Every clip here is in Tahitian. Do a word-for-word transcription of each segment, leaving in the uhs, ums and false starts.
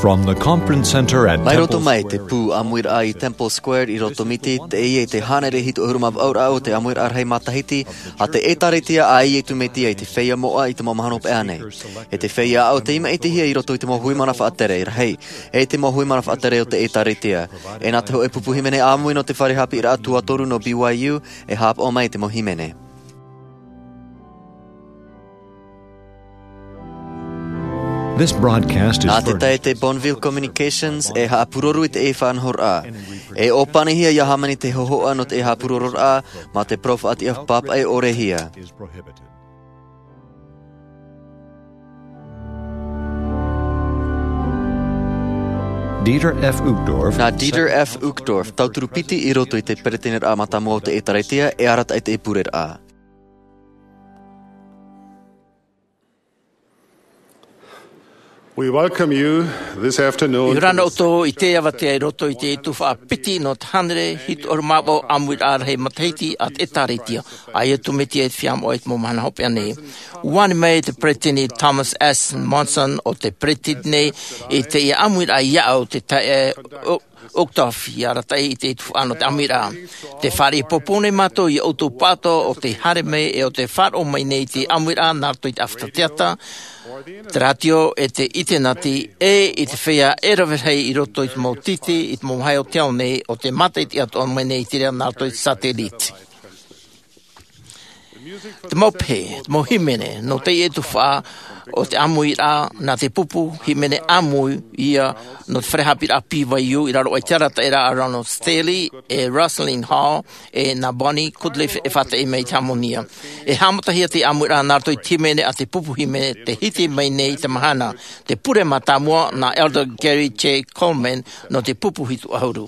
From the Conference Center at Mai roto Temple mai Square te pū ʻāmuiraʻa i Temple Square i Rotomiti, teie te hānere hitu ʻahuru mā vaʻu raʻa o te ʻāmuiraʻa rahi matahiti a te ʻĒtārētia a Iesu Mesia i te feiā moʻa i te mau mahana hopeʻa nei. E te feiā aʻo tei maʻitihia i roto i te mau hui mana faʻatere rahi, e te mau hui mana faʻatere o te ʻĒtārētia. E nā te hōʻē pupu hīmene ʻāmui nō te fare haʻapiʻiraʻa tuatoru nō B Y U, e haʻapaʻo mai te mau hīmene. This broadcast is Nā te tae te Bonneville Communications e haʻapuroro i te faʻanahoraʻa. E ʻōpanihia ia hāmani te hōhoʻa nō te haʻapurororaʻa mā te parau faʻatiʻa pāpaʻi ʻore hia. Dieter F. Uchtdorf. Nā Dieter F. Uchtdorf, tauturu piti i roto i te peretiteniraʻa mātāmua o te ʻĒtārētia, e arataʻi te pureraʻa. We welcome you this afternoon. ʻIa ora na ʻoutou i te avatea i roto i te tuhaʻa piti nō te hānere hitu ʻahuru mā vaʻu ʻāmuiraʻa rahi matahiti a te ʻĒtārētia a Iesu Mesia i te feiā moʻa i te mau mahana hopeʻa nei. ʻUa ani mai te peretiteni Thomas S. Monson o te peretiteni i teie ʻāmuiraʻa i aʻo te taeaʻe Uchtdorf, ʻia arataʻi i te tuhaʻa nō te ʻāmuiraʻa. Tē fāriʻi pōpō nei mātou ia ʻoutou pāʻatoʻa o tē haere mai e o tē faʻaroʻo mai nei i te ʻāmuiraʻa nā roto i te ʻāfata teata, te rātio e te ʻinitēneti, e i te feiā e rave rahi i roto i te mau tītī, i te mau vāhi o te ao nei, o tē mātaʻitaʻi atoʻa mai nei i te reira nā roto i te satellite. Te mau pehe, te mau hīmene, nō teie tuhaʻa o te ʻāmuiraʻa, nā te pupu hīmene ʻāmui ïa nō te fare haʻapiʻiraʻa B Y U i raro aʻe i te arataʻiraʻa a Ronald Staley e Rosalind Hall, e nā Bonnie Goodliffe e faʻataʻi mai i te hāmoni. E haʻamatahia te ʻāmuiraʻa nā roto i te hīmene a te pupu hīmene tē hiti mai nei i te mahana, te pure mātāmua nā Elder Gary J. Coleman nō te pupu hitu ʻahuru.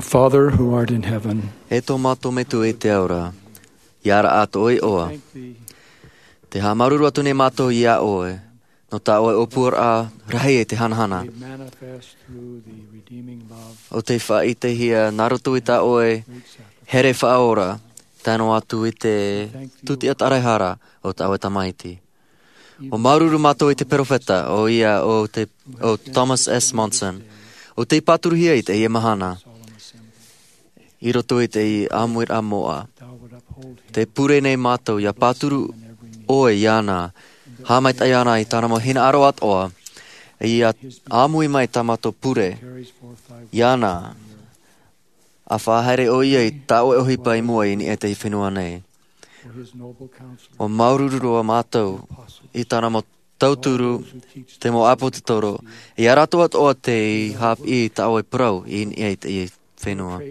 Father who art in heaven, E tō mātou Metua i te ao ra, ia rahi atu ʻoe iʻoa. Te haʻamāuruuru atu nei mātou iā ʻoe, nō tā ʻoe ʻōpuaraʻa rahi e te hanahana. Made manifest through the redeeming love ʻO tei faʻaʻitehia nā roto i tā ʻoe here faʻaora, tae noa atu i te tūtiʻa tāraehara o tā ʻoe Tamaiti. ʻUa māuruuru mātou i te peropheta, ʻoia ʻo te, ʻo Thomas S. Monson, ʻo tei pāturuhia i teie mahana, i roto i te ʻāmuiraʻa moʻa. Tē pure nei mātou, ia pāturu ʻoe iāna, haʻamaitaʻi iāna i tāna mau hinaʻaro atoʻa, ia ʻāmui mai tā mātou pure iāna, ʻa faʻahaere ʻoia i tā ʻoe ʻohipa i mua i niʻa i te fenua nei. ʻUa māuruuru roa mātou i tāna mau tauturu, te mau ʻāpōsetolo, ia rātou atoʻa tei haʻapiʻi i tā ʻoe parau i niʻa i teie fenua.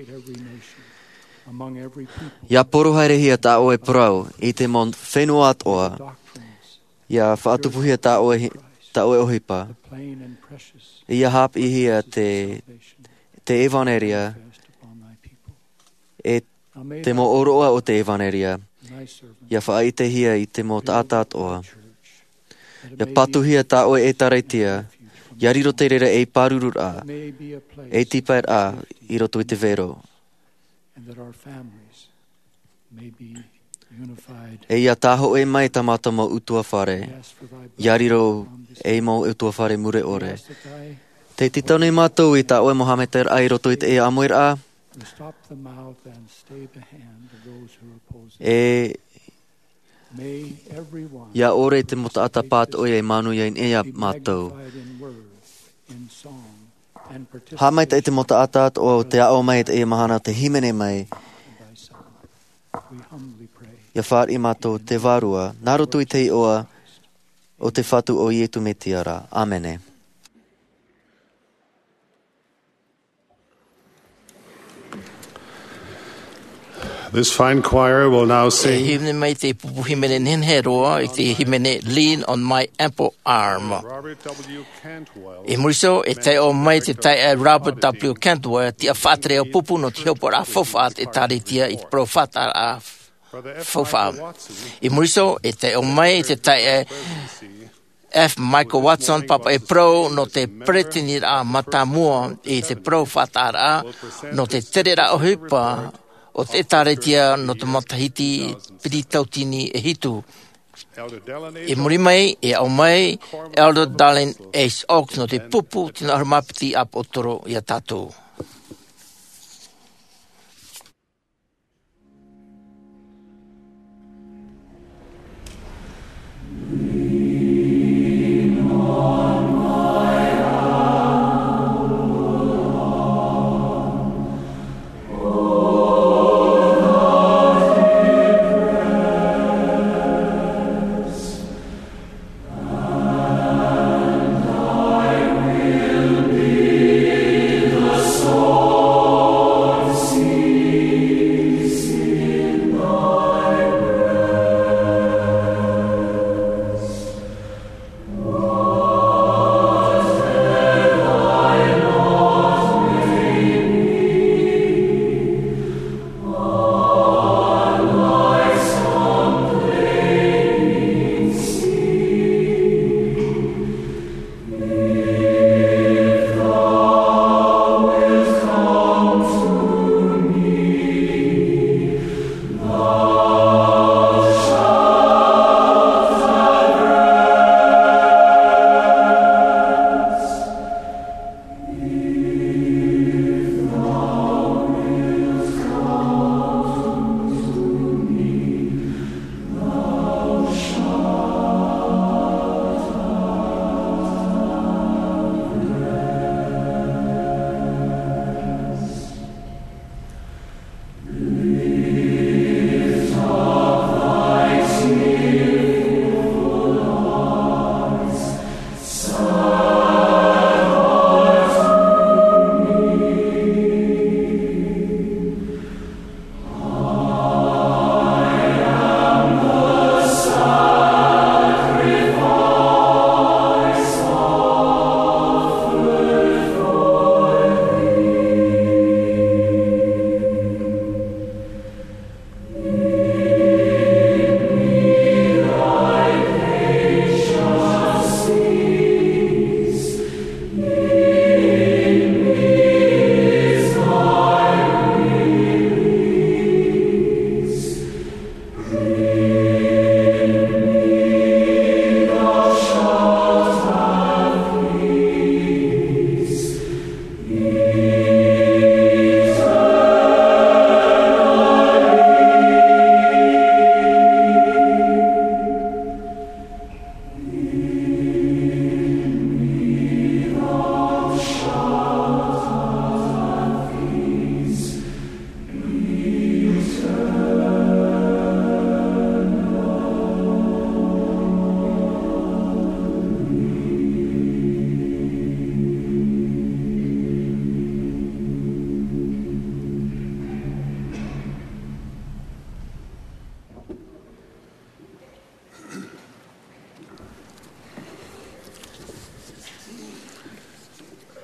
Ia poro haerehia tā ʻoe parau i te mau fenua atoʻa, ia faʻatupuhia tā ʻoe hi-, tā ʻoe ʻohipa. Ia haʻapiʻihia te, te ʻevanelia, e te mau ʻōroʻa o te ʻevanelia, ia faʻaʻitehia i te mau taʻata atoʻa. Ia patuhia tā ʻoe ʻētāretia, ia riro te reira ei pārururaʻa, ei tīpaeraʻa i roto i te vero. And that our families may be unified. E ia tāhōʻē mai tā mātou mau ʻutuāfare, ia riro ei mau ʻutuāfare mure ʻore. Tē tītau nei mātou i tā ʻoe mau haʻamaitaʻiraʻa i roto i teie ʻāmuiraʻa. To stop the mouth and stay the hand of those who oppose it. E May everyone ia ʻore te mau taʻata pātoʻi e manuia i niʻa iā mātou. Be magnified in word, in song, and participation. Haʻamaitaʻi te mau taʻata atoʻa o te aʻo mai i teie mahana, te hīmene mai. And thyself. We humbly pray. Ia fāriʻi mātou te Vārua, nā roto i te iʻoa o te Fatu ʻo Iesu Mesia ra. ʻĀmene. This fine choir will now E sing. Hīmene mai te pupu hīmene nehenehe roa, i te hīmene Lean on My Ample Arm. Robert W. Cantwell. I muri iho, e taiʻo mai te taeaʻe Robert W. Cantwell, tiʻa faʻatere ʻāpupu nō te hopoiʻa faufaʻa a te ʻĒtārētia i te parau faʻataʻa faufaʻa. I muri iho, e taiʻo mai te taeaʻe F. Michael Watson, pāpaʻi parau nō te peresideniraʻa mātāmua i te parau faʻataʻa nō te tereraʻa ʻohipa o te ʻĒtārētia nō te matahiti piti tauatini e hitu. I muri mai, e aʻo mai Elder Dallin H. Oaks nō te pupu tino ʻahuru mā piti ʻāpōsetolo iā tātou.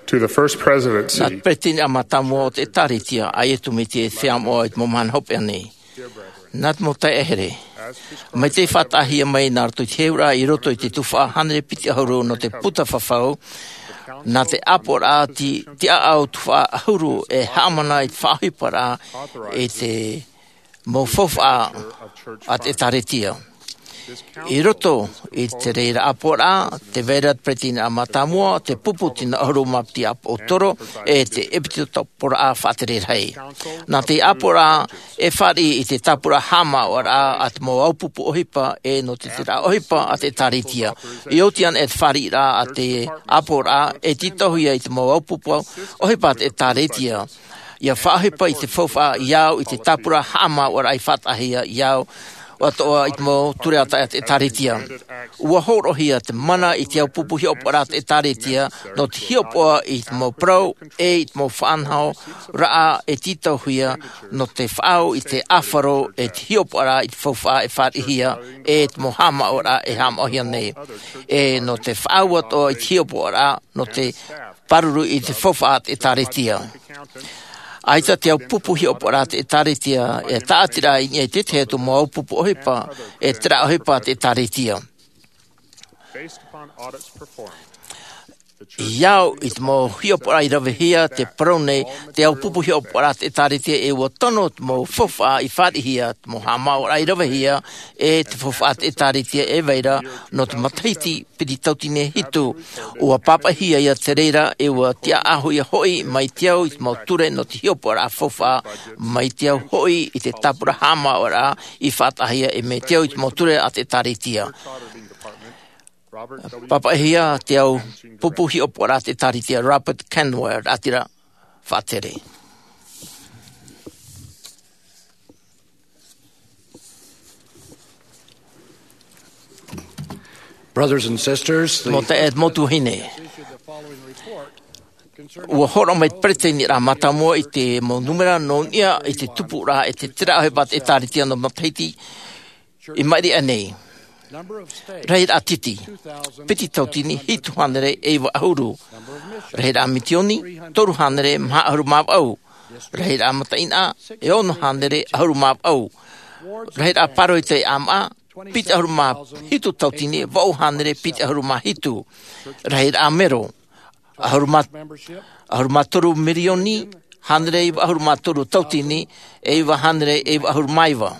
To the First Presidency. Nā te Peretiteni mātāmua o te ʻĒtārētia, ʻa Iesu Mesia e feiā moʻa i te mau mahana hopeʻa nei. Nā te mau taeaʻe here. Mai te faʻataʻahia mai nā roto i te heheuraʻa i roto i te tuhaʻa hānere piti ʻahuru nō te puta fafau, nā te ʻāpoʻoraʻa ti-, tiʻaʻau tuhaʻa ʻahuru e haʻamana i te faʻaʻohiparaʻa i te mau faufaʻa a te ʻĒtārētia. I roto i te reira ʻāpoʻoraʻa, tē vai ra te Peretiteni mātāmua, te pupu tino ʻahuru mā piti ʻāpōsetolo, e te ʻepisekoporaʻa faʻatere rahi. Nā te ʻāpoʻoraʻa e fāriʻi i te tāpura haʻamāuʻaraʻa a te mau ʻāupupu ʻohipa, e nō te terā ʻohipa a te ʻĒtārētia. I oti ana e te fāriʻiraʻa a te ʻāpoʻoraʻa, e tītauhia i te mau ʻāupupu ʻohipa a te ʻĒtārētia. ʻIa faʻaʻohipa i te faufaʻa i au i te tāpura haʻamāuʻaraʻa i faʻataʻahia i au, ʻo atoʻa i te mau ture ʻātaʻe a te ʻĒtārētia. ʻUa hōroʻahia te mana i te ʻāupupu hiʻopoʻaraʻa a te ʻĒtārētia, nō te hiʻopoʻa i te mau parau, e i te mau faʻanahoraʻa e tītauhia, nō te faʻaau i te ʻāfaro, e te hiʻopoʻaraʻa i te faufaʻa e fāriʻihia, e te mau haʻamāuʻaraʻa e haʻamāuʻahia nei. E nō te faʻaau atoʻa i te hiʻopoʻaraʻa, nō te pāruru i te faufaʻa a te ʻĒtārētia. ʻAita te ʻāupupu hiʻopoʻaraʻa a te ʻĒtārētia, e tāʻatiraʻa i niʻa i te tahi atu mau ʻāupupu ʻohipa, e terā ʻohipa a te ʻĒtārētia. I au i te mau hiʻopoʻaraʻa i ravehia te parau nei, te ʻāupupu hiʻopoʻaraʻa a te ʻĒtārētia e ʻua tono te mau faufaʻa i fāriʻihia, te mau haʻamāuʻaraʻa i ravehia, e te faufaʻa a te ʻĒtārētia e vai ra, nō te matahiti piti tauatini e hitu. ʻUa pāpaʻihia ia te reira, e ʻua tiʻaʻauhia hoʻi mai te au i te mau ture nō te hiʻopoʻaraʻa faufaʻa, mai te au hoʻi i te tāpura haʻamāuʻaraʻa i faʻataʻahia, e mai te au i te mau ture a te ʻĒtārētia. Pāpaʻihia te ʻāupupu hiʻopoʻaraʻa a te ʻĒtārētia, Robert Cantwell, ʻātira faʻatere. Brothers and sisters, the Mau taeaʻe, mau tuahine. ʻUa hōroʻa mai te Peretiteniraʻa mātāmua i te mau nūmera nō niʻa i te tupuraʻa e te terā ʻohipa a te ʻĒtārētia nō matahiti i maʻiri aʻe nei. Rahiraʻa tītī, piti tauatini hitu hānere e iva ʻahuru. Rahiraʻa mitioni, toru hānere maha ʻahuru mā vaʻu. Rahiraʻa mataʻeinaʻa, e ono hānere ʻahuru mā vaʻu. Rahiraʻa pāroita e ʻāmaʻa, piti ʻahuru mā hitu tauatini, vaʻu hānere piti ʻahuru mā hitu. Rahiraʻa mero, ʻahuru mā, ʻahuru mā toru mirioni, hānere iva ʻahuru mā toru tauatini, e iva hānere e iva ʻahuru mā iva.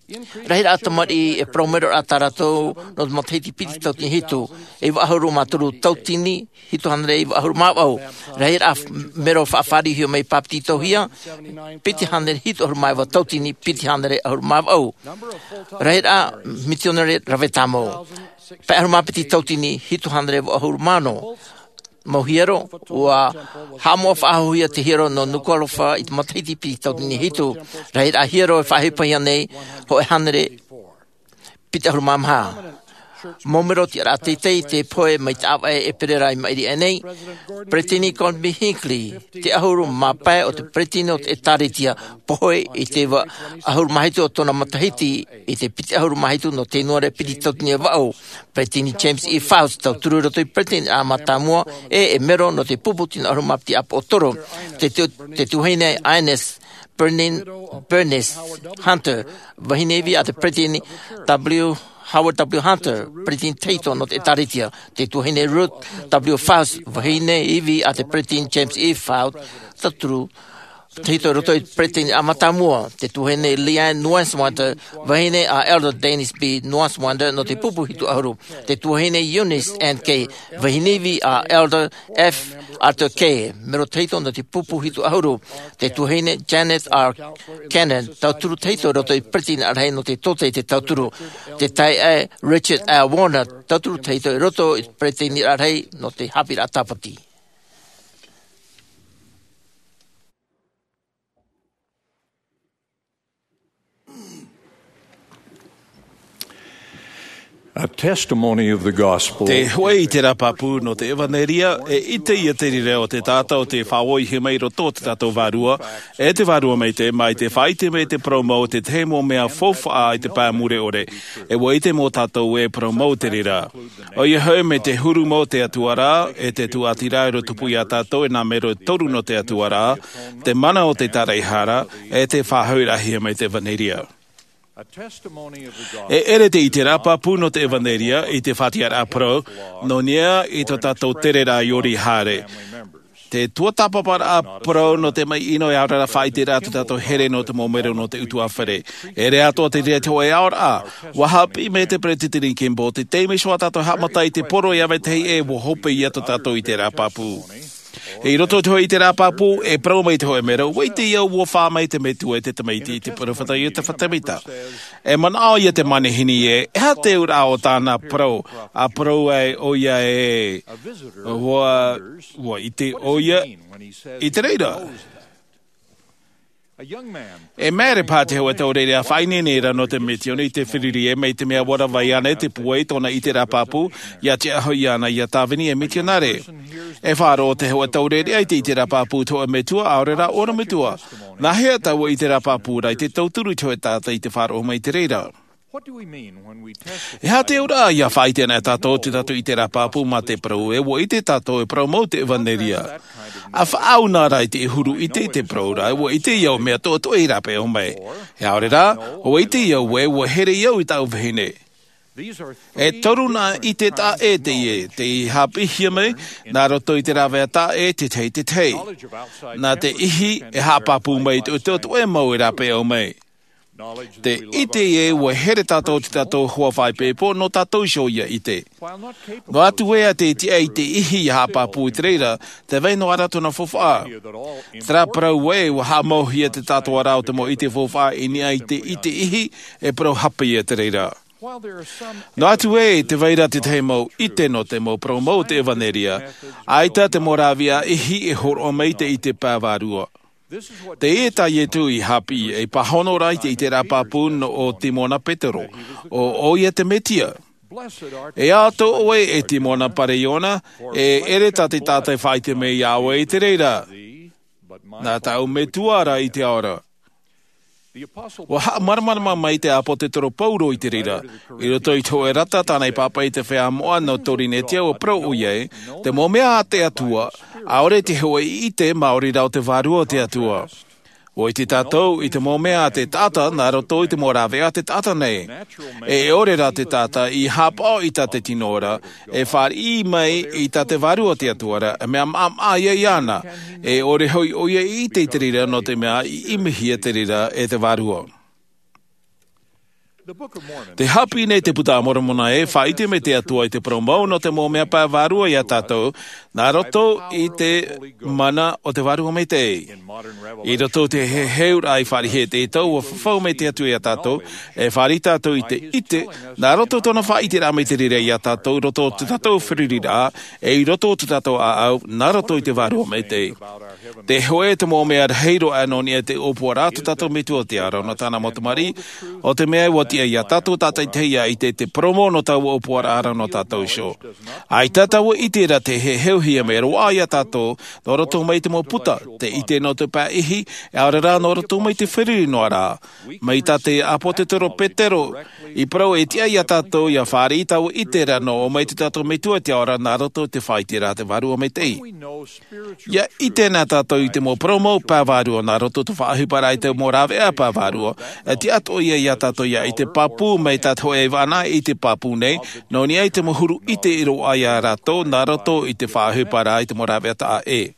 Rahiraʻa tamariʻi e parau mero ra tā rātou nō te matahiti piti tauatini hitu, e iva ʻahuru mā toru tauatini, hitu hānere iva ʻahuru mā vaʻu. Rahiraʻa mero faʻafāriuhia mai pāpetitohia, piti hānere hitu ʻahuru mā iva tauatini, piti hānere ʻahuru mā vaʻu. Rahiraʻa mitionare rave tāmau, pae ʻahuru mā piti tauatini, hitu hānere vaʻu ʻahuru mā ono. Mau hiero, ʻua haʻamoʻa faʻahouhia te hiero nō Nukuʻalofa i te matahiti piti tauatini hitu. Rahiraʻa hiero e faʻaʻohipahia nei, hōʻē hānere piti ʻahuru mā maha. Mau mero tiʻaraʻa teitei te pohe mai te ʻāvaʻe ʻēperēra i maʻiri aʻe nei. Peretiteni Gordon B. Hinckley, te ʻahuru mā pae o te Peretiteni o te ʻĒtārētia, pohe i te iva ʻahuru mā hitu o tōna matahiti i te piti ʻahuru mā hitu nō Tenuare piti tauatini e vaʻu. Peretiteni James E. Faust, tauturu i roto i te Peretiteniraʻa mātāmua, e, e mero nō te pupu tino ʻahuru mā piti ʻāpōsetolo. Te tu-, te tuahine Ines Berlin, Bernice Hunter, vahine ivi a te Peretiteni W. Howard W. Hunter, Peretiteni tahito nō te ʻĒtārētia. Te tuahine Ruth W. Faust, vahine ivi a te Peretiteni James E. Faust, tauturu tahito i roto i te Peretiteniraʻa mātāmua. Te tuahine Leanne Nussbaum, vahine a Elder Dennis B. Nussbaum nō te pupu hitu ʻahuru. Te tuahine Eunice N. Kay, vahine ivi a Elder F. Arthur Kay, mero tahito nō te pupu hitu ʻahuru. Te tuahine Janet R. Cannon, tauturu tahito i roto i te Peretiteniraʻa Rahi nō te tōtaiete tauturu. Te taeaʻe Richard L. Warner, tauturu tahito i roto i te Peretiteniraʻa Rahi nō te haʻapiʻiraʻa tāpati. A testimony of the gospel. Te hoʻi i te rā pāpū nō te evanelia, e ʻite ia te reira o te taʻata o te faʻaʻohipahia mai i roto o te tātou vārua, e te Vārua Maitaʻi, mai te faʻaʻite mai te parau mau o te tahi mau mea faufaʻa i te pae mure ʻore, e ʻua ʻite mau tātou e parau mau te reira. ʻOia hoʻi mai te huru mau o te Atua ra, e te tūʻatiraʻa i rotopū ia tātou e nā mero e toru nō te Atua ra, te mana o te tāraʻehara, e te faʻahoʻiraʻahia mai te evanelia. E ʻere te ʻite rā pāpū nō te evanelia i te faʻatiʻaraʻa parau, nō niʻa i tō tātou tere rā i ʻori haere. Te tuatāpaparaʻa parau nō te maʻi ʻino e ʻaore rā faʻaʻiteraʻa tō tātou here nō te mau mero nō te ʻutuāfare. E ʻere atoʻa te reira te hōʻē aʻoraʻa, ʻua haʻapiʻi mai te Peretiteni Kimball, te taime iho ā tātou e haʻamata i te poro e ʻave tahi ē ʻua hope ia tō tātou ʻite rā pāpū. I roto i te hōʻē ʻite rā pāpū, e parau mai te hōʻē mero, ʻua ʻite au ʻua fā mai te Metua i te tamaiti, i te peropheta Iotefa Semita. E manaʻo ia te manihini ē, e aha te auraʻa o tāna parau, ʻa parau ai ʻoia ē, ʻua, ʻua ʻite ʻoia i te reira. E mea rā paha te hōʻē taureʻareʻa faʻaineine ra nō te misiōni i te fāriʻi ē, mai te mea ʻua rave iāna te pūai i tōna ʻite rā pāpū, ʻia tiʻa hoʻi iāna ʻia tāvini ei misionare. E faʻaroʻo te hōʻē taureʻareʻa i te ʻite rā pāpū i te hōʻē metua, ʻaore rā ʻōna metua. Nāhea taua ʻite rā pāpū ra i te tauturu i te hōʻē taʻata i te faʻaroʻo mai i te reira? E aha te auraʻa ʻia faʻaʻite ana e tātou tō tātou ʻite rā pāpū mā te parau ē, ʻua ʻite tātou e parau mau te evanelia. ʻA faʻaau na ra i te huru ʻite i te parau ra, ʻua ʻite ia ʻo mea toʻetoʻe rāpae mai. E ʻaore rā, ʻua ʻite ia ē, ʻua here au i tāʻu vahine. E toru nā ʻite taʻa ʻē teie, tei haʻapiʻihia mai, nā roto i te rāveʻa taʻa ʻē, te tahi, te tahi. Nā te ihi, e haʻapāpū mai i te toʻetoʻe mau e rāpae mai. Te ʻite ē ʻua here tātou tō tātou hoa faʻaipoipo, nō tātou iho ʻia ʻite. Noa atu ē ʻa te tiʻa i te ihi ʻia haʻapāpū i te reira, tē vai noa ra tōna faufaʻa. Terā parau ē, ʻua haʻamauhia te tātou ra o te mau ʻite faufaʻa i niʻa i te, i te ihi, e parau hape ia te reira. Noa atu ē, tē vai ra te tahi mau ʻite nō te mau parau mau o te evanelia, ʻaita te mau rāveʻa ihi e hōroʻa mai te ʻite pae vārua. Teie tā Ietu i haʻapiʻi, ei pāhono ra i te ʻite rā pāpū nō ʻo Timona Petero, ʻo ʻoia te Mesia. E ʻato ʻoe e Timona Pariona, e ʻere tā te taʻata e faʻaʻite mai iā ʻoe i te reira. Nā tāʻu Metua ra i te ao ra. ʻUa haʻamāramarama mai te ʻāpōsetolo Paulo i te reira, i roto i te hōʻē rata tāna i pāpaʻi i te feiā moʻa nō Korinetia, ʻua parau ʻoia ē, te mau mea a te Atua, ʻaore te hōʻē ʻite maori rā o te vārua o te Atua. ʻUa ʻite tātou i te mau mea a te taʻata, nā roto i te mau rāveʻa a te taʻata nei. E ʻore rā te taʻata i haʻapaʻo i tā te tino ra, e fāriʻi mai i tā te vārua o te Atua ra, e mea maʻamaʻa ia iāna, e ʻore hoʻi ʻoia i ʻite i te reira nō te mea i ʻimihia te reira e te vārua. Tē haʻapiʻi nei te Buka a Moromona ē, faʻaʻite mai te Atua i te parau mau nō te mau mea pae vārua iā tātou, nā roto i te mana o te Vārua Maitaʻi. I roto i te heheuraʻa i fāriʻi e te tau, ʻua fafau mai te Atua iā tātou, e fāriʻi tātou i te ʻite, nā roto i tōna faʻaʻiteraʻa mai te reira iā tātou, i roto i tō tātou fāriʻiraʻa, e i roto i tō tātou ʻāʻau, nā roto i te Vārua Maitaʻi. Te hōʻē te mau mea rahi roa nō niʻa i te ʻōpuaraʻa a tō tātou Metua o te ao ra nō tāna mau tamariʻi, ʻo te mea ʻua tiʻa iā tātou tātaʻitahi ʻia ʻite i te parau mau nō taua ʻōpuaraʻa ra nō tātou iho. ʻAita taua ʻite ra tei heheuhia mai roa iā tātou, nō roto mai te mau puta, te ʻite nō te pae ihi, e ʻaore rā nō roto mai te fāriʻi noa ra. Mai tā te ʻāpōsetolo Petero i parau e tiʻa iā tātou ʻia fāriʻi taua ʻite ra nō ʻō mai tō tātou Metua i te ao ra nā roto i te faʻaʻiteraʻa a te Vārua Maitaʻi. ʻIa ʻite na tātou i te mau parau mau pae vārua nā roto i te faʻaʻohiparaʻa i te mau rāveʻa pae vārua, e tiʻa atoʻa ia iā tātou ʻia ʻite pāpū mai tā te hōʻē vānaʻa i ʻite pāpū nei, nō niʻa i te mau huru ʻite i roaʻa iā rātou nā roto i te faʻaʻohiparaʻa i te mau rāveʻa taʻa ʻē.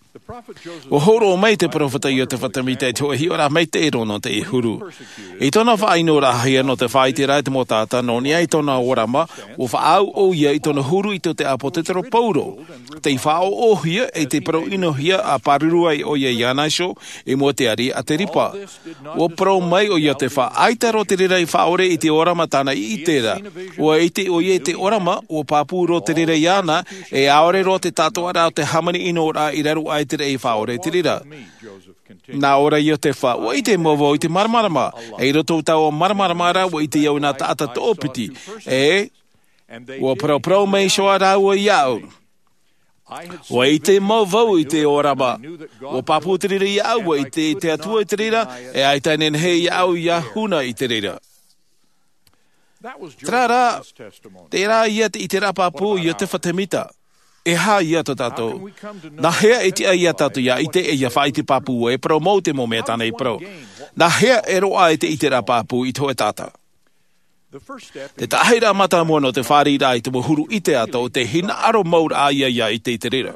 ʻUa hōroʻa mai te peropheta Iotefa Semita i te hōʻē hiʻoraʻa maitaʻi roa nō teie huru. I tōna faʻaʻinoraʻahia nō te faʻaʻiteraʻa i te mau taʻata nō niʻa i tōna ʻōrama, ʻua faʻaau ʻoia i tōna huru i tō te ʻāpōsetolo Paulo. Tei faʻaʻoʻohia e tei parau ʻinohia ʻa pāruru ai ʻoia iāna iho i mua i te ariʻi a Firipa. ʻUa parau mai ʻo Iotefa, ʻaita roa te reira i faʻaʻore i te ʻōrama tāna i ʻite ra. ʻUa ʻite ʻoia i te ʻōrama, ʻua pāpū roa te reira iāna, e ʻaore roa te taʻatoʻaraʻa o te hāmani ʻinoraʻa i raro aʻe i te reira i faʻaʻore i te reira. Nā ʻō ra Iotefa, ʻua ʻite mau vau i te māramarama, e i roto i taua māramarama ra, ʻua ʻite au i nā taʻata toʻopiti, e Ua parauparau mai iho rāua iāʻu. Ua ʻite mau vau i te ʻōrama. Ua pāpū te reira iāʻu, ua ʻite te Atua i te reira, e ʻaita e nehenehe iāʻu ia huna i te reira. Terā rā, terā ia te ʻiteraʻa pāpū a Iotefa Temita. E aha ia tō tātou? Nā hea e tiʻa ia tātou ia ʻite e ia faʻaʻite pāpū e parau mau te mau mea tāna i parau? Nā hea e roaʻa ai te ʻiteraʻa pāpū i te hōʻē taʻata? Te taʻahiraʻa mātāmua nō te fāriʻiraʻa i te mau huru ʻite atoʻa, te hinaʻaro mau raʻa ia ia ʻite i te reira.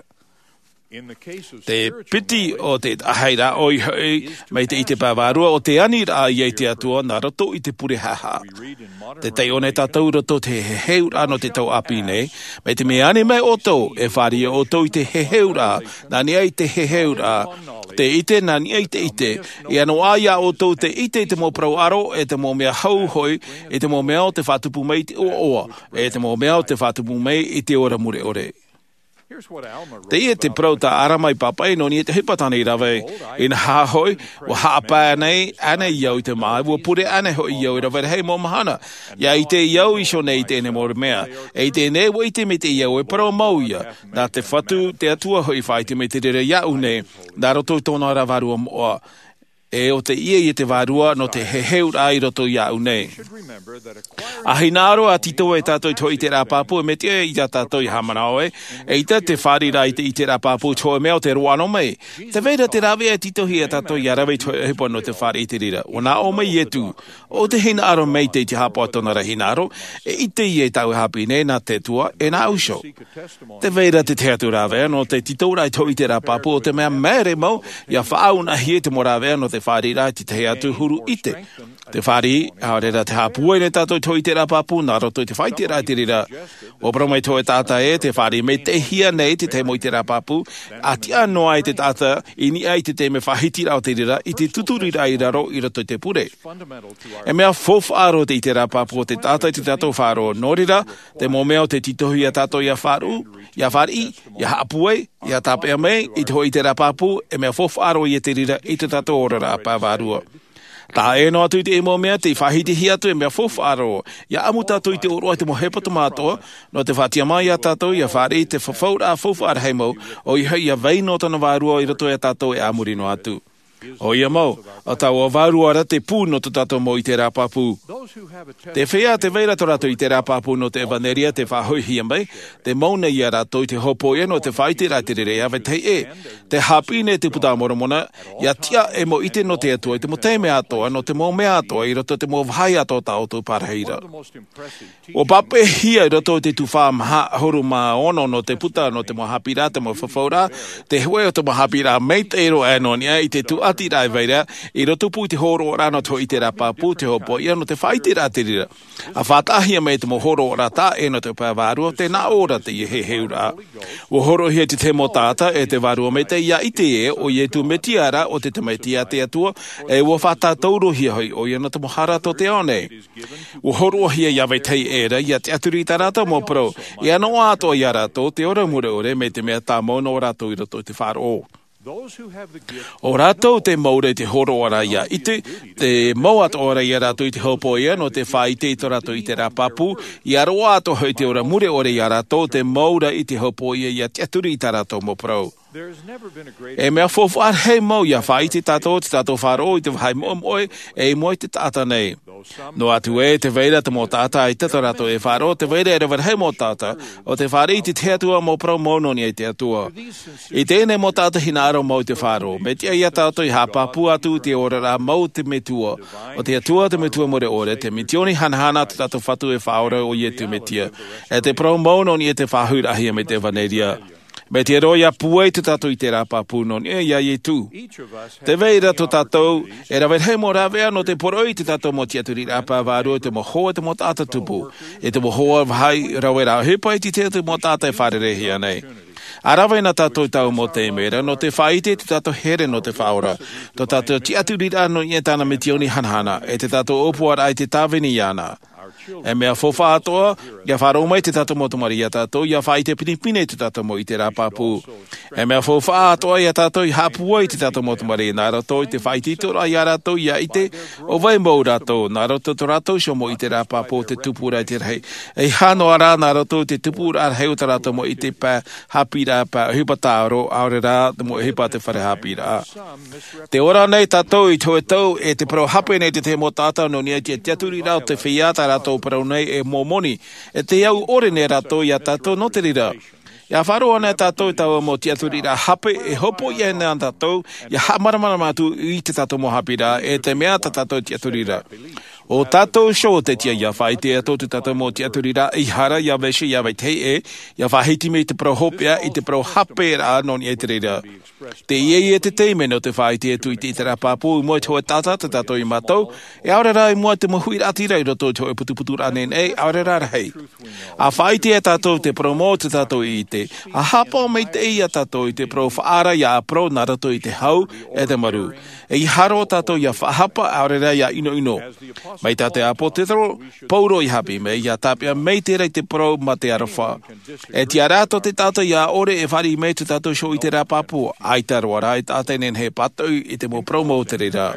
Te piti o te taʻahiraʻa ʻoia hoʻi mai te ʻite pae vārua, ʻo te aniraʻa ia i te Atua nā roto i te pure haʻahaʻa. Tē taiʻo nei tātou i roto i te heheuraʻa nō te tau ʻāpī nei, mai te mea e ani mai ʻoutou, e fāriʻi ʻoutou i te heheuraʻa, nā niʻa i te heheuraʻa, te ʻite nā niʻa i te ʻite, ia noaʻa ia ʻoutou te ʻite i te mau parau ʻaro, e te mau mea hau hoʻi, e te mau mea o te faʻatupu mai i te ʻoaʻoa, e te mau mea o te faʻatupu mai i te ora mure ʻore. Teie te parau tā Alama i pāpaʻi nō niʻa i te ʻohipa tāna i rave. Inaha hoʻi, ua haʻapae nei ānei au i te māʻa, ua pure ānei hoʻi au i rave rahi mau mahana. ʻIa ʻite au iho nei i teie nei mau mea. E i teie nei ua ʻite maitaʻi au e parau mau ia. Nā te Fatu, te Atua hoʻi faʻaʻite mai te reira iāʻu nei, nā roto i tōna ra vārua moʻa. E ʻo teie ia te vārua nō te heheuraʻa i roto iāʻu nei. ʻA hinaʻaro ā tītau e tātou i te hōʻē ʻiteraʻa pāpū, e mea tiʻa ia tātou ia haʻamanaʻo ē, eʻita te fāriʻiraʻa i te ʻiteraʻa pāpū i te hōʻē mea o te roaʻa noa mai. Tē vai ra te rāveʻa e tītauhia ia tātou ia rave i te hōʻē ʻohipa nō te fāriʻi i te reira. Ua nā ʻō mai Ietu, ʻo te hinaʻaro maitaʻi te haʻapaʻo i tōna ra hinaʻaro, e ʻite ia i tāʻu e haʻapiʻi nei nā te Atua, e nāʻu iho. Tē vai ra te tahi atu rāveʻa nō te tītauraʻa i te hōʻē ʻiteraʻa pāpū, ʻo te mea māere mau, ia faʻaʻunaʻahia te mau rāveʻa nō te fāriʻiraʻa i te tahi atu huru ʻite. Te fāriʻi, ʻaore rā te haʻapūai nei tātou i te hōʻē ʻiteraʻa pāpū, nā roto i te faʻaʻiteraʻa i te reira. Ua parau mai te hōʻē taʻata ē, tē fāriʻi maitaʻihia nei te tahi mau ʻiteraʻa pāpū, ʻa tiʻa noa ai te taʻata, i niʻa i te taime faʻahitiraʻa o te reira, i te tuturiraʻa i raro i roto i te pure. E mea faufaʻa roa te ʻiteraʻa pāpū o te taʻata i tō tātou faʻaroʻo. Nō reira, te mau mea o tē tītauhia tātou ia faʻaroʻo, ia fāriʻi, ia haʻapūai, ia tāpeʻa mai, i te hōʻē ʻiteraʻa pāpū, e mea faufaʻa roa ia te reira i tō tātou oraraʻa pae vārua. Taʻa ʻē noa atu i te mau mea tei faʻahitihia atu, e mea faufaʻa roa, ia ʻamu tātou i te ʻōroʻa i te mau hepetoma atoʻa, nō te faʻatiʻa mai ia tātou, ia fāriʻi te fafauraʻa faufaʻa rahi mau, ʻoia hoʻi ia vai noa tōna vārua i roto ia tātou e a muri noa atu. ʻOia mau, ʻo taua vārua ra te pū nō tō tātou mau ʻiteraʻa pāpū. Te feiā tē vai ra tō rātou ʻiteraʻa pāpū nō te ʻevanelia tei faʻahoʻihia mai, tē mau nei ia rātou i te hopoiʻa nō te faʻaʻiteraʻa i te reira, ʻia vetahi ʻē, tē haʻapiʻi nei te Puta a Moromona, ia tiʻa e mau ʻite nō te Atua i te mau taime atoʻa, nō te mau mea atoʻa, i roto i te mau vāhi atoʻa o tā ʻoutou parahiraʻa. Ua pāpaʻihia i roto i te tuhaʻa maha ʻahuru mā ono nō te puta, nō te mau haʻapiʻiraʻa, te mau fafauraʻa, te hōʻē o te mau haʻapiʻiraʻa maitaʻi roa aʻe nō niʻa i te tūʻatiraʻa e vai ra, i roto pū i te hōroʻaraʻa nō te hōʻē ʻiteraʻa pāpū, te hopoiʻa nō te faʻaʻiteraʻa i te reira. ʻA faʻataʻahia mai te mau hōroʻaraʻa taʻa ʻē nō te pae vārua, tē nā ʻō ra teie heheuraʻa. Ua hōroʻahia te tahi mau taʻata, e te vārua maitaʻi ia ʻite ē, ʻo Ietu Metia ra, ʻo te Tamaiti a te Atua, e ua faʻatātaurohia hoʻi ʻoia nō te mau hara tō te ao nei. Ua hōroʻahia ia vetahi ʻē ra, ia tiʻaturi i tā rātou mau parau, ia noaʻa atoʻa ia rātou te ora mure ʻore, mai te mea tāmau noa rātou i roto i te faʻaroʻo. ʻO rātou tē mau ra i te hōroʻaraʻa ia ʻite, tē mau atoʻa ra ia rātou i te hopoiʻa nō te faʻaʻite i tō rātou ʻiteraʻa pāpū, ia roaʻa atoʻa hoʻi te ora mure ʻore ia rātou, tē mau ra i te hopoiʻa ia tiʻaturi i tā rātou mau parau. E mea faufaʻa rahi mau ia faʻaʻite tātou, tō tātou faʻaroʻo i te vāhi moʻemoʻe, e i mua i te taʻata nei. Noa atu ē, tē vai ra te mau taʻata ʻaita tā rātou e faʻaroʻo, tē vai ra e rave rahi mau taʻata, ʻo tē fāriʻi i te tahi atu ā mau parau mau nō niʻa i te Atua. I teie nei mau taʻata hinaʻaro mau i te faʻaroʻo, mea tiʻa ia tātou ia haʻapāpū atu i te oraraʻa mau o te Metua, ʻo te Atua te Metua mure ʻore, te mitioni hanahana tō tātou Fatu e Faʻaora ʻo Ietu Metia. E te parau mau nō niʻa i te faʻahoʻiraʻahia mai te ʻevanelia. Mea tiʻa roa ia pūai tō tātou ʻiteraʻa pāpū nō niʻa ia Ietu. Tē vai ra tō tātou e rave rahi mau rāveʻa nō te poroʻi i tō tātou mau tiʻaturiraʻa pae vārua i te mau hoa, te mau taʻata tupu, i te mau hoa vāhi rave ra ʻohipa i te tahi atu mau taʻata e fārereihia nei. ʻA rave na tātou i taua mau taime ra nō te faʻaʻite i tō tātou here nō te Faʻaora, tō tātou tiʻaturiraʻa nō niʻa i tāna mitioni hanahana, e tō tātou ʻōpuaraʻa i te tāvini iāna. E mea faufaʻa atoʻa, ia faʻaroʻo mai te tātou mau tamariʻi iā tātou, ia faʻaʻite pinepine te tātou mau ʻiteraʻa pāpū. E mea faufaʻa atoʻa iā tātou ia haʻapūai te tātou mau tamariʻi nā roto i te faʻaitoitoraʻa iā rātou ia ʻite ʻo vai mau rātou nā roto i tō rātou iho mau ʻiteraʻa pāpū o te tupuraʻa i te rahi. E hānoa rā nā roto i te tupuraʻa rahi o tā rātou mau ʻite pae haʻapiʻiraʻa, pae ʻohipa tāʻaro, ʻaore rā te mau ʻohipa te fare haʻapiʻiraʻa. Te ora nei tātou i te hōʻē tau e te parau hape nei te tahi mau taʻata nō niʻa i te tiʻaturiraʻa o te feiā tā rātou parau nei e mau moni. E te au ʻore nei rātou iā tātou nō te reira. Ia faʻaroʻo ana tātou i taua mau tiʻaturiraʻa hape e hopoiʻa ana tātou ia haʻamāramarama atu i te tātou mau haʻapiʻiraʻa e te mea tā tātou tiʻaturiraʻa. ʻO tātou iho te tiʻa ia faʻaʻite atu te tātou mau tiʻaturiraʻa i hara ia vese ia vetahi ʻē, ia faʻahiti mai te parau hopeʻa i te parau haperaʻa nō niʻa i te reira. Te ia ia te taime nō te faʻaʻite atu i te ʻiteraʻa pāpū i mua i te hōʻē taʻata tā tātou i mātau, e ʻaore rā i mua i te mau huiraʻatira i roto i te hōʻē putuputuraʻa nei nei, ʻaore rā rahi. A faʻaʻite iā tātou te parau mau o tā tātou i ʻite, a haʻapaʻo maitaʻi iā tātou i te parau faʻaara ia ʻāparau nā roto i te hau e te maru. E ia haere tātou ia faʻahapa ʻaore rā ia ʻinoʻino. Mai tā te ʻāpōsetolo Paulo i haʻapiʻi mai, ia tāpeʻa mai te reira i te parau mā te aroha. E tiʻa rā tō te taʻata ia ʻore e fāriʻi mai tō tātou iho ʻiteraʻa pāpū, ʻaita roa rā e taʻata e nehenehe e pātoʻi i te mau parau mau o te reira.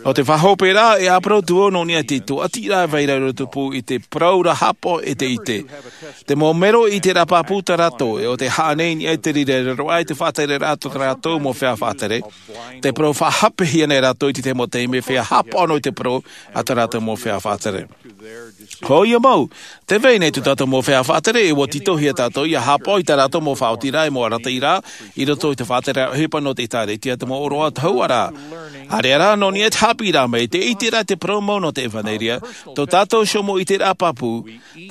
Nō te faʻahopeʻa, e ʻāparau atu vau nō niʻa i te tūʻatiraʻa e vai ra i rotopū i te parau ra haʻapaʻo e te ʻite. Te mau mero ʻiteraʻa pāpū tā rātou, e ʻo tē haʻa nei i niʻa i te reira e riro ai te faʻatereraʻa tō tā rātou mau feiā faʻatere. Te parau faʻahapehia nei rātou i te tahi mau taime feiā haʻapaʻo noa i te parau a tā rātou mau feiā faʻatere. Hōʻē mau, tē vai nei tō tātou mau feiā faʻatere e ʻua tītauhia tātou ia haʻapaʻo i tā rātou mau faʻaotiraʻa e mau arataʻiraʻa i roto i te faʻatereraʻa ʻohipa nō te ʻĒkālesia, te mau ʻōroʻa tahuʻa ra. ʻĀreʻa rā nō niʻa i te haʻapiʻiraʻa mai, te ʻiteraʻa i te parau mau nō te ʻevanelia, tō tātou iho mau ʻiteraʻa pāpū,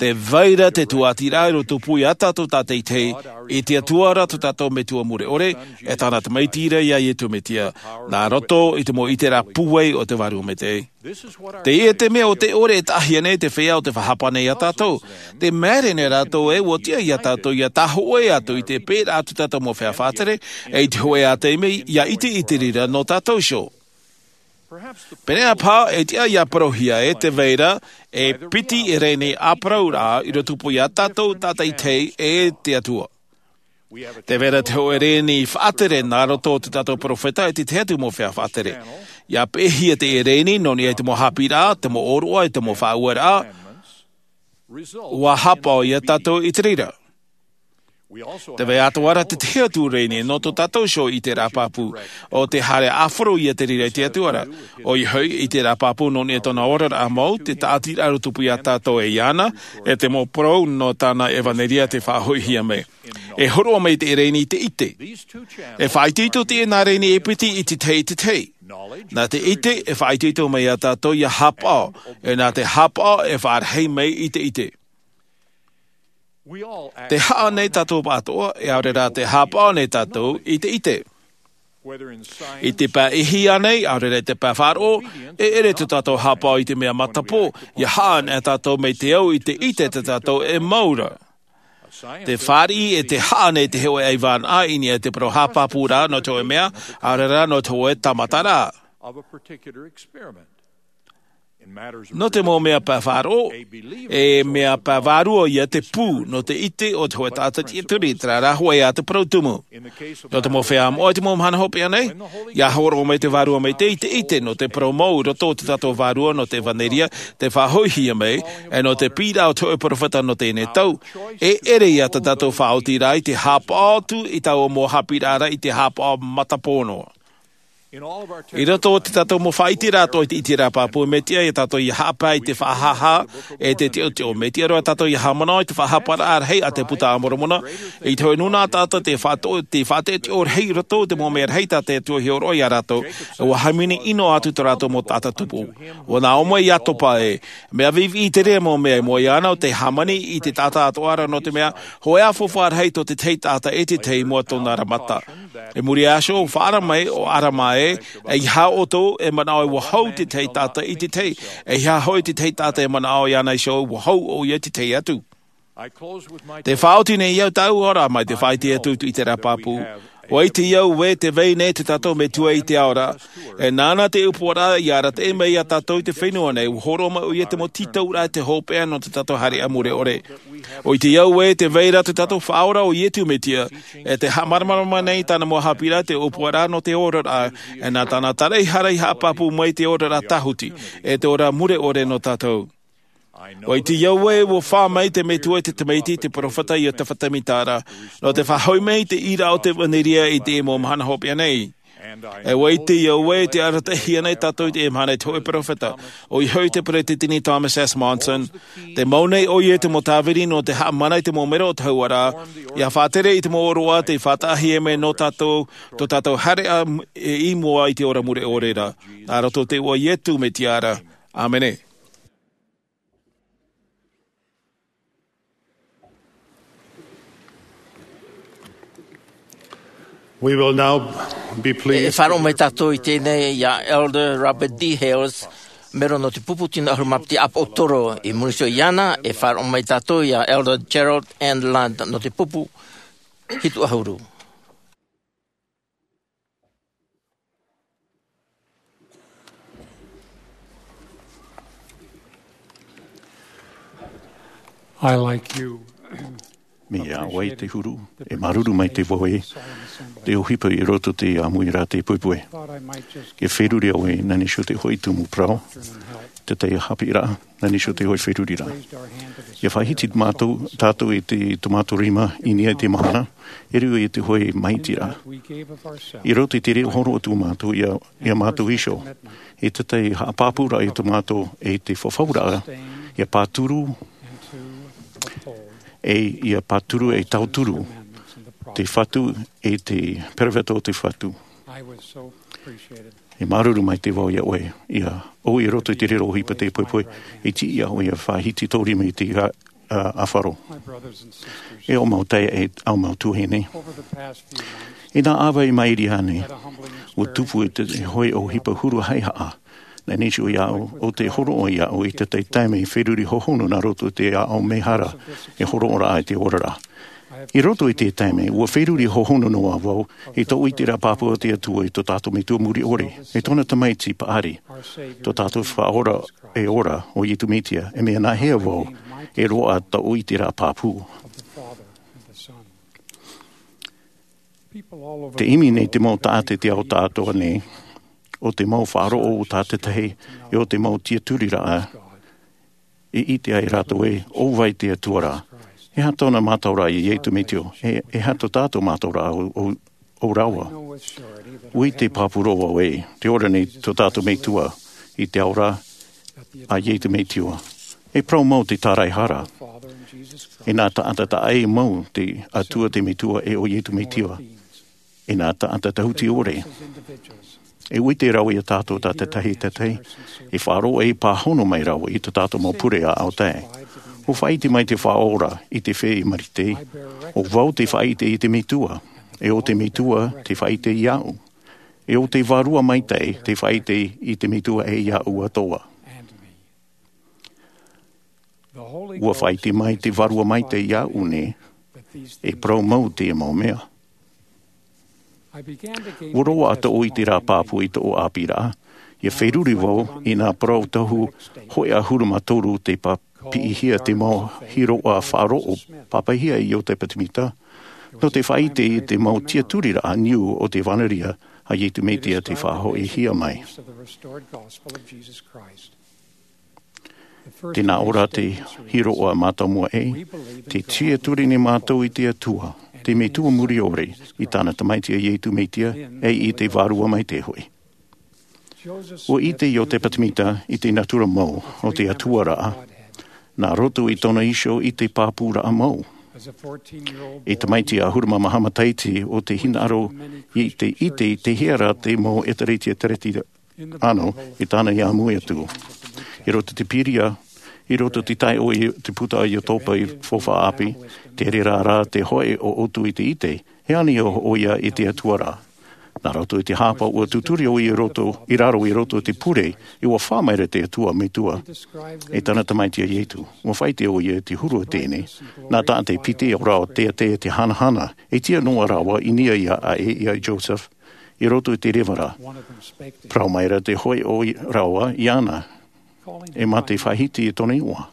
tē vai ra te tūʻatiraʻa i rotopū iā tātou tātaʻitahi, i te Atua ra tō tātou Metua mure ʻore, e tāna Tamaiti ra ia Iesu Mesia, nā roto i te mau ʻiteraʻa pūai o te Vārua Maitaʻi. Teie te mea ʻo tē ʻore e taʻahia nei te feiā ʻo tē faʻahapa nei iā tātou. Tē māere nei rātou ē ʻua tiʻa iā tātou ia tāhōʻē atu i te pēraʻa tō tātou mau feiā faʻatere, e i te hōʻē ā taime ia ʻite i te reira nō tātou iho. Pēneiaʻe paha e tiʻa ia parauhia ē tē vai ra e piti rēni ʻāparauraʻa i rotopū iā tātou tātaʻitahi e te Atua. Tē vai ra te hōʻē rēni faʻatere nā roto o tō tātou peropheta e te tahi atu mau feiā faʻatere. Ia peʻehia teie rēni nō niʻa i te mau haʻapiʻiraʻa, te mau ʻōroʻa, e te mau faʻaueraʻa, ʻua haʻapaʻo iā tātou i te reira. Tē vai atoʻa ra te tahi atu rēni nō tō tātou iho ʻiteraʻa pāpū, ʻo tē haere ʻāfaro ia te reira i te Atua ra. ʻOia hoʻi, ʻiteraʻa pāpū nō niʻa i tōna oraraʻa mau, te tāʻatiraʻa i rotopū iā tātou e iāna, e te mau parau nō tāna ʻevanelia tei faʻahoʻihia mai. E hōroʻa mai te rēni i te ʻite. E faʻaitoito teie nā rēni e piti i te tahi i te tahi. Nā te ʻite e faʻaitoito mai iā tātou ia haʻapaʻo, e nā te haʻapaʻo e faʻarahi mai i te ʻite. Tē haʻa nei tātou atoʻa, e ʻaore rā tē haʻapaʻo nei tātou i te ʻite. I te pae ʻēhia nei, ʻaore rā i te pae faʻaroʻo, e ʻere tō tātou haʻapaʻo i te mea matapō, ia haʻa nei tātou mai te au i te ʻite tā tātou e mau ra. Te fāriʻi e tē haʻa nei te hōʻē ʻaivānaʻa i niʻa i te parau haʻapāpūraʻa nō te hōʻē mea, ʻaore rā nō te hōʻē tāmataraʻa. Nō te mau mea pae faʻaroʻo, e mea pae vārua ia te pū nō te ʻite o te hōʻē taʻata tiʻaturi, terā rā hoʻi ā te parau tumu. Nō te mau feiā moʻa i te mau mahana hopeʻa nei, ia hōroʻa mai te Vārua Maitaʻi i te ʻite nō te parau mau i roto o tō tātou vārua nō te ʻevanelia tei faʻahoʻihia mai, e nō te piʻiraʻa o te hōʻē peropheta nō teie nei tau, e ʻere ia tā tātou faʻaotiraʻa i te haʻapaʻo atu i taua mau haʻapiʻiraʻa ra i te haʻapaʻo matapō noa. I roto o tō tātou mau faʻaʻiteraʻa atoʻa i te ʻiteraʻa pāpū, mea tiʻa ia tātou ia haʻapae i te faʻahāhā e te teʻoteʻo. Mea tiʻa roa tātou ia haʻamanaʻo i te faʻahaparaʻa rahi a te Buka a Moromona, i te hōʻē nūnaʻa taʻata tei faʻato-, tei faʻateʻoteʻo rahi i roto i te mau mea rahi tā te Atua i hōroʻa iā rātou, ʻua hāmani ʻino atu tō rātou mau taʻata tupu. ʻUa nā ʻō mai Iakoba ē, mea viʻiviʻi terā mau mea i mua iāna ʻo tē hāmani i te taʻata atoʻa ra, nō te mea, hōʻē ʻāfaufaʻa rahi tō te tahi taʻata e te tahi i mua tōna ra mata. I muri iho, faʻaara mai ʻo Arama ē, ʻeiaha ʻoutou e manaʻo ʻua hau te tahi taʻata i te tahi, ʻeiaha hoʻi te tahi taʻata e manaʻo iāna iho ʻua hau ʻoia i te tahi atu. Tē faʻaoti nei au tāʻu aʻo ra mai te faʻaʻite atu i te ʻiteraʻa pāpū. ʻUa ʻite au ē tē vai nei tō tātou Metua i te ao ra. E nāna te ʻōpuaraʻa i arataʻi mai iā tātou i te fenua nei, ʻua hōroʻa mai ʻoia i te mau tītauraʻa i te hopeʻa nō tō tātou haereʻa mure ʻore. ʻUa ʻite au ē tē vai ra tō tātou Faʻaora ʻo Iesu Mesia, e tē haʻamāramarama nei i tāna mau haʻapiʻiraʻa te ʻōpuaraʻa nō te oraraʻa, e nā tāna taraehara i haʻapāpū mai te oraraʻa tāhuti, e te ora mure ʻore nō tātou. ʻUa ʻite au ē ʻua fā mai te Metua i te tamaiti i te peropheta iā Iosefa Sāmita ra, nō te faʻahoʻi mai i te ʻīraʻa o te ʻevanelia i teie mau mahana hopeʻa nei. E ʻua ʻite au ē tē arataʻihia nei tātou i teie mahana e te hōʻē peropheta, ʻoia hoʻi te Peresideni Thomas S. Monson, tē mau nei ʻoia i te mau tāviri nō te haʻamana i te mau mero o te hauʻa ra, ʻia faʻatere i te mau ʻōroʻa tei faʻataʻahia mai nō tātou, tō tātou haereʻa i mua i te ora mure ʻore ra. Nā roto i te iʻoa o Iesu Mesia ra. ʻĀmene. We will now be pleased. E faʻaroʻo mai tātou i teie nei iā Elder Robert D. Hales, mero nō te pupu tino ʻahuru mā piti ʻāpōsetolo. I muri iho iāna, e faʻaroʻo mai tātou iā Elder Gerald N. Ladd nō te pupu hitu ʻahuru. I, like you, Mea ʻoe te huru, e māuruuru maitaʻi vau ē, te ʻohipa i roto i te ʻāmuiraʻa te poʻipoʻi. E feruri au ē, nā niʻa iho te hoʻi tumu parau, te tahi haʻapiʻiraʻa, nā niʻa iho te hoʻi feruriraʻa. ʻIa faʻahiti mātou, tātou i te, tō mātou rima i niʻa i te mahana, e riro i te hoʻi maitiraʻa. I roto i te reira hōroʻa atu mātou iā, iā mātou iho, i te tahi haʻapāpūraʻa i tō mātou, e te fafauraʻa, ʻia pāturu, e ʻia pāturu e tauturu, te Fatu, e te peropheta o te Fatu. E māuruuru maitaʻi vau iā ʻoe, ʻia ʻoe i roto i te reira ʻohipa te poʻipoʻi, e tiʻa ʻoe ʻia faʻahiti tō rima i te, ā, ā, ʻāfaro. E ʻo mau taeaʻe, e ʻo mau tuahine. I nā ʻāvaʻe i maʻiri aʻe nei, ʻua tupu i te hoʻi ʻohipa huru haʻehaʻa. Nā niʻa iho iāʻu, ʻo te hōroʻa iāʻu i te tahi taime feruri hohonu nā roto i te aʻo mehara, e hōroʻa ra i te oraraʻa. I roto i te taime, ʻua feruri hohonu noa vau, i tō ʻoe ʻiteraʻa pāpū a te Atua i tō tātou Metua muri ʻore, e tōna tamaiti paʻari, tō tātou Faʻaora e ora, ʻo Iesu Mesia, e mea nāhea vau, e roaʻa tō ʻoe ʻiteraʻa pāpū. Te ʻimi nei te mau taʻata i te ao atoʻa nei, ʻo te mau faʻaroʻo o tātaʻitahi, e ʻo te mau tiaturiraʻa, e ʻite ai rātou ē, ʻo vai te Atua ra. E aha tōna mātauraʻa iā Iesu Mesia, e, e aha tō tātou mātauraʻa ʻo, ʻo, ʻo rāua. ʻUa ʻite pāpū roa vau ē, tē ora nei tō tātou Metua, i te ao ra, a Iesu Mesia. E parau mau te taraehara. E nā taʻata taʻa ʻē mau te Atua te Metua e ʻo Iesu Mesia. E nā taʻata tāhuti ʻore. E ʻua ʻite rāua iā tātou tātaʻitahi, tātaʻitahi, e faʻaroʻo e pāhono mai rāua i tō tātou mau pure aʻo tae. ʻUa faʻaʻite mai te Faʻaora i te feiā Marite, ʻo vau tē faʻaʻite i te Metua, e ʻo te Metua tē faʻaʻite iāʻu, e ʻo te Vārua Maitaʻi tē faʻaʻite i te Metua e iāʻu atoʻa. ʻUa faʻaʻite mai te Vārua Maitaʻi iāʻu nei, e parau mau teie mau mea. ʻUa roaʻa tō ʻoe ʻiteraʻa pāpū i tō ʻoe ʻāpīraʻa, ʻia feruri vau i nā parau tohu hōʻē ʻahuru mā toru tei pāpiʻihia te mau hiroʻa faʻaroʻo pāpaʻihia e Iosefa Sāmita, nō te faʻaʻite i te mau tiaturiraʻa niu o te ʻEvanelia a Iesu Mesia tei faʻahoʻihia mai. Tē nā ʻō ra te hiroʻa mātāmua ē, tē tiaturi nei mātou i te Atua, te Metua muri ʻore, i tāna Tamaiti a Iesu Mesia, e i te Vārua Maitaʻi hoʻi. ʻUa ʻite Iosefa Sāmita i te natura mau o te Atua ra, nā roto i tōna iho i te pāpūraʻa mau. E tamaiti ʻahuru mā maha matahiti ʻo tei hinaʻaro i te ʻite i te hea rā te mau ʻēkālesia Kerisetiano i tāna i ʻāmui atu. I roto i te pīria, i roto i te taeaʻe i te puta a Iosefa i Faufaʻa ʻĀpī, te reira rā te hōʻē ʻoʻotu i te ʻite, e ani ʻoia i te Atua ra. Nā roto i te hāpaʻo ua tūturi ʻoia i roto, i raro i roto i te pure, ʻua fā mai ra te Atua Metua e tāna Tamaiti a Ietu. ʻUa faʻaʻite ʻoia i te huru o teie nei, nā taʻata e piti ʻo rāua teitei te hanahana, e tiʻa noa rāua i niʻa iā ʻoe, iā Joseph, i roto i te reva ra. Parau mai ra te hōʻē ʻoia rāua iāna, e mā te faʻahiti i tōna iʻoa,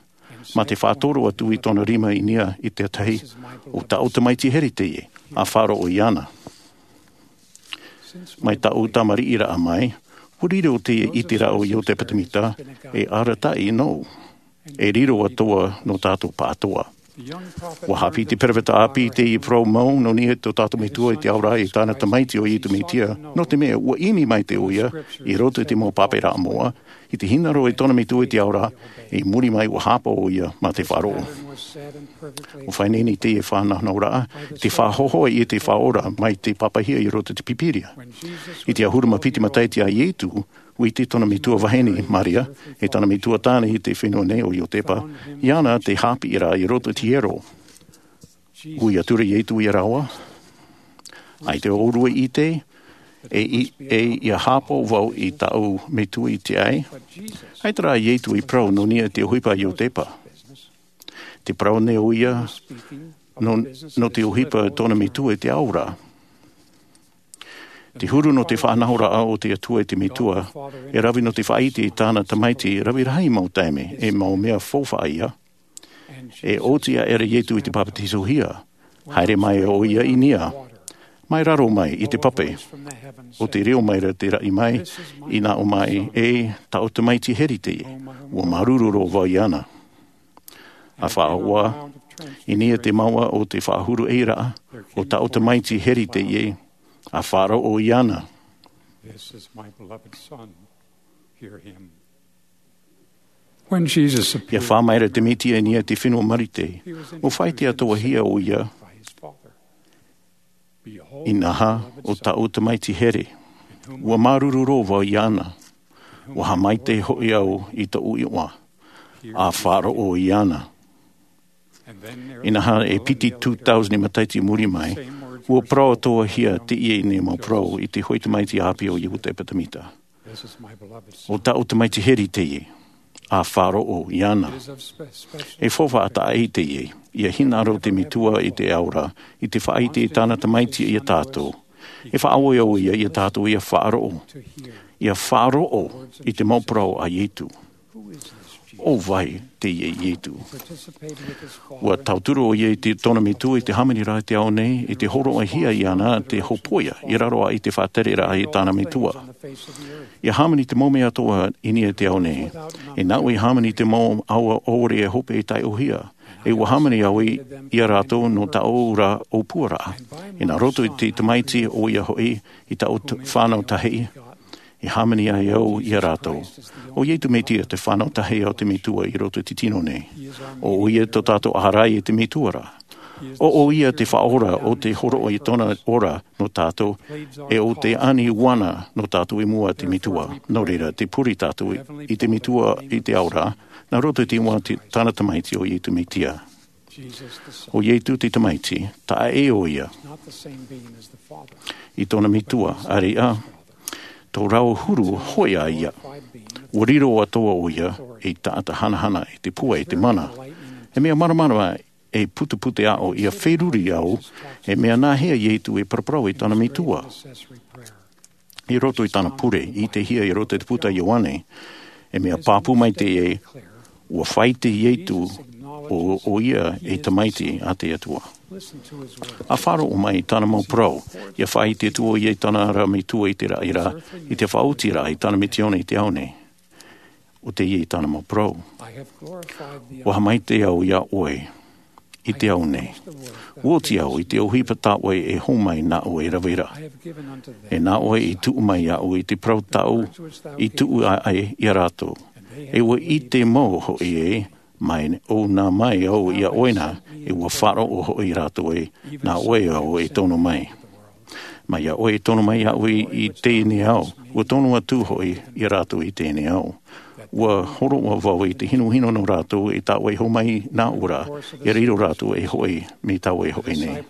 mā te faʻatoro atu i tōna rima i niʻa i te tahi, ʻo tāʻu Tamaiti here teie, ʻa faʻaroʻo iāna. Mai tāʻu tamariʻiraʻa mai, ʻua riro teie i te rā o Iotepa Tamita, e arataʻi nō, e riro atoʻa nō tātou pāʻatoʻa. ʻUa haʻapiʻi te peropheta ʻāpī i te parau mau nō niʻa i tō tātou Metua i te Ao ra e tāna Tamaiti ʻo Ietu Metia, nō te mea ʻua ʻimi maite ʻoia, i roto i te mau pāpaʻiraʻa moʻa, i te hinaʻaro i tōna Metua i te Ao ra, i muri mai ʻua hāpaʻo ʻoia mā te faʻaroʻo. ʻUa faʻaineine teie faʻanahoraʻa, te faʻahohoʻa i te Faʻaora mai te pāpaʻihia i roto i te Pīpīria. I te ʻahuru mā piti matahiti a Ietu, ʻua ʻite tōna Metua vahine, Maria, e tāna Metua tāne i te fenua nei ʻo Iotepa, iāna te haʻapiʻiraʻa i roto i te hiero. ʻUa ʻite atu ra Ietu iā rāua, ʻaita ʻōrua i ʻite, e i, e ʻia hāpaʻo vau i tāʻu Metua i te ʻae, ʻaita rā Ietu i parau nō niʻa i te ʻohipa a Iotepa. Te parau nei ʻoia, nō, nō te ʻohipa tōna Metua i te Ao ra. Te huru nō te faʻanahoraʻa o te Atua i te Metua, e rave nō te faʻaʻite i tāna Tamaiti, rave rahi mau taime, e mau mea faufaʻa ia. E oti aʻera Ietu i te papatisohia, haere mai ʻoia i niʻa, mai raro mai i te pape, ʻo te reo mai ra te raʻi mai, i nā ʻō mai, e tāʻu Tamaiti here teie, ʻua māuruuru roa vau iāna. ʻA faʻaʻoʻoa, i niʻa te mouʻa o te faʻahuru ʻeiraʻa, ʻo tāʻu Tamaiti here teie, ʻa faʻaroʻo iāna. This is my beloved Son. Hear him. When Jesus appeared, ʻIa fā mai ra te Mesia i niʻa i te fenua Marite, ʻua faʻaʻite atoʻahia ʻoia, by his Father, "Behold, inaha, ʻo tāʻu Tamaiti here, ʻua māuruuru roa vau iāna, ʻua haʻamaitaʻi hoʻi au i tōʻu iʻoa, ʻa faʻaroʻo iāna." Inaha, e piti tū tāusani matahiti i muri mai, ʻua parau atoʻahia teie nei mau parau i te hōʻē tamaiti ʻāpī o Iotepa Tamita. "ʻO tāʻu Tamaiti here teie, ʻa faʻaroʻo iāna." E faufaʻa taʻa ʻē teie, ʻia hinaʻaro te Metua i te Ao ra, i te faʻaʻite i tāna Tamaiti ia tātou. E faʻaʻoia ʻoia ia tātou ʻia faʻaroʻo, ʻia faʻaroʻo i te mau parau a Ietu. ʻO vai teie Ietu? ʻUa tauturu ʻoia i te, tōna Metua i te hāmaniraʻa i te ao nei, i te hōroʻahia iāna te hōpoiʻa, i raro aʻe i te faʻatereraʻa i tāna Metua. ʻIa hāmani te mau mea atoʻa i niʻa i te ao nei. E nāʻu i hāmani te mau ʻaoʻao ʻore e hope e taiʻohia. E ʻua hāmani au i, ia rātou nō tāʻu ra ʻōpuaraʻa. E nā roto i te Tamaiti ʻoia hoʻi, i tāʻu t-, fānau tahi, e hāmani ai au ia rātou. ʻO Ietu Mesia te fānau tahi o te Metua i roto i te tino nei. ʻO ʻoia tō tātou ʻārai i te Metua ra. ʻO ʻoia te Faʻaora o te hōroʻa i tōna ora nō tātou, e ʻo te ani ʻuana nō tātou i mua i te Metua. Nō reira, tē pure tātou i, i te Metua i te Ao ra, nā roto i te iʻoa o te, tāna Tamaiti ʻo Ietu Mesia. ʻO Ietu te Tamaiti, taʻa ʻē ʻoia i tōna Metua, ʻāreʻa, tō rāua huru hōʻē ā ia. ʻUa riro atoʻa ʻoia ei taʻata hanahana, i te pua, i te mana. E mea māramarama, e putepute aʻo ʻia feruri au, e mea nāhea Ietu e paraparau i tāna Metua. I roto i tāna pure, i te hia i roto i te puta a Ioane, e mea pāpū mai teie, ʻua faʻaʻite Ietu ʻo, ʻoia ei Tamaiti a te Atua. ʻA faʻaroʻo mai i tāna mau parau, ʻia faʻaʻite atu ʻoia i tāna ra Metua i te raʻi ra, i te faʻaotiraʻa i tāna misiōni i te ao nei. ʻO teie tāna mau parau. ʻUa haʻamaitaʻi au iā ʻoe i te ao nei. ʻUa oti au i te ʻohipa tā ʻoe e hōmai nā ʻoe rave ra. E nā ʻoe i tuʻu mai iāʻu i te parau tāʻu i tuʻu aʻe iā rātou. E ʻua ʻite mau hoʻi ē, mai ʻōna mai au iā ʻoe na, e ʻua faʻaroʻo hoʻi rātou ē, nā ʻoe au e tono mai. Mai iā ʻoe e tono mai iāʻu i, i teie nei ao, ʻua tono atu hoʻi iā rātou i teie nei ao. Ua hōroʻa vau i te hinuhinu nō rātou i tāʻoe hōmai nā ʻura, ia riro rātou e hoʻi mai tāʻoe hoʻi nei.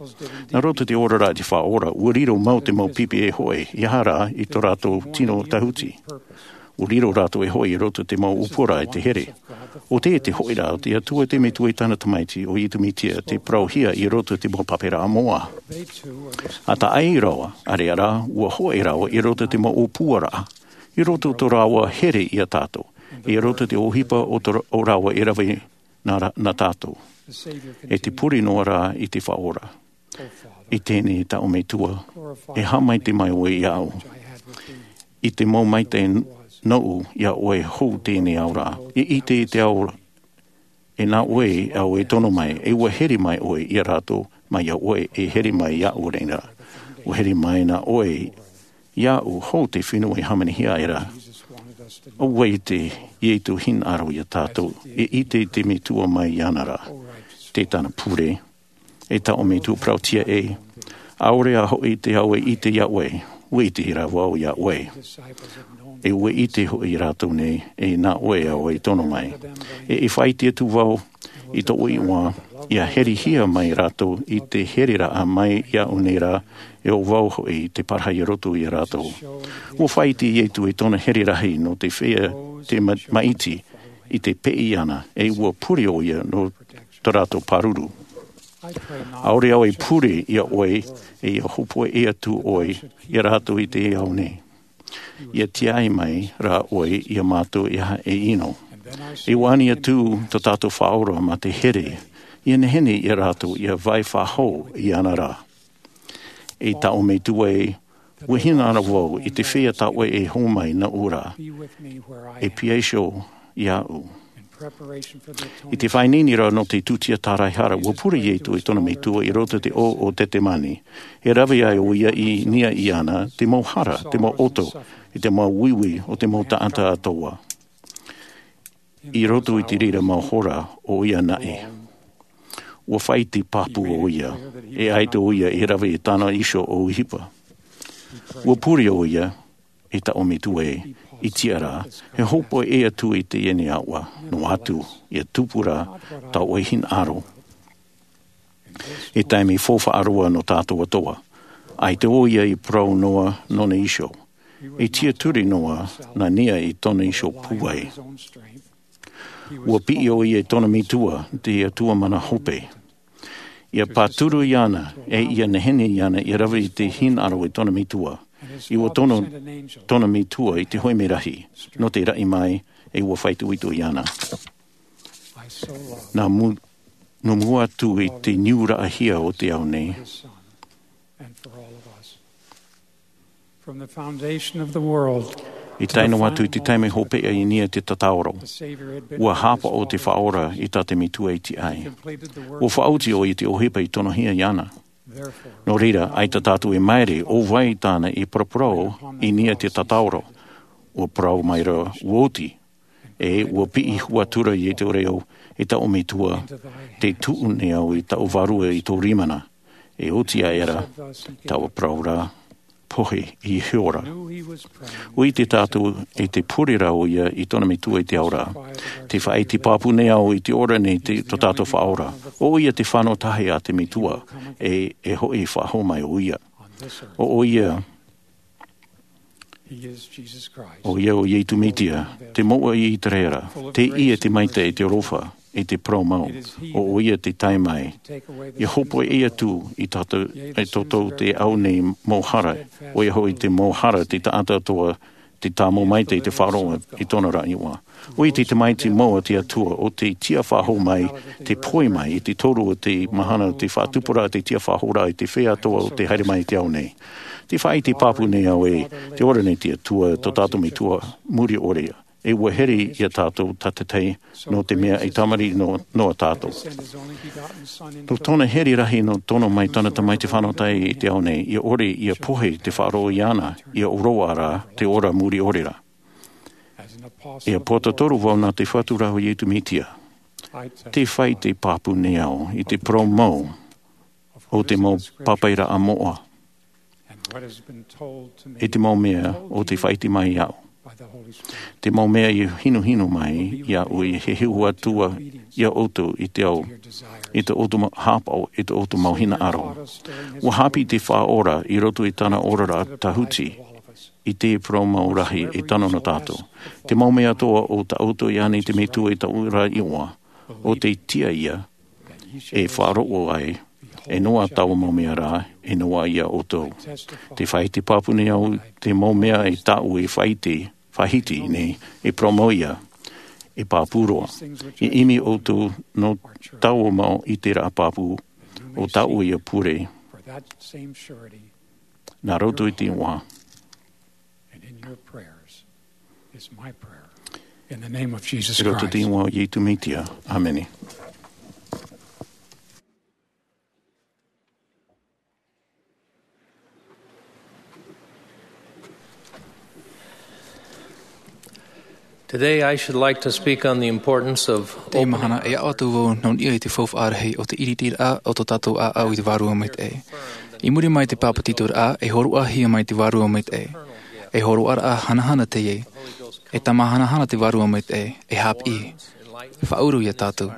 Nā roto i te oraraʻa i te faʻaora, ua riro mau te mau pipi e hoʻi ia hara i tō rātou tino tahuti. Ua riro rātou e hoʻi i roto i te mau ʻōpuaraʻa i te here. ʻO te hoʻiraʻa o te atua i te metua i tāna tamaiti o iesu mesia te parauhia i roto i te mau pāparaʻa moʻa. A taʻai rāua ʻareʻa rā, ua hoʻi rāua i roto i te mau ʻōpuaraʻa, i roto i tō rāua here ia tātou, i roto i te ʻohipa o tō rāua e rave nā tātou. E te pure noa rā i te faʻaora. I teie nei tāʻu metua, e haʻamaitaʻi mai ʻoe iāʻu. I te mau maitaʻi nōʻu iā ʻoe hou teie nei ao rā, i ʻite i te ao e nā ʻoe au e tono mai, e ua here mai ʻoe iā rātou mai iā ʻoe e here mai iāʻu rā. Ua here mai nā ʻoe iāʻu hou te fenua e hāmanihia aʻera. ʻO vai te iesu hinaʻaro iā tātou, e ʻite i te metua mai iāna rā. Te tāna pure, e tāʻu metua parauhia ē, ʻaore a hoʻi te ao e ʻite iā ʻoe, ua ʻite rā vau iā ʻoe. E ua ʻite hoʻi rātou nei e nā ʻoe au e tono mai. E e faʻaʻite atu vau i tōʻu iʻoa, ia herehia mai rātou i te hereraʻa mai iāʻu nei rā, e ʻo vau hoʻi te parahi i roto iā rātou. Ua faʻaʻite iesu i tōna here rahi nō te feiā te maʻiti i te peʻe iāna, e ua pure ʻoia nō tō rātou pāruru. ʻAore au e pure iā ʻoe, e ia hōpoiʻa atu ʻoe iā rātou i te ao nei. Ia tiaʻi mai rā ʻoe iā mātou e aha e ʻino. E ua ani atu tō tātou faʻaora mā te here, ia nehenehe iā rātou ia vai faʻahou iāna rā. E tāʻu metua ē, ua hinaʻaro vau i te feiā tāʻoe e hōmai nā ʻura. E pīhaʻi iho iāʻu. I te faʻaineineraʻa nō te tūtia tāraehara, ua pure iesu i tōna metua i roto i te ʻō o getesemane. E rave ai ʻoia i niʻa iāna te mau hara, te mau ʻoto, i te mau uiui o te mau taʻata atoʻa. I roto i te reira mau hora, ʻoia naʻe ua faʻaʻite pāpū ʻoia, e ʻaita ʻoia e rave i tāna iho ʻohipa. Ua pure ʻoia, e tāʻu metua ē, i te ara, e hōpoiʻa atu i teie nei aʻoa, noa atu ia tupu rā tāʻoe hinaʻaro. E taime faufaʻa roa nō tātou atoʻa. ʻAita ʻoia i parau noa nōna iho. I tiʻaturi noa nā niʻa i tōna iho pūai. Ua piʻi ʻoia i tōna metua, te atua mana hope. Ia pāturu iāna, e ia nehenehe iāna ia rave i te hinaʻaro i tōna metua. I ua tono tōna metua i te hoʻi merahi nō te raʻi mai, e ua faʻaitoito iāna. Nā mua atu i te niuraʻahia o te ao nei. I tae noa atu i te taime hopeʻa i niʻa i te tataʻuro, ua hāpaʻo te faʻaora i tā te metua i tiʻa ai. Ua faʻaoti ʻoia i te ʻohipa i tonohia iāna. Nō reira, ʻaita tātou e māere ʻo vai tāna i paraparau i niʻa i te tataʻuro. Ua parau mai rā, ua oti. E ua piʻi hua atu ra iesu reo, e tāʻu metua, te tuʻu nei au i taʻu vārua i tō rima na. E oti aʻera taua parau ra, pohe i hiora. Ua ʻite tātou e te pure ra ʻoia i tōna metua i te ao ra. Te faʻaʻite pāpū nei au i te ora nei tō tātou faʻaora. ʻO ʻoia te fano tahi a te metua, e e hoʻi faʻahou mai ʻoia. ʻO ʻoia ʻo ia ʻo iesu mesia, te moʻa i iseraela, te ia te maitaʻi, te aroha, e te parau mau. ʻO ʻoia te tae mai ia hōpoiʻa atu i tātou, e tō tātou te ao nei mau hara, ʻoia hoʻi te mau hara te taʻata atoʻa, te tāmau maitaʻi i te faʻaroʻo i tōna raʻi ʻoa. ʻO ia te tamaiti mau a te atua, ʻo te tiʻa faʻahou mai, te pohe mai i te toru o te mahana o te faʻatupuraʻa, te tiʻa faʻahou ra i te feiā atoʻa o te haere mai i te ao nei. Te faʻaʻite pāpū nei au e te ora nei te atua, tō tātou metua muri ʻore. E ua here iā tātou tātaʻitahi, nō te mea e tamariʻi noa tātou. Nō tōna here rahi nō tono mai tōna tamaiti fano tahi i te ao nei, ia ʻore ia pohe te faʻaroʻo iāna, ia ʻoroʻa ra te ora muri ʻore ra. Ia pōtatoro vau nā te fatu ra ʻo iesu mesia. Te faʻaʻite pāpū nei au i te parau mau o te mau pāpaʻiraʻa moʻa, e te mau mea o te faʻaʻite mai iāʻu. Te mau mea i hinuhinu mai iāʻu, e heheu atu iā ʻoutou i te ao, i tō ʻoutou mau hāpaʻo, i tō ʻoutou mau hinaʻaro. Ua hāpiʻi te Faʻaora i roto i tāna oraraʻa tāhuti, i te parau mau rahi e tano nō tātou. Te mau mea atoʻa o tā ʻoutou i ani te Metua i taua ra iʻoa, ʻo tei tiʻa ia, e faʻaroʻo ai, e noa taua mau mea ra, e noa iā ʻoutou. Te faʻaʻite pāpū nei au te mau mea e tāʻu e faʻaʻite, faʻahiti nei, e parau mau ia, e pāpū roa. E ʻimi ʻoutou nō taua mau ʻiteraʻa pāpū, ʻo tāʻu ia pure. Nā roto i te iʻoa. And in your prayers is my prayer. In the name of Jesus Christ. I roto i te iʻoa o Iesu Mesia. ʻĀmene. Today, I should like to speak on the importance of Teie mahana, e aʻo atu vau nō niʻa i te faufaʻa rahi o te ʻiritiraʻa o tō tātou ʻāʻau i te Vārua Maitaʻi. I muri mai i te pāpetitoraʻa, e hōroʻahia mai te Vārua Maitaʻi. E hōroʻaraʻa hanahana teie. E tama hanahana te Vārua Maitaʻi. E hāpiʻi. Faʻauru iā tātou.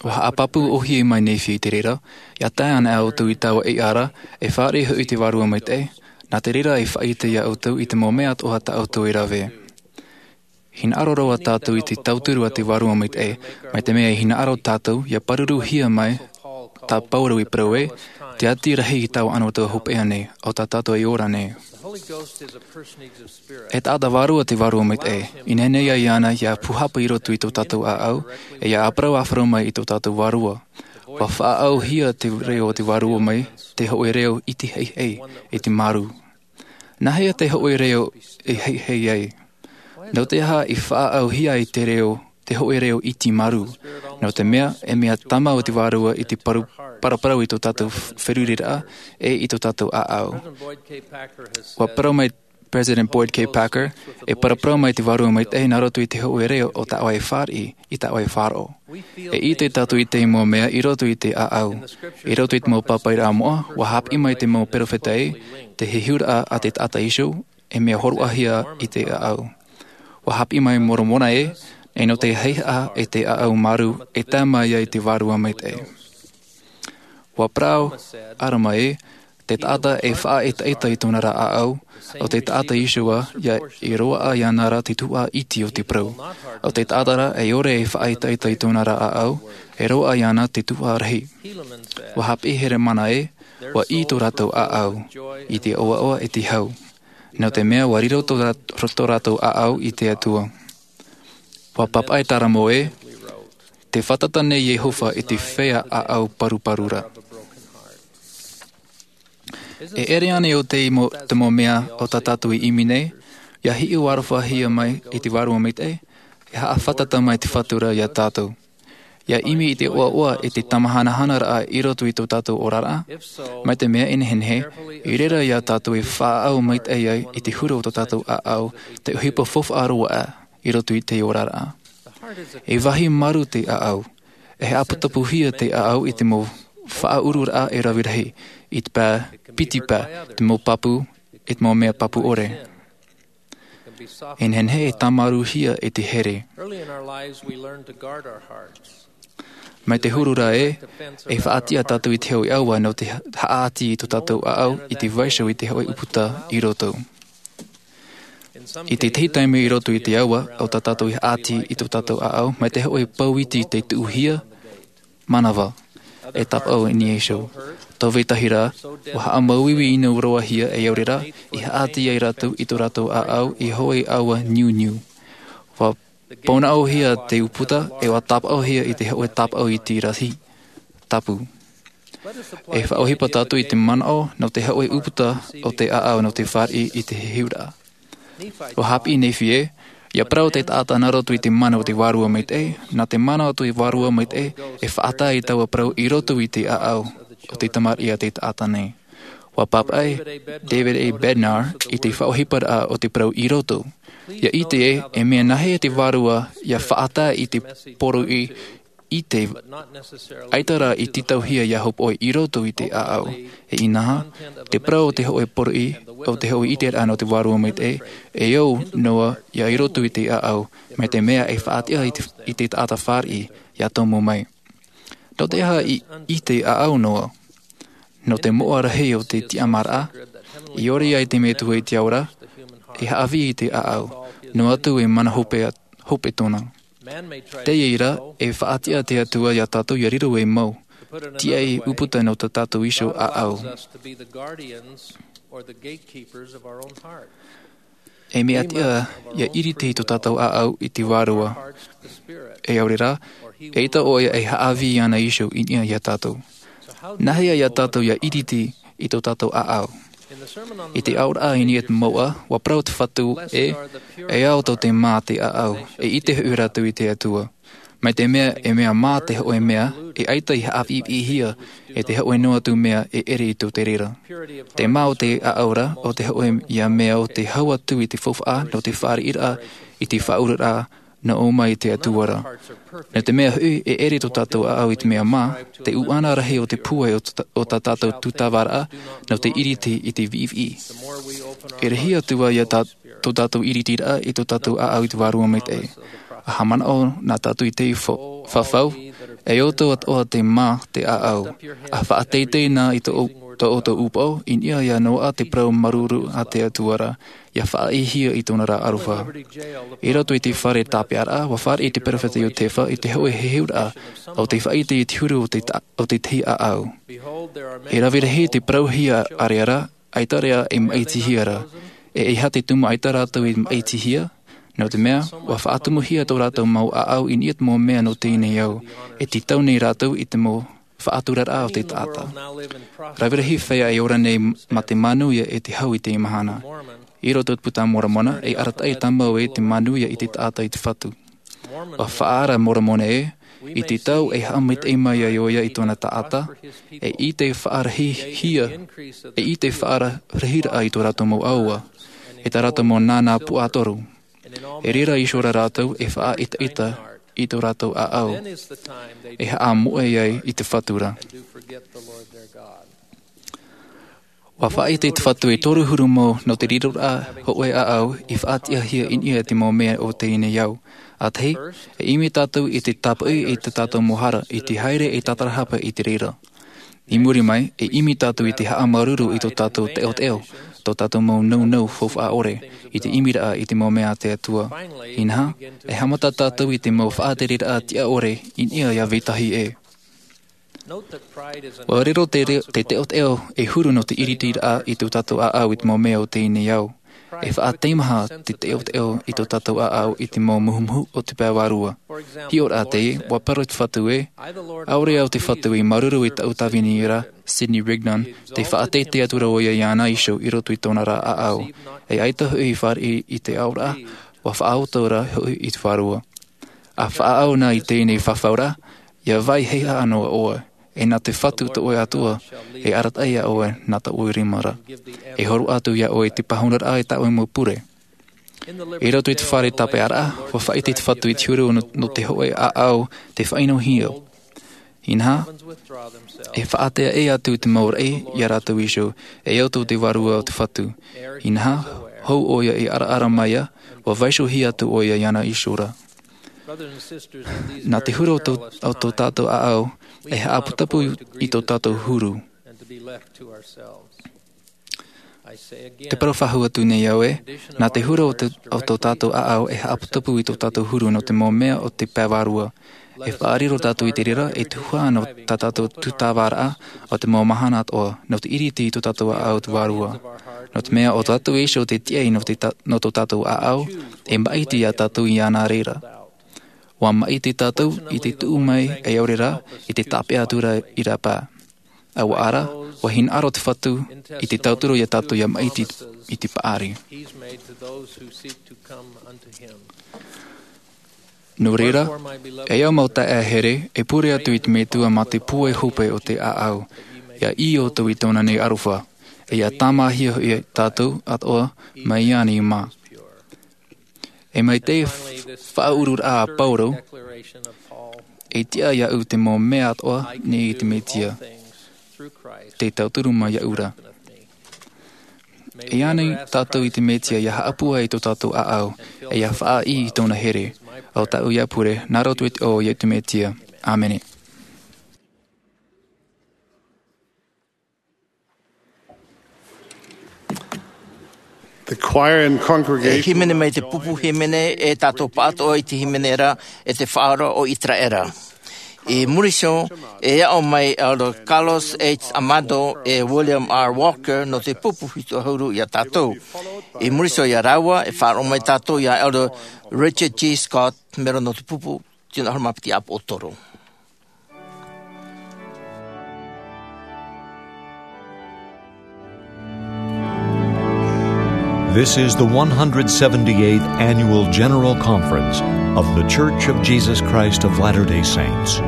Ua haʻapāpū ʻōhie mai Nephi i te reira, ʻia tae ana ʻoutou i taua ʻeiʻa ra, e fāriʻi hoʻi te Vārua Maitaʻi, nā te reira e faʻaʻite iā ʻoutou i te mau mea atoʻa tā ʻoutou e rave. Hinaʻaro roa tātou i te tauturu a te Vārua Maitaʻi, mai te mea e hinaʻaro tātou, ʻia pāruruhia mai, tā Pauro i parau ē, te ati rahi i taua anotau hopeʻa nei, ʻo tā tātou e ora nei. E taʻata vārua te Vārua Maitaʻi, i nehenehe ai iāna ʻia pūhapa i roto i tō tātou ʻāʻau, e ʻia ʻāparau ʻāfaro mai i tō tātou vārua. ʻUa faʻaauhia te reo o te Vārua mai te hōʻē reo ʻiti heihei, ʻiti marū. Nāhea te hōʻē reo e heihei ai? Nō te aha i faʻaauhia ai te reo, te hōʻē reo ʻiti marū? Nō te mea, e mea tama o te Vārua i te paru-, paraparau i tō tātou f-, feruriraʻa, e i tō tātou ʻāʻau. ʻUa parau mai President Boyd K. Packer, e paraparau mai te Vārua Maitaʻi nā roto i te hōʻē reo o tāʻoe fāriʻi, i tāʻoe faʻaroʻo. E ʻite tātou i te mau mea i roto i te ʻāʻau. I roto i te mau pāpaʻiraʻa moʻa, ʻua hāpiʻi mai te mau perofeta ē, te hehuraʻa a te taʻata Iesū, e mea hōroʻahia i te ʻāʻau. ʻUa hāpiʻi mai Moromona ē, e nō te heihaʻa e te ʻāʻau marū, e tae mai ai te Vārua Maitaʻi. ʻUa parau Alama ē, te taʻata e faʻaʻetaʻeta i tōna ra ʻāʻau, ʻo te taʻata Iesū ïa, e roaʻa iāna ra te tuhaʻa iti o te parau. ʻO te taʻata rā e ʻore e faʻaʻetaʻeta i tōna ra ʻāʻau, e roaʻa iāna te tuhaʻa rahi. ʻUa hāpiʻi Heremana ē, ʻua ʻī tō rātou ʻāʻau, i te ʻoaʻoa e te hau. Nō te mea ʻua riro tō rā-, tō rātou ʻāʻau i te Atua. ʻUa papaʻi Taramo ē, tē fātata nei Iehova i te feiā ʻāʻau paruparu ra. E ʻere ānei ʻo te mo-, te mau mea o tā tātou i ʻimi nei, ʻia hiʻo arofahia mai i te Vārua Maitaʻi, e haʻafātata mai te Faʻatura iā tātou. ʻIa ʻimi i te ʻoaʻoa e te tamahanahana raʻa i roto i tō tātou oraraʻa, mai te mea e nehenehe, i reira iā tātou e faʻaau maitaʻi ai i te huru o tō tātou ʻāʻau, te ʻohipa faufaʻa roa aʻe i roto i te oraraʻa. E vāhi marū te ʻāʻau, e haʻaputapuhia te ʻāʻau i te mau faʻaururaʻa e rave rahi, i te pae, piti pae, te mau pāpū, i te mau mea pāpū ʻore. E nehenehe e tāmarūhia e te here. Early in our lives, we learn to guard our hearts. Mai te huru ra ē, e faʻatiʻa tātou i te hōʻē ʻaua nō te ha-, haʻati i tō tātou ʻāʻau i te vaiiho i te hōʻē ʻūputa i roto. I te tahi taime i roto i te ʻaua, ʻo tā tātou i haʻati i tō tātou ʻāʻau, mai te hōʻē pou iti tei tuʻuhia, manava, e tāpaʻo i niʻa iho. Tō vetahi rā, ʻua haʻamāuiui ʻino roa hia e au reira, i haʻati ai rātou i tō rātou ʻāʻau i hōʻē ʻaua niuniu. ʻUa pōnaʻohia te ʻūputa, e ʻua tāpaʻohia i te hōʻē tāpaʻo iti rahi, tapu. E faʻaʻohipa tātou i te manaʻo nō te hōʻē ʻūputa o te ʻāʻau nō te fāriʻi i te hehuraʻa. ʻUa hāpiʻi Nephi ē, ʻia parau te taʻata nā roto i te mana o te Vārua Maitaʻi, nā te mana o te Vārua Maitaʻi, e faʻatae i taua parau i roto i te ʻāʻau o te tamariʻi a te taʻata nei. ʻUa papaʻi David A. Bednar i te faʻaʻohiparaʻa o te parau i roto. ʻIa ʻite ē, e mea nāhea te Vārua ʻia faʻatae i te poroʻi ʻite, ʻaita rā i tītauhia ia hopoʻi i roto i te ʻāʻau. E inaha, te parau o te hoʻe poroʻi, o te hoʻe ʻiteraʻa nō te Vārua Maitaʻi, e au noa ia i roto i te ʻāʻau, mai te mea e faʻatiʻa i te, i te taʻata fāriʻi, ia tomo mai. Nō te aha i, i te ʻāʻau noa? Nō te moʻa rahi o te tiʻamāraʻa, i ʻore ai te Metua i te ao ra, e haʻavī i te ʻāʻau, noa atu e mana hope, hope tōna. Teie rā, e faʻatiʻa te Atua ia tātou ia riro ei mau, tiaʻi ʻūputa nō tā tātou iho ʻāʻau. E mea tiʻa ia ʻiriti i tō tātou ʻāʻau i te Vārua. E ʻaore rā, eʻita ʻoia e haʻavī i ʻōna iho i niʻa ia tātou. Nāhea ia tātou ia ʻiriti i tō tātou ʻāʻau? I te aoraʻa i niʻa i te mouʻa, ʻua parau te Fatu ē, e ao tō te mā te ʻāʻau, e ʻite hoʻi rātou i te Atua. Mai te mea, e mea mā te hoʻe mea, e ʻaita i haʻapiʻipiʻihia, e te hoʻe noa atu mea e ʻere i tō te reira. Te mā o te ʻāʻau ra, o te hoʻe ia mea o te hau atu i te faufaʻa, nō te fāriʻiraʻa, i te faʻauraraʻa, nō ʻō mai i te Atua ra. Nō te mea hoʻi, e ʻere tō tātou ʻāʻau i te mea mā, te ʻuʻana rahi o te pūai o tā, o tā tātou tūtāvāraʻa, nō te ʻiriti i te viʻiviʻi. E rahi atu ā ia tā, tō tātou ʻiritiraʻa i tō tātou ʻāʻau i te Vārua Maitaʻi. ʻA haʻamanaʻo na tātou i te fa-, fafau, e ʻoutou atoʻa te mā te ʻāʻau. ʻA faʻateitei na i tō, tō ʻoutou ʻūpoʻo, i niʻa ia noaʻa te parau māuruuru a te Atua ra, ia faʻaʻitehia i tōna ra aroha. I roto i te fare tāpeʻaraʻa, ʻua fāriʻi te peropheta Iosepha i te hoʻe heheuraʻa o te faʻaʻite i te huru o te ta-, o te tahi ʻāʻau. E rave rahi te parauhia ʻāreʻa ra, ʻaita rā e maʻitihia ra. E ʻeiaha te tumu ʻaita rātou i maʻitihia, nō te mea, ʻua faʻatumuhia tō rātou mau ʻāʻau i niʻa i te mau mea nō teie nei ao, e tītau nei rātou i te mau faʻaturaraʻa o te taʻata. Rave rahi feiā e ora nei mā te manuia e te hau i teie mahana. I roto i te Puta a Moromona, e arataʻi tāmau ē te manuia i te taʻata i te Fatu. ʻUa faʻaara Moromona ē, i te tau e haʻamaitaʻi mai ai ʻoia i tōna taʻata, e ʻite faʻarahihia, e ʻite faʻarahiraʻa i tō rātou mau ʻāua, e tā rātou mau nānā puʻatoru. E reira iho rā rātou e faʻaʻetaʻeta i tō rātou ʻāʻau, e haʻamoʻe ai i te Fatu ra. ʻUa faʻaʻite te Fatu e toru huru mau nō te riroraʻa hoʻē ʻāʻau i faʻatiʻahia i niʻa i te mau mea o teie nei ao. ʻA tahi, e ʻimi tātou i te tāpaʻi i tō tātou mau hara, i te haere e tātarahapa i te reira. I muri mai, e ʻimi tātou i te haʻamāuruuru i tō tātou teʻoteʻo, tō tātou mau nounou faufaʻa ʻore, i te ʻimiraʻa i te mau mea a te Atua. Inaha, e haʻamata tātou i te mau faʻatereraʻa tiʻa ʻore i niʻa ia vetahi ʻē. ʻUa riro te re-, te teʻoteʻo e huru nō te ʻiritiraʻa i tō tātou ʻāʻau i te mau mea o teie nei ao. E faʻateimaha te teʻoteʻo i tō tātou ʻāʻau i te mau muhumuhu o te pae vārua. Hiʻoraʻa teie, ʻua parau te Fatu ē, ʻaore au te Fatu i māuruuru i tāʻu tāvini ra, Sidney Rigdon, tē faʻateitei atu ra ʻoia iāna iho i roto i tōna ra ʻāʻau. E ʻaita hoʻi i fāriʻi i te aoraʻa, ʻua faʻaoti ra hoʻi i te Vārua. ʻA faʻaau na i teie nei fafau ra, ʻia vai heihaʻa noa ʻoe, e nā te Fatu tō ʻoe Atua, e arataʻi iā ʻoe nā tō ʻoe rima ra. E hōroʻa atu iā ʻoe i te pāhonoraʻa e tā ʻoe mau pure. I roto i te fare tāpeʻaraʻa, ʻua faʻaʻite te Fatu i te huru nō, nō te hoʻē ʻāʻau tē faʻaʻinohia. Inaha, e faʻateaʻe atu te mau raʻi iā rātou iho, e au tō te Vārua o te Fatu. Inaha, hou ʻoia i ʻaraʻara mai ā, ʻua vaiihohia atu ʻoia iāna iho ra. Nā te huru o tō, o tō tātou ʻāʻau, e haʻaputapū i tō tātou huru. Te parau faʻahou atu nei au ē, nā te huru o tō, o tō tātou ʻāʻau, e haʻaputapū i tō tātou huru nō te mau mea o te pae vārua. E faʻariro tātou i te reira, e tuhaʻa nō tā tātou tūtāvāraʻa o te mau mahana atoʻa, nō te ʻiriti i tō tātou ʻāʻau te Vārua. Nō te mea ʻo tātou iho te tiaʻi nō te ta-, nō tō tātou ʻāʻau, e maʻiti iā tātou iāna reira. ʻUa maʻiti tātou i te tuʻu mai, e ʻaore rā, i te tāpeʻa atu ra i rāpae. ʻA ʻua ara, ʻua hinaʻaro te Fatu i te tauturu iā tātou ʻia maʻiti i te paʻari. Nō reira, e au mau taeaʻe here, e pure atu i te Metua mā te pūai hope o te ʻāʻau, ʻia ʻī ʻoutou i tōna nei aroha, e ʻia tāmāhia hoʻi tātou atoʻa mai iāna i mā. E mai te f-, faʻaururaʻa a Paulo, E tiʻa iāʻu te mau mea atoʻa nei i te Mesia, tē tauturu mai iāʻu ra. E ani tātou i te Mesia ia haʻapūai i tō tātou ʻāʻau, e ia faʻaʻī i tōna here. ʻO tāʻu ia pure, nā roto i te iʻoa o Iesu Mesia. ʻĀmene. The choir and congregation. E hīmene mai te pupu hīmene, e tātou pāʻatoʻa i te hīmene ra, e te faʻaora o Iteraera. I muri iho, e aʻo mai Elder Carlos H. Amado e William R. Walker nō te pupu hitu ʻahuru iā tātou. I muri iho iā rāua, e faʻaroʻo mai tātou iā Elder Richard G. Scott, mero nō te pupu tino ʻahuru mā piti ʻāpoʻo toru. This is the one hundred seventy-eighth Annual General Conference of The Church of Jesus Christ of Latter-day Saints.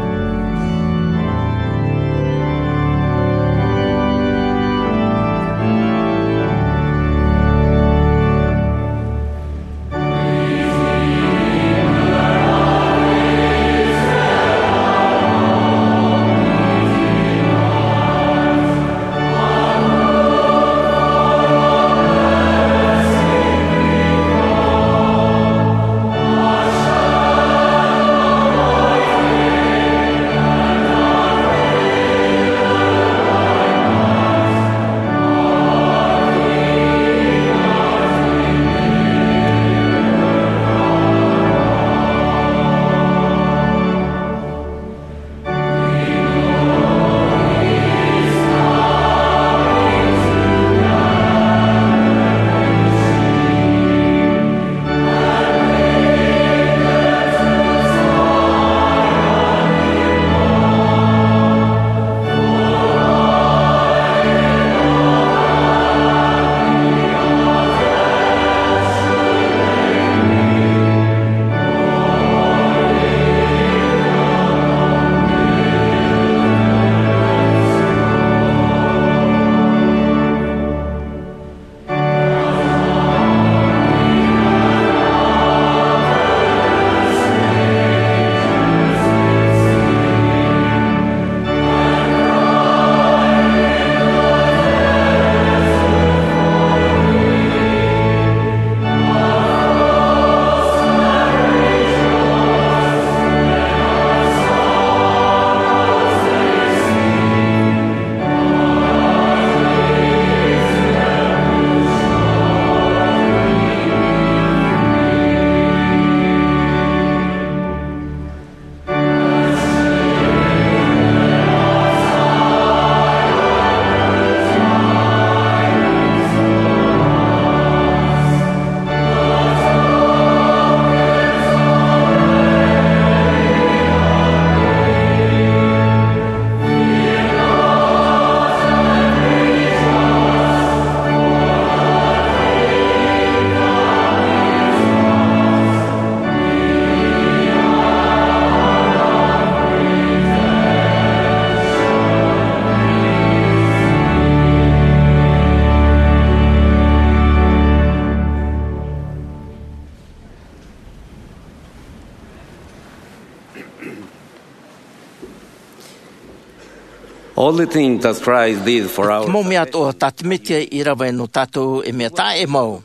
All the things that Christ did for our Te mau mea atoʻa tā te Mesia i rave nō tātou e mea taʻa ʻē mau.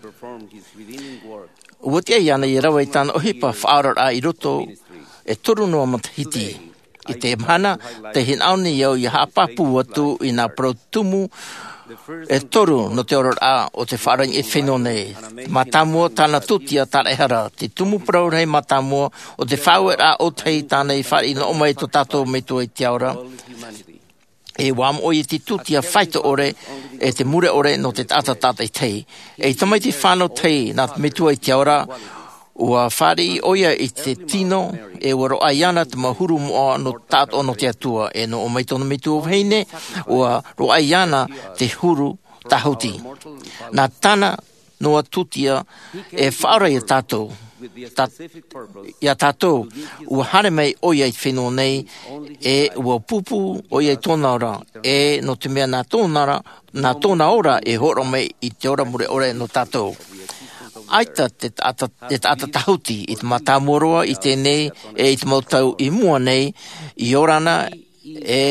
Ua tiʻa iāna ia rave i tāna ʻohipa faʻaoraraʻa i roto e toru noa matahiti. I te mahana, tē hinaʻaro nei au ia haʻapāpū atu i nā parau tumu e toru nō te oraraʻa o te faʻaora i te fenua nei. Mātāmua, tāna tūtia tāraʻehara, te tumu parau rahi mātāmua o te faʻaueraʻa ʻōtahi tāna i fāriʻi noa mai tō tātou Metua i te ao ra. E ʻua moʻe ʻoia i te tūtia faito ʻore, e te mure ʻore nō te taʻata tātaʻitahi. E tamaiti fānau tahi nā te Metua i te ao ra, ʻua fāriʻi ʻoia i te tino, e ʻua roaʻa iāna te mau huru moʻa nō tāʻatoʻa nō te Atua, e nō ʻō mai tōna metua vahine, ʻua roaʻa iāna te huru tāhuti. Nā tāna noa tūtia e faʻaora iā tātou. Tā, iā tātou, ʻua haere mai ʻoia i te fenua nei, e ʻua pūpū ʻoia i tōna ora, e nō te mea nā tōna ora, nā tōna ora e hōroʻa mai i te ora mure ʻore nō tātou. ʻaita te taʻata, te taʻata tahuti i te mātāmua roa i teie nei, e i te mau tau i mua nei, i ora na, e,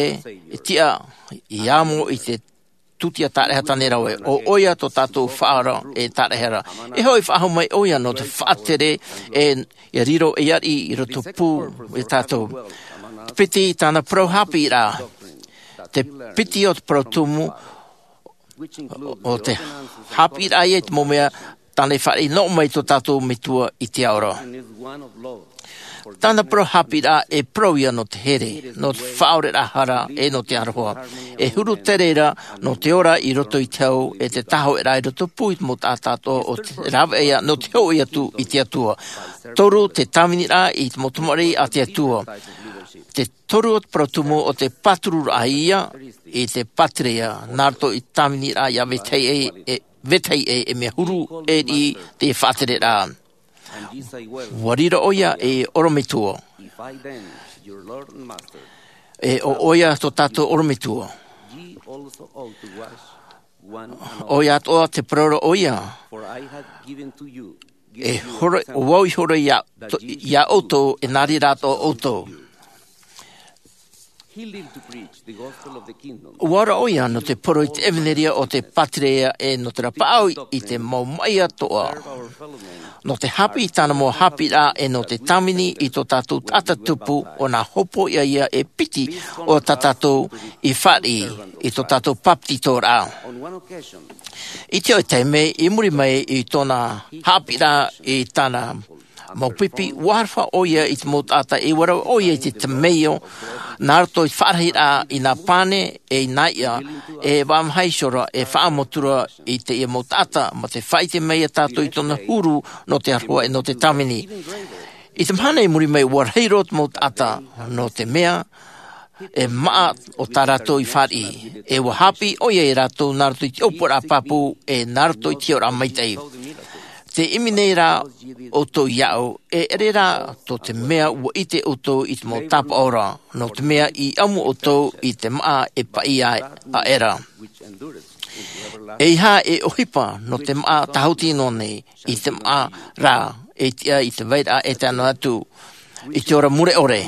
e tiʻa, i amo i te tūtia tāraʻehara tāne rave. ʻO ʻoia tō tātou faʻaora e tāraʻehara. E hoʻi faʻahou mai ʻoia nō te faʻatere, e, e riro e ariʻi i roto pū e tātou. Te piti i tāna parau haʻapiʻiraʻa. Te piti o te parau tumu, ʻo te haʻapiʻiraʻa ia i te mau mea tāna i fāriʻi noa mai tō tātou metua i te ao ra. Tāna parau haʻapiʻiraʻa e parau ia nō te here, nō te faʻaoreraʻa hara, e nō te aroha. E huru te reira, nō te ora i roto i te hau, e te tāhoʻaraʻa i roto pū i te mau taʻata atoʻa o te rāveʻa ia, nō te hoʻi atu i te Atua. Toru te tāviniraʻa i te mau tamariʻi a te Atua. Te toru o te parau tumu ʻo te pātururaʻa ia, i te pātireia, nā roto i te tāviniraʻa ia vetahi ʻē, e, vetahi ʻē, e mea huru, e riʻi, te faʻatereraʻa. ʻUa riro ʻoia ei ʻorometua. E ʻo ʻoia tō tātou ʻorometua. ʻOia atoʻa te parau ra ʻoia. E horo, ʻo vau i horo ia, to, ia ʻoutou, e nā reira atoʻa ʻoutou. ʻUa ora ʻoia nō te parau i te ʻevaneria o te pātireia e nō te rapaʻau i te mau maʻi atoʻa. Nō te haʻapiʻi i tāna mau haʻapiʻiraʻa e nō te tāvini i tō tātou taʻata tupu ʻo nā hopoiʻa ia e piti o tā tātou i fāriʻi i tō tātou pāpetitoraʻa. I te hoʻi taime i muri mai i tōna haʻapiʻiraʻa i tāna mau pipi, ʻua aroha ʻoia i te mau taʻata, e ʻua rave ʻoia i te temeio, nā roto i te faʻarahiraʻa i nā pane, e i nā iʻa, e vaʻa maha iho ra, e faʻaamo atu ra i teie mau taʻata, mā te faʻaʻite mai ia tātou i tōna huru, nō te aroha e nō te tāvini. I te mahana i muri mai ʻua rahi roa te mau taʻata, nō te mea, e maʻa o tā rātou i fāriʻi. E ʻua haʻapiʻi ʻoia ia rātou nā roto i te ʻōpuaraʻa pāpū, e nā roto i te hiʻoraʻa maitaʻi. Tē ʻimi nei rā ʻoutou iāʻu, e ʻere rā tō te mea ʻua ʻite ʻoutou i te mau tāpaʻo ra, nō te mea i ʻamu ʻoutou i te maʻa e paʻi aʻera. ʻEiaha e ʻohipa nō te maʻa tāhuti noa nei, i te maʻa rā, e tiʻa i te vairaʻa e tae noa atu i te ora mure ʻore.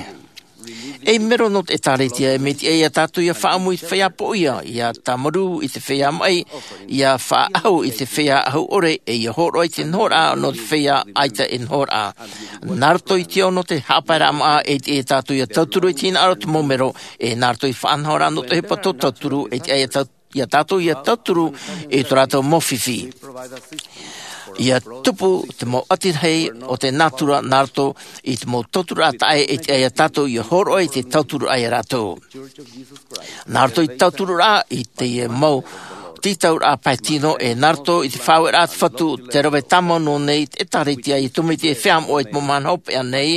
E mero nō te ʻĒtārētia, e mea tiʻa ia tātou ʻia faʻaʻamu i te feiā poʻia, ʻia tāmarū i te feiā maʻi, ʻia faʻaʻahu i te feiā ʻahu ʻore, e ʻia hōroʻa i te nohoraʻa nō te feiā ʻaita e nohoraʻa. Nā roto i te ao nō te haʻapaeraʻa maʻa, e tiʻa ia tātou ʻia tauturu i te hinaʻaro o te mau mero, e nā roto i te faʻanahoraʻa nō te ʻohipa tō tauturu, e tiʻa ia tātou ʻia tātou ʻia tauturu i tō rātou mau fifi. ʻIa tupu te mau ʻati rahi o te nātura nā roto i te mau tauturu taʻa ʻē, e tiʻa ia tātou ʻia hōroʻa i te tauturu ia rātou. Nā roto i te tauturu i te mau tītauraʻa pae tino, e nā roto i te faʻaueraʻa te Fatu, te rave tāmau noa nei te ʻĒtārētia i te mau mea e feiā moʻa i te mau mahana hopeʻa nei,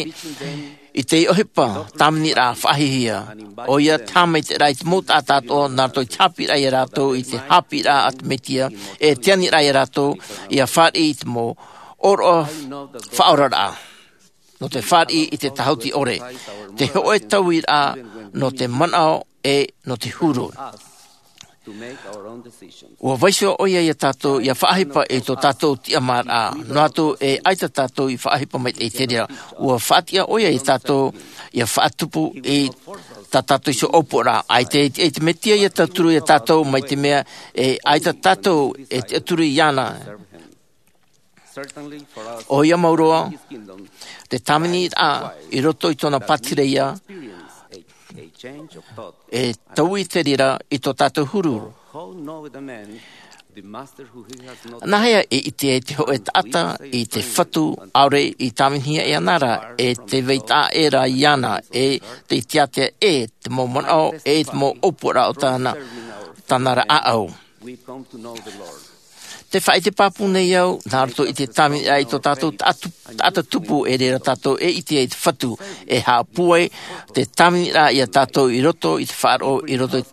i te ʻohipa tāviniraʻa faʻahiahia. ʻOia te haʻamaitaʻiraʻa i te mau taʻata atoʻa, nā roto i te haʻapiʻiraʻa ia rātou i te haʻapiʻiraʻa a te Mesia, e te aniraʻa ia rātou ʻia fāriʻi i te mau ʻōroʻa faʻaoraraʻa. Nō te fāriʻi i te tāhuti ʻore, te hōʻē tauiraʻa nō te manaʻo e nō te huru. ʻUa vaiiho ʻoia ia tātou ʻia faʻaʻohipa i tō tātou tiʻamāraʻa, noa atu e ʻaita tātou i faʻaʻohipa maitaʻi i te reira. ʻUa faʻatiʻa ʻoia ia tātou ʻia faʻatupu i tā tātou iho ʻōpuaraʻa. ʻAita e tiʻa te Mesia ʻia tauturu ia tātou, mai te mea e ʻaita tātou e tiʻaturi iāna. ʻOia mau roa, te tāviniraʻa i roto i tōna pātireia, e taui te reira i tō tātou huru. Nāhea e ʻite ai te hōʻē taʻata i te Fatu, ʻaore i tāvinihia e ana ra, e te vai taʻa ʻē ra iāna, e te tiatea ʻē te mau manaʻo, e te mau ʻōpuaraʻa o tāna, tāna ra ʻāʻau. Te faʻaʻite pāpū nei au, nā roto i te tāviniraʻa i tō tātou taʻatu-, taʻata tupu, e reira tātou e ʻite ai te Fatu, e haʻapūai te tāviniraʻa ia tātou i roto i te faʻaroʻo, i roto i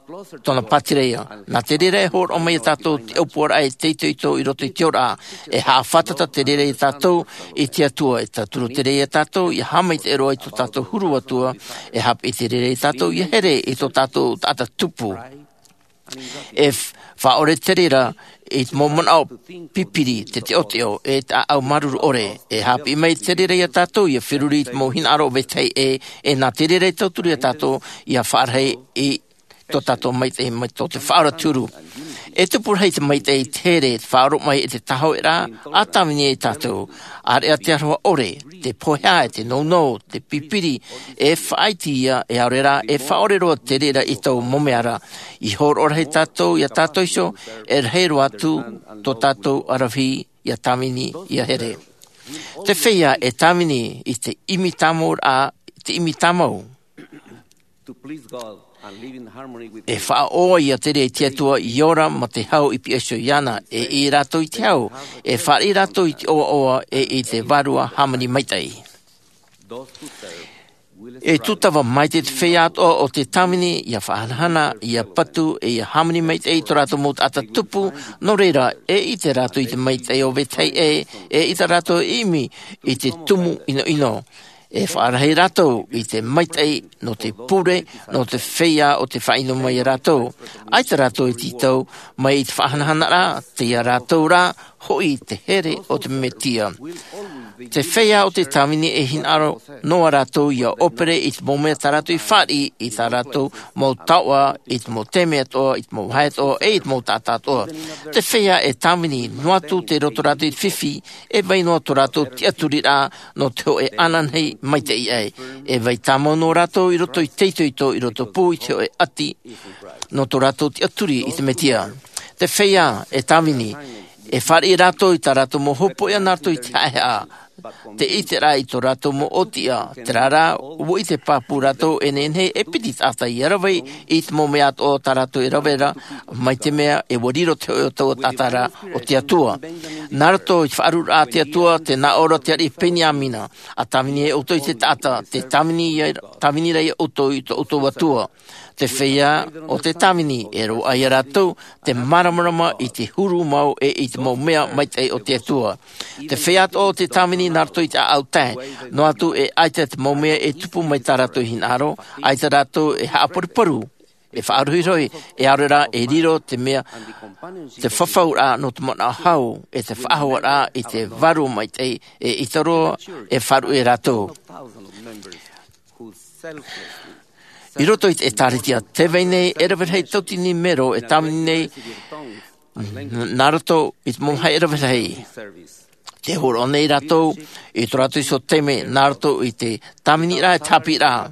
tōna pātireia. Nā te reira e hōroʻa mai ia tātou te ʻōpuaraʻa e te itoito i roto i te ora, e haʻafātata te reira ia tātou i te Atua, e tauturu te reira ia tātou ʻia haʻamaitaʻi roa i tō tātou huru Atua, e haʻapiʻi te reira ia tātou ʻia here i tō tātou taʻata tupu. E f-, faʻaʻore te reira i te mau manaʻo pipiri, te teʻoteʻo, e te ʻāʻau māuruuru ʻore. E haʻapiʻi mai te reira iā tātou ia feruri i te mau hinaʻaro o vetahi ʻē, e nā te reira e tauturu iā tātou ia faʻarahi i tō tātou maitaʻi mai tō te Faʻaora te huru. E tupu rahi te maitaʻi, te here, te faʻaoromaʻi, e te tāhōʻēraʻa, ʻa tāvini ai tātou. ʻAreʻa te aroha ʻore, te pohe, e te nounou, te pipiri, e faʻaiti ia, e ʻaore rā, e faʻaʻore roa te reira i tō mau mea ra. I hōroʻa rahi tātou iā tātou iho, e rahi roa atu tō tātou aravihi ia tāvini, ia here. Te feiā e tāvini i te ʻimi tāmau ra, te ʻimi tāmau. E faʻaʻoaʻoa ia te reira i te Atua, i ora ma te hau i pihaʻi iho iāna, e ʻī rātou i te hau, e fāriʻi rātou i te ʻoaʻoa, e i te Vārua hāmani maitaʻi. E tūtava maitaʻi te feiā atoʻa o te tāvini, ia faʻahanahana, ia patu, e ia hāmani maitaʻi i tō rātou mau taʻata tupu, nō reira, e ʻite rātou i te maitaʻi o vetahi ʻē, e ʻite rātou e ʻimi i te tumu ʻinoʻino. E faʻarahi rātou i te maitaʻi nō te pure, nō te feiā o te faʻaʻino mai iā rātou. ʻAita rātou e tītau mai i te faʻahanahana ra, tei iā rātou rā, hoʻi te here o te Mesia. Te feiā o te tāvini e hinaʻaro noa rātou ia ʻōpere i te mau mea tā rātou i fāriʻi, i tā rātou mau taoʻa, i te mau taime atoʻa, i te mau vāhi atoʻa, e i te mau taʻata atoʻa. Te feiā e tāvini, noa atu tei roto rātou i te fifi, e vai noa tō rātou tiʻaturiraʻa nō te hōʻē ananahi maitaʻi aʻe. E vai tāmau noa rātou i roto i te itoito, i roto pū i te hōʻē ʻati, nō tō rātou tiʻaturi i te Mesia. Te feiā e tāvini, e fāriʻi rātou i tā rātou mau hopoiʻa nā roto i te haʻehaʻa. Te ʻiteraʻa i tō rātou mau ʻōtiʻa, terā rā, ʻua ʻite pāpū rātou e nehenehe e piti taʻata ia rave i te mau mea atoʻa tā rātou e rave ra, mai te mea ʻua riro te hōʻē o taua taʻata ra o te Atua. Nā roto i te faʻarururaʻa a te Atua, tē nā ʻō ra te ariʻi Peniamina, ʻa tāvini ai ʻoutou i te taʻata, tē tāvini ia, tāvini ra ia ʻoutou i tō ʻoutou Atua. Te feiā o te tāvini, e roaʻa ia rātou te māramarama i te huru mau e i te mau mea maitaʻi o te Atua. Te feiā atoʻa o te tāvini nā roto i te ʻāʻau tae, noa atu e ʻaita te mau mea e tupu mai tā rātou hinaʻaro, ʻaita rātou e haʻaparuparu, e faʻarohirohi, e ʻaore rā e riro te mea, te fafauraʻa nō te manaʻo hau, e te faʻahouraʻa i te Vārua maitaʻi, e ʻita roa, e faʻaruʻe rātou. I roto i te ʻĒtārētia tē vai nei e rave rahi tauatini mero e tāvini nei, n-, nā roto i te mau vāhi e rave rahi. Tē hōroʻa nei rātou i tō rātou iho taime, nā roto i te tāviniraʻa, e te haʻapiʻiraʻa.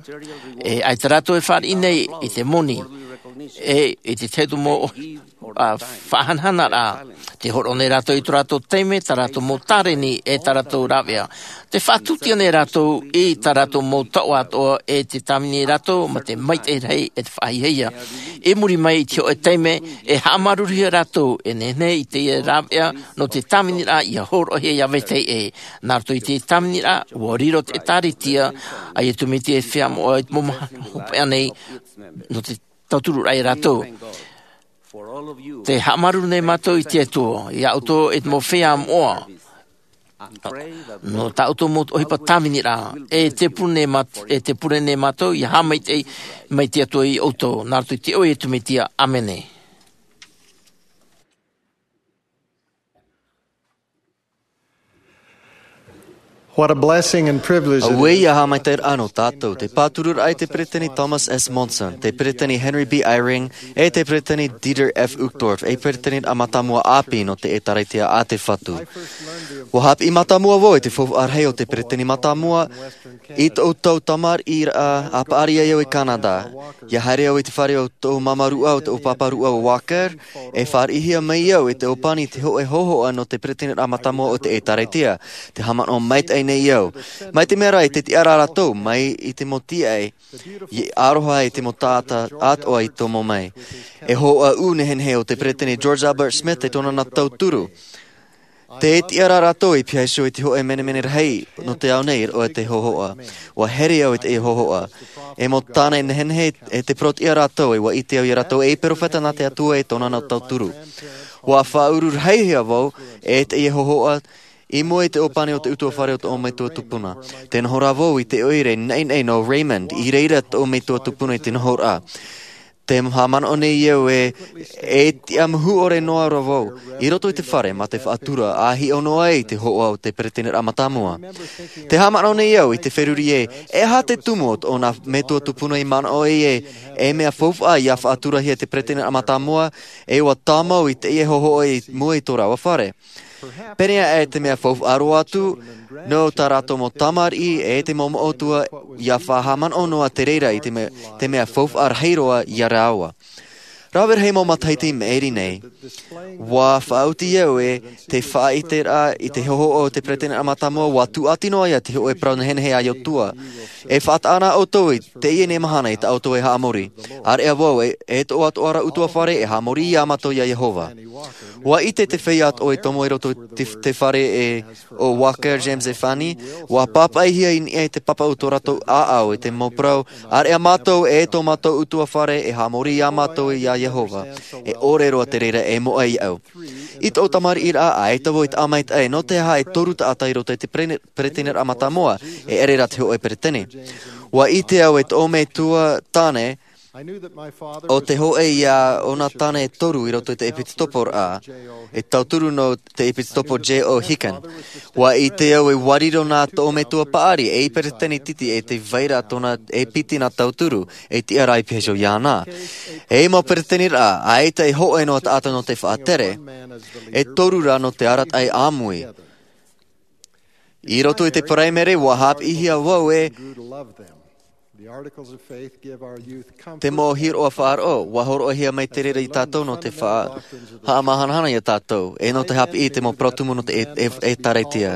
E ʻaita rātou e fāriʻi nei i te moni, e i te tahi atu mau ʻohi-, ā, faʻahanahanaraʻa. Tē hōroʻa nei rātou i tō rātou taime, tā rātou mau tāreni, e tā rātou rāveʻa. Tē faʻatūtia nei rātou i tā rātou mau taoʻa atoʻa, e tē tāvini rātou mā te maitaʻi rahi, e te faʻahiahia. I muri mai i te hōʻē taime, e haʻamāuruuruhia rātou, e nehenehe i teie rāveʻa nō te tāviniraʻa ia hōroʻahia ia vetahi ʻē. Nā roto i te tāviniraʻa, ʻua riro te ʻĒtārētia a Iesu Mesia e feiā moʻa i te mau mahana hopeʻa nei, nō te tautururaʻa ia rātou. Tē haʻamāuruuru nei mātou i te Atua, ia ʻoutou e te mau feiā moʻa. Nō tā ʻoutou mau ʻohipa tāviniraʻa, e tē pure nei māt-, e tē pure nei mātou, ia haʻamaitaʻi mai te Atua ia ʻoutou, nā roto i te iʻoa o Iesu Mesia, ʻāmene. What a blessing and privilege it is. Auē ia haʻamaitaʻiraʻa nō tātou, te pātururaʻa i te Peresideni Thomas S. Monson, te Peresideni Henry B. Eyring, e te Peresideni Dieter F. Uchtdorf, e Peresideni mātāmua ʻāpī nō te ʻĒtārētia a te Fatu. ʻUa haʻapiʻi mātāmua vau i te faufaʻa rahi o te Peresideni mātāmua i tōʻu tau tamariʻiraʻa, ʻa paʻari ai au i Canada. ʻIa haere au i te fare o tōʻu māmā rūʻau, tōʻu pāpā rūʻau Walker, e fāriʻihia mai au e te ʻōpani i te hōʻē hōhoʻa nō te Peresideni mātāmua o te ʻĒtārētia. Tē haʻamanaʻo maitaʻi nei au. Mai te mea ra, i te tiʻaraʻa rātou, mai i te mau tīaʻi, ʻia aroha i te mau taʻata atoʻa i tomo mai. E hōhoʻa ʻū nehenehe o te Peresideni George Albert Smith e tōna nā tauturu. Tē tiʻa ra rātou i pihaʻi iho i te hōʻē menemene rahi nō te ao nei, ʻo te hōhoʻa. ʻUa here au i teie hōhoʻa. E mau tāne nehenehe e te parau tiʻa rātou, e ʻua ʻite au ia rātou e perofeta nā te Atua e tōna nā tauturu. ʻUa faʻaururahihia vau e teie hōhoʻa i mua i te ʻōpani o te ʻutuāfare o tōʻu metua tupuna. Tē noho ra vau i te ʻoire naʻinaʻi nō Raymond, i reira tōʻu metua tupuna i te nohoraʻa. Te haʻamanaʻo nei au e e tiʻa muhu ʻore noa ra vau i roto i te fare ma te faʻatura a hiʻo noa ai i te hoʻo o te pereteniraʻa matamua. Te haʻamanaʻo nei au i te feruri ē, e aha te tumu o tōna metua tupuna i manaʻo ai ē e mea faufaʻa ia faʻaturahia te pereteniraʻa matamua, e ua tāmau i teie hohoʻa i mua i tō rāua fare. Pēnei aʻe te mea faufaʻa roa atu nō tā rātou mau tamariʻi e te mau moʻotua ia faʻahaʻamanaʻo noa te reira i te mea te mea faufaʻa rahi roa ia rāua. Rave rahi mau matahiti i maʻiri nei, ua faʻaoti au e te faʻaʻiteraʻa i te hohoʻa o te pereteniraʻa matamua ua tūʻati noa ia te hoʻo e parau nehenehe a iotua. E faʻataʻa na ʻoutou i teie nei mahana i tā ʻoutou e haʻamori. Areʻa vau e e toʻoatoʻa ra ʻutuafare e haʻamori ia mātou ia iehova. Ua ʻite te feiā atoʻa i tomo i roto i te fare e o walker james e fanny, ua pāpaʻihia i niʻa i te papa o tō rātou ʻāʻau i te mau parau, areʻa mātou e tō mātou ʻutuafare e haʻamori ia mātou ia iehova. E ʻore roa te reira e moʻa iaʻu. I tōʻu tamariʻiraʻa ʻaita vau i taʻa maitaʻi nō te aha e toru taʻata i roto i te pereteniraʻa matamua, e ʻere rā te hoʻo e peretene. Ua ʻite au e tōʻu metua tāne o te hoʻe ia ʻōna tāne e toru i roto i te ʻepitoporaʻa e tauturu nō te ʻepitopo j o hicken. Ua ʻite au e ua riro nā tōʻu metua paʻari ei peretene titi e te vai ra tōna e piti nā tauturu e tiʻa ra i piha iho iāna. E mau pereteniraʻa ʻaita e hoʻe noa taʻata nō te faʻatere, e toru rā nō te arataʻi ʻāmui. I roto i te paraimere ua hāpiʻihia vau e te mau hiroʻa faʻaroʻo ua horoʻahia mai te reira i tātou nō te faʻahaʻamahanahana ia tātou e nō te hāpiʻi i te mau parau tumu nō te ʻētārētia.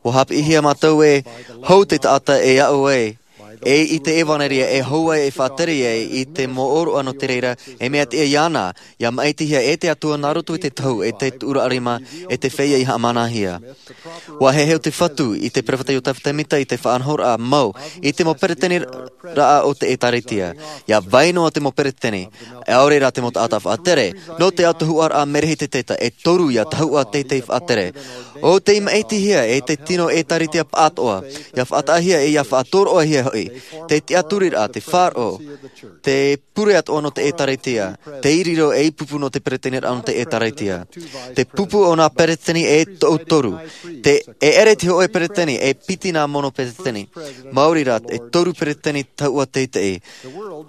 Ua hāpiʻihia mātou e hou te taʻata e aʻo ai e i te ʻevanelia e hou ai e faʻatere ai i te mau ʻōroʻa nō te reira e mea tiʻa iāna ia maʻitihia e te atua nā roto i te tohu e te tuʻuraʻa rima e te feiā i haʻamanahia. Ua heheu te fatu i te peropheta iosepha semita i te faʻanahoraʻa mau i te mau pereteniraʻa o te ʻētārētia. Ia vai noa te mau peretene ʻaore rā te mau taʻata faʻatere nō te autahuʻaraʻa merehiteta e toru ia tahuʻa teitei faʻatere. ʻO tei maʻitihia e te tino ʻētārētia paʻatoʻa ia faʻataʻahia e ia faʻatoroʻahia hoʻi te tiʻaturiraʻa te faʻaroʻo te pure atoʻa nō te ʻētārētia te iriro ei pupu nō te pereteniraʻa nō te ʻētārētia. Te pupu o nā peretene e toʻu toru te e ʻere te hoʻe peretene e piti nā mono peretene. Maori rā e toru peretene tahuʻa teitei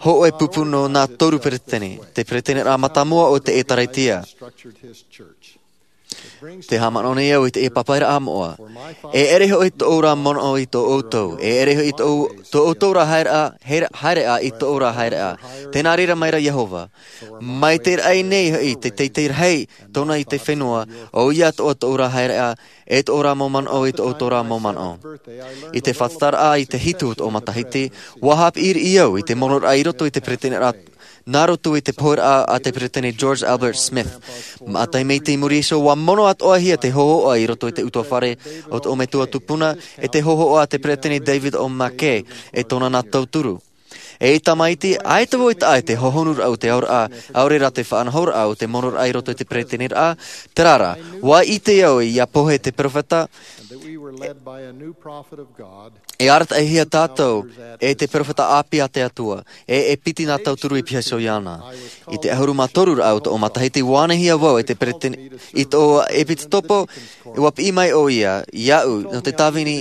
hoʻe pupu nō nā toru peretene te pereteniraʻa matamua o te ʻētārētia. Te haʻamanaʻo nei au i te ʻēpaparaʻa moʻa. E ʻere hoʻi tōʻu rā manaʻo i tō ʻoutou e ʻere hoʻi tō ʻoutou rā haereʻa haereʻa i tōʻu rā haereʻa. Tēnā reira mai ra iehova mai te raʻi nei hoʻi te teitei rahi tōna i te fenua ʻo ia tōʻu rā haereʻa e tōʻu rā mau manaʻo i tōʻu rā mau manaʻo. I te faʻatataraʻa i te hitu o tōʻu matahiti ua hāpiʻi riʻi au i te monoraʻa i roto i te pereteniraʻa nā roto i te poheraʻa a te peretene george albert smith. Maʻa taime i te muri iho ua mono atoʻahia te hohoʻa i roto i te ʻutuafare o tōʻu metua tupuna e te hohoʻa a te peretene david o mackay e tōna nā tauturu. E i tamaiti ʻaita vau i taʻa i te hohonuraʻa o te aoraʻa ʻaore rā te faʻanahoraʻa o te monoraʻa i roto i te pereteniraʻa. Terā rā ua ʻite au ia pohe te peropheta e arataʻihia tātou e te peropheta ʻāpī a te atua e e piti nā tauturu i piha iho iāna. I te ʻahuru mā toru raʻa o tōʻu matahiti ua anahia vau e te peretene i tōʻu ʻepitopo. Ua piʻi mai ʻo ia iaʻu nō te tāvini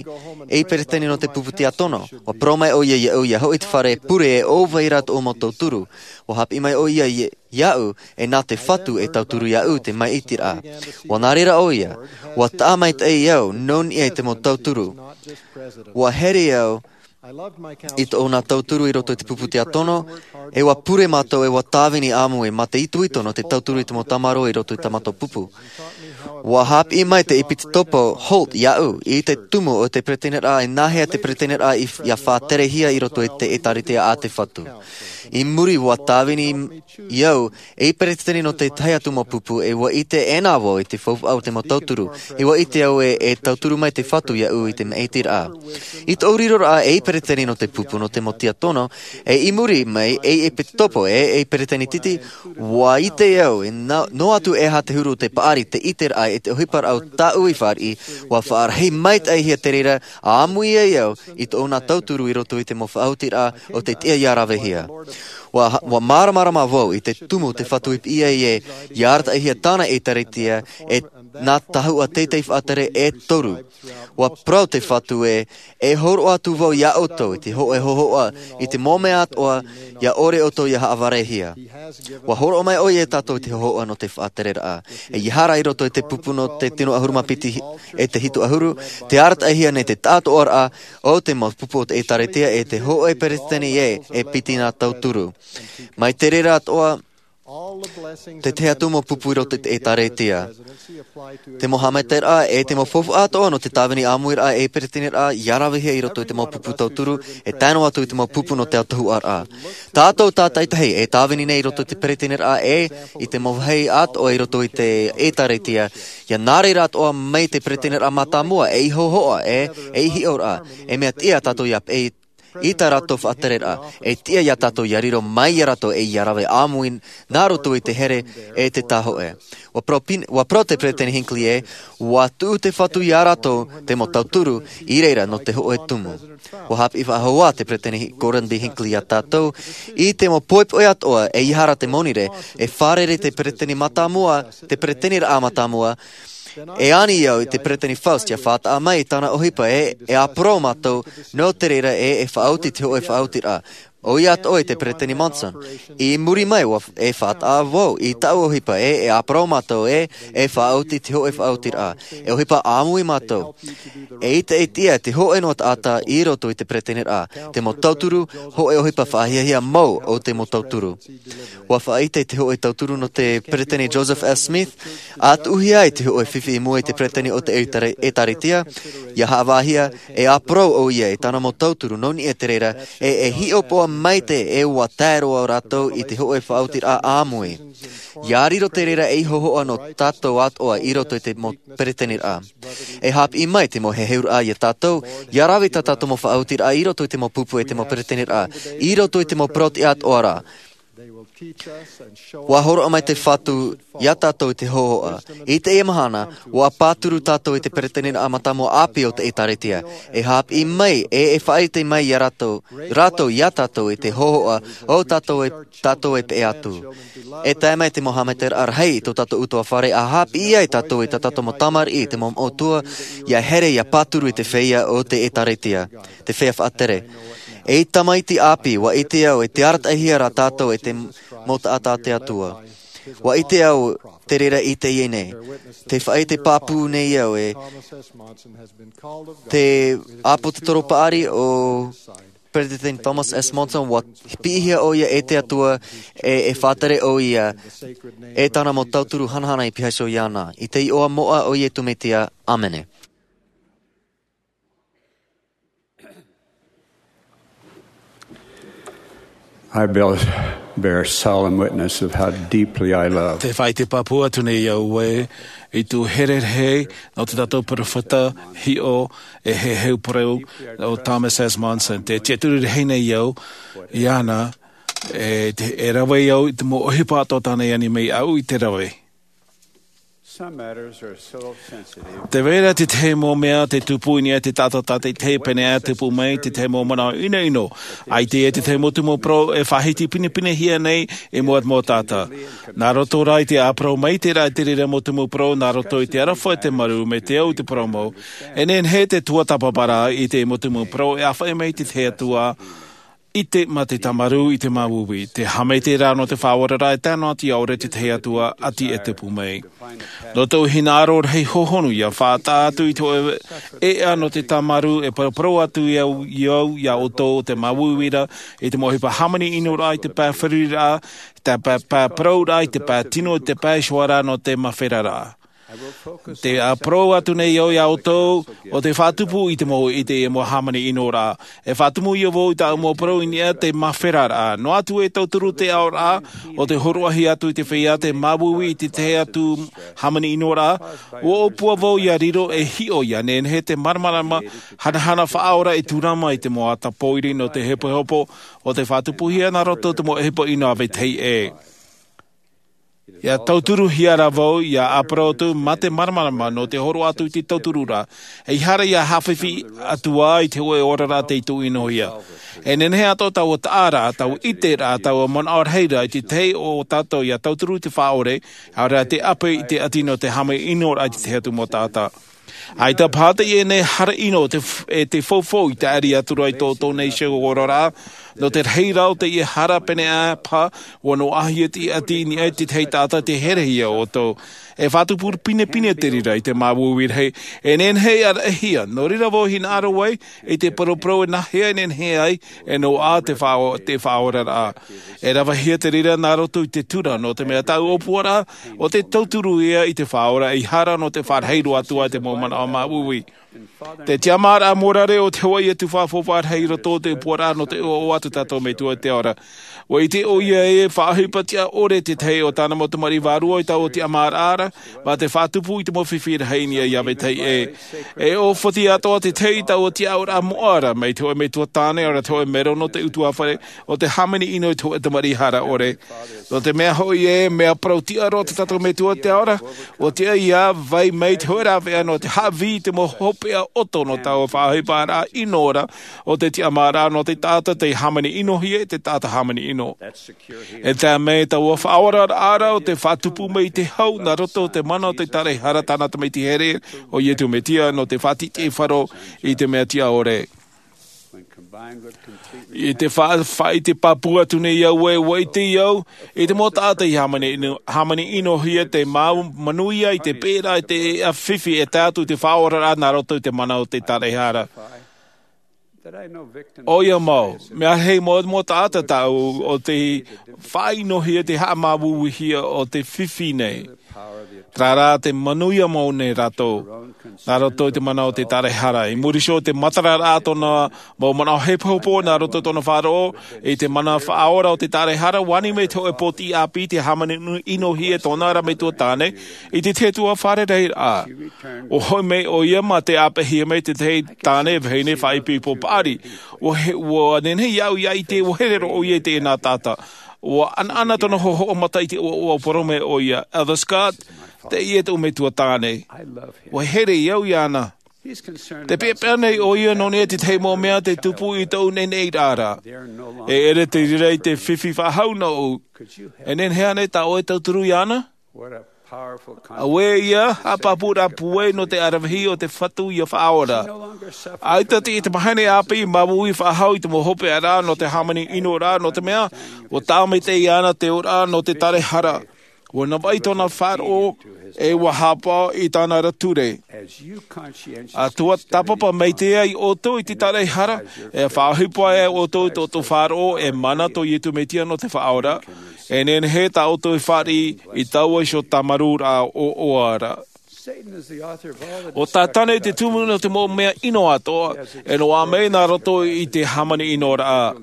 ei peretene nō te pupu tiatono. Ua parau mai ʻo ia iaʻu ia hoʻi te fare pure e ʻō vai ra tōʻu mau tauturu. Ua hāpiʻi mai ʻo ia iaʻu e nā te fatu e tauturu iaʻu te maʻitiraʻa. Ua nā reira ʻo ia ua taʻa maitaʻi au nō niʻa i te mau tauturu. Ua here au i tōʻu nā tauturu i roto i te pupu tiatono e ua pure mātou e ua tāvini ʻāmui mā te itoito nō te tauturu i te mau tamaroa i roto i tā mātou pupu. Ua hāpiʻi mai te ʻepitopo holt iaʻu i te tumu o te pereteniraʻa e nāhea te pereteniraʻa ia faʻaterehia i roto i te ʻētārētia a te fatu. I muri ua tāvini au ei peretene nō te tahi atu mau pupu e ua ʻite ʻēnā vau i te faufaʻa o te mau tauturu. E ua ʻite au e e tauturu mai te fatu iaʻu i te maʻitiraʻa i tōʻu riroraʻa ei peretene nō te pupu nō te mau tiatono. E i muri mai ei ʻepitopo e ei peretene titi ua ʻite au e noa atu e aha te huru o te paʻari te ʻiteraʻa. e te ʻohiparaʻa o tāʻu i fāriʻi, ua faʻarahi maitaʻihia te reira, ʻāmui ai au i tōna tauturu i roto i te mau faʻaotiraʻa o te tiʻa ia ravehia. Ua, ua māramarama vau i te tumu o te Fatu i piʻi ai ē, ia arataʻihia tāna ʻētāretia, e nā tahuʻa teitei faʻatere e toru. Ua parau te Fatu ē, e hōroʻa atu vau iā ʻoutou i te hōʻē hōhoʻa i te mau mea atoʻa, ia ʻore ʻoutou ia haʻavarehia. Ua hōroʻa mai ʻoia iā tātou i te hōhoʻa nō te faʻatereraʻa. E ia hara i roto i te pupu nō te tino ʻahuru mā piti e te hitu ʻahuru, te arataʻihia nei te tāʻātoʻaraʻa o te mau pupu o te ʻētāretia e te hōʻē peretiteni ē, e piti nā tauturu. Mai te reira atoʻa, te tahi atu mau pupu i roto i te ʻētāretia. Te mau haʻamaitaʻiraʻa e te mau faufaʻa atoʻa nō te tāvini ʻāmuiraʻa e pereteniraʻa, ia ravehia i roto i te mau pupu tauturu, e tae noa atu i te mau pupu nō te autahuʻaraʻa. Tātou tātaʻitahi e tāvini nei i roto i te pereteniraʻa e i te mau vāhi atoʻa i roto i te ʻētāretia, ia nā reira atoʻa mai te pereteniraʻa mātāmua, ei hōhoʻa e ei hiʻoraʻa, e mea tiʻa tātou ia peʻe i tā rātou faʻatereraʻa, e tiʻa iā tātou ia riro mai iā rātou e ia rave ʻāmui nā roto i te here e te tāhōʻē. Ua parau pin-, ua parau te Peretiteni Hinckley ē, ua tuʻu te Fatu iā rātou te mau tauturu i reira nō te hōʻē tumu. Ua haʻapiʻi faʻahou ā te Peretiteni Gordon B. Hinckley iā tātou, i te mau poʻipoʻi atoʻa e ia hara te monirē, e fārerei te peretiteni mātāmua, te pereteniraʻa mātāmua, e ani au i te Peretiteni Faust ia faʻataʻa mai i tāna ʻohipa ē, e ʻāparau mātou, nō te reira ē, e faʻaoti te hōʻē faʻaotiraʻa. ʻOia atoʻa i te Peretiteni Monson. I muri mai ua f-, e faʻataʻa vau i tāʻu ʻohipa ē, e ʻāparau mātou ē, e faʻaoti te hōʻē faʻaotiraʻa. E ʻohipa ʻāmui mātou. E ʻite e tiʻa te hōʻē noa taʻata i roto i te pereteniraʻa. Te mau tauturu, hōʻē ʻohipa faʻahiahia mau o te mau tauturu. Ua faʻaʻite te hōʻē tauturu nō te Peretiteni Joseph F. Smith, ʻa tuʻuhia ai te hōʻē fifi i mua i te Peretiteni o te ʻētare-, ʻētāretia, ia haʻavāhia, e ʻāparau ʻoia i tāna mau tauturu nō niʻa i te reira, e, e hiʻopoʻa maitaʻi ē ua tae roa rātou i te hōʻē faʻaotiraʻa ʻāmui. Ia riro te reira ei hōhoʻa nō tātou atoʻa i roto i te mau pereteniraʻa. E haʻapiʻi mai te mau heheuraʻa iā tātou, ia rave tā tātou mau faʻaotiraʻa i roto i te mau pupu e te mau pereteniraʻa, i roto i te mau parau-tiʻa atoʻa ra. Ua hōroʻa mai te Fatu iā tātou i te hōhoʻa. I teie mahana, ua pāturu tātou i te pereteniraʻa mātāmua ʻāpī o te ʻētāretia. E haʻapiʻi mai, e, e faʻaʻite mai iā rātou, rātou iā tātou i te hōhoʻa, o tātou e, tātou e peʻe atu. E tae mai te mau haʻamaitaʻiraʻa rahi i tō tātou ʻutuāfare, ʻa haʻapiʻi ai tātou i tā tātou mau tamariʻi, te mau moʻotua, ia here, ia pāturu i te feiā o te ʻētāretia. Te feiā faʻatere. Ei tamaiti ʻāpī, ua ʻite au, e te arataʻihia rā tātou e te mau taʻata a te Atua. Ua ʻite au, te reira i teie nei. Te faʻaʻite pāpū nei au ē. Te ʻāpōsetolo paʻari o Peretiteni Thomas S. Monson, ua piʻihia ʻoia e te Atua e, e faʻatere ʻoia e tāna mau tauturu hanahana i pihaʻi iho iāna. I te iʻoa moʻa o Iesu Mesia, ʻāmene. I bear, bear solemn witness of how deeply I love. Te faʻaʻite pāpū atu nei au ē, i tō here rahi nō te tatou peropheta hiʻo e heheu parau o Thomas S. Monson. Te tiʻaturi rahi nei au iāna, e, te, e rave au i te mau ʻohipa atoʻa tāna i ani mai iāʻu i te rave. Some matters are so sensitive. Tē vai ra te tahi mau mea tē tupu i niʻa i te taʻata tātaʻitahi, pēneiaʻe e tupu mai te tahi mau manaʻo ʻinoʻino. ʻAita e te tahi mau tumu parau e faʻahiti pinepinehia nei i mua i te mau taʻata. Nā roto rā i te ʻāparau maitaʻi ra i te reira mau tumu parau, nā roto i te aroha e te marū, mai te au i te parau mau. E nehenehe te tuatāpapa ra i te mau tumu parau e ʻāfaʻi mai te tahi atu ā, i te, mā te tāmarū i te māuiui, te haʻamaitaʻiraʻa nō te faʻaoraraʻa e tae noa atu ʻia ʻore te tahi atu ā, ʻati e tupu mai. Nō tōʻu hinaʻaro rahi hōhonu ʻia faʻataʻa atu i te hōʻē ʻēʻa nō te tāmarū e paraparau atu i au, i au, iā ʻoutou o te māuiui ra, i te mau ʻohipa hāmani ʻino ra, i te pae feruriraʻa, te pae, pae parauraʻa, i te pae tino, i te pae suara nō te māferaraʻa. Tē ʻāparau atu nei au iā ʻoutou, ʻo tē faʻatupu i te mau ʻite e mau hāmani ʻino ra. E faʻatumu ïa vau i tāʻu mau parau i niʻa i te māferaraʻa. Noa atu e tauturu te aʻoraʻa, ʻo tē hōroʻahia atu i te feiā te māuiui i te tahi atu hāmani ʻino ra. ʻUa ʻōpua vau ʻia riro e hiʻo ʻia nehenehe te māramarama hanahana faʻaora e tūrama i te mau ata pōiri nō te hopohopo, ʻo tē faʻatupuhia nā roto i te mau ʻohipa ʻino a vetahi ʻē. Ia tauturuhia rā vau ia ʻāparau atu mā te māramarama nō te horo atu i te tauturu ra. Ei hara ia haʻafifi atu ā i te hoʻe oraraʻa tei tūʻino ia. E nehenehe atoʻa taua taʻa ra, taua ʻite ra, taua manaʻo rahi ra i te tahi o tātou ia tauturu i te faʻaore, ʻaore rā te ʻape i te ʻati nō te hāmani ʻino ra i te tahi atu mau taʻata. ʻAita paha teie nei hara ʻino e te faufau i te ʻari atu ra i tō tō nei ʻoe oraraʻa. Nō te rahi rā o teie hara pēnei paha, ua noaʻahia te ʻati i niʻa i te tahi taʻata te herehia ʻoutou. E faʻatupu pinepine te reira i te māuiui rahi. E nehenehe e ʻaraʻahia nō reira vau hinaʻaro ai i te paraparau e nāhea e nehenehe ai e noaʻa te faʻaoraraʻa. E ravehia te reira nā roto i te tura nō te mea taʻu ʻōpuaraʻa o te tauturu ia i te faʻaora ei hara nō te faʻarahi roa atu ai te mau manaʻo māuiui. Te tiʻamāraʻa mōrare o te hoʻe ia tufa faufaʻa rahi i roto o te ʻōpuaraʻa nō te ʻoaʻoa a tō tātou metua i te ao ra. Ua ʻite ʻoia e faʻaʻohipa tiʻa ʻore te tahi o tāna mau tamariʻi vārua i taua tiʻamāraʻa ra, mā te faʻatupu i te mau fifi rahi i niʻa i ʻāvae tahi ʻē. E ʻōfati atoʻa te tahi i taua tiʻaʻoraʻa moʻa ra mai te hoʻe metua tāne ʻaore rā te hoʻe mero nō te ʻutuāfare o te hāmani ʻino i te hoʻe tamariʻi hara ʻore. Nō te mea hoʻi ē mea parau tiʻa roa tō tātou metua i te ao ra. Ua tiʻa ia vai mai te hoʻe rāveʻa nō te haʻavī i te mau hopeʻa ʻoto nō taua faʻaʻohiparaʻa ʻino ra o te tiʻamāraʻa nō te taʻata tei hāmani ʻinohia e te taʻata hāmani ʻino. E tae mai taua faʻaoraraʻa ra o te faʻatupu mai i te hau nā roto o te mana o te taraehara tāna tamaiti here o iesu mesia nō te faʻatiʻetiʻe faro i te mea tiʻa ʻore. I te faʻaʻite pāpū atu nei au ē ua ʻite au i te mau taʻata i hāmani ʻinohia te mau manuia i te pēʻeraʻa i te ʻeʻa fifi e tae atu i te faʻaoraraʻa nā roto i te mana o te taraehara. ʻOia mau mea rahi mau mau taʻata tāʻu o te faʻaʻinohia te haʻamāuiuihia o te fifi nei. Rā rā te manuia mau nei rātou nā roto i te mana o te taraehara i muri iho o te matararaʻa tōna mau manaʻo hepohepo nā roto i tōna faʻaroʻo i te mana faʻaora o te taraehara ua ani mai te hoʻe pōtiʻi ʻāpī te hāmani ʻinohia e tōna ra metua tāne i te tahi atu fare rahiraʻa. Ua hoʻi mai ʻoia mā te ʻāpeʻehia mai te tahi tāne vahine faʻaipoipo paʻari. Ua nehenehe iāʻu ia ʻite ua here roa ʻoia i teie nā taʻata. Ua ʻanaʻana tōna hoʻohoʻo mata i te ʻoaʻoa ua parau mai ʻoia, elder scott, teie tōʻu metua tāne. Ua here au iāna. Te peʻapeʻa nei ʻoia nō niʻa i te tahi mau mea te tupu i tōʻu neneʻiraʻa ra. E ʻere te reira i te fifi faʻahou nōʻu. E nehenehe ānei tā ʻoe e tauturu iāna? Auē ia haʻapāpūraʻa pūai nō te aravihi o te fatu ia faʻaora. ʻAita te ʻite mahana ʻāpī māuiui faʻahou i te mau hopeʻaraʻa nō te hāmani ʻino ra nō te mea ua tāmaitaʻi iāna te ora nō te taraehara. Ua navaʻi tōna faʻaroʻo e ua hāpaʻo i tāna ra ture. A tua tāpapa mai te ai ʻoutou i te taraehara e faʻaʻohipa ai ʻoutou i tō ʻoutou faʻaroʻo e mana tō iesu mesia nō te faʻaora. E nehenehe tā ʻoutou e fāriʻi i taua iho tāmarūraʻa ʻoaʻoa ra. O tātane te tumu nō te mau mea ʻino atoʻa e noaʻa mai nā roto i te hāmani ʻinoraʻa.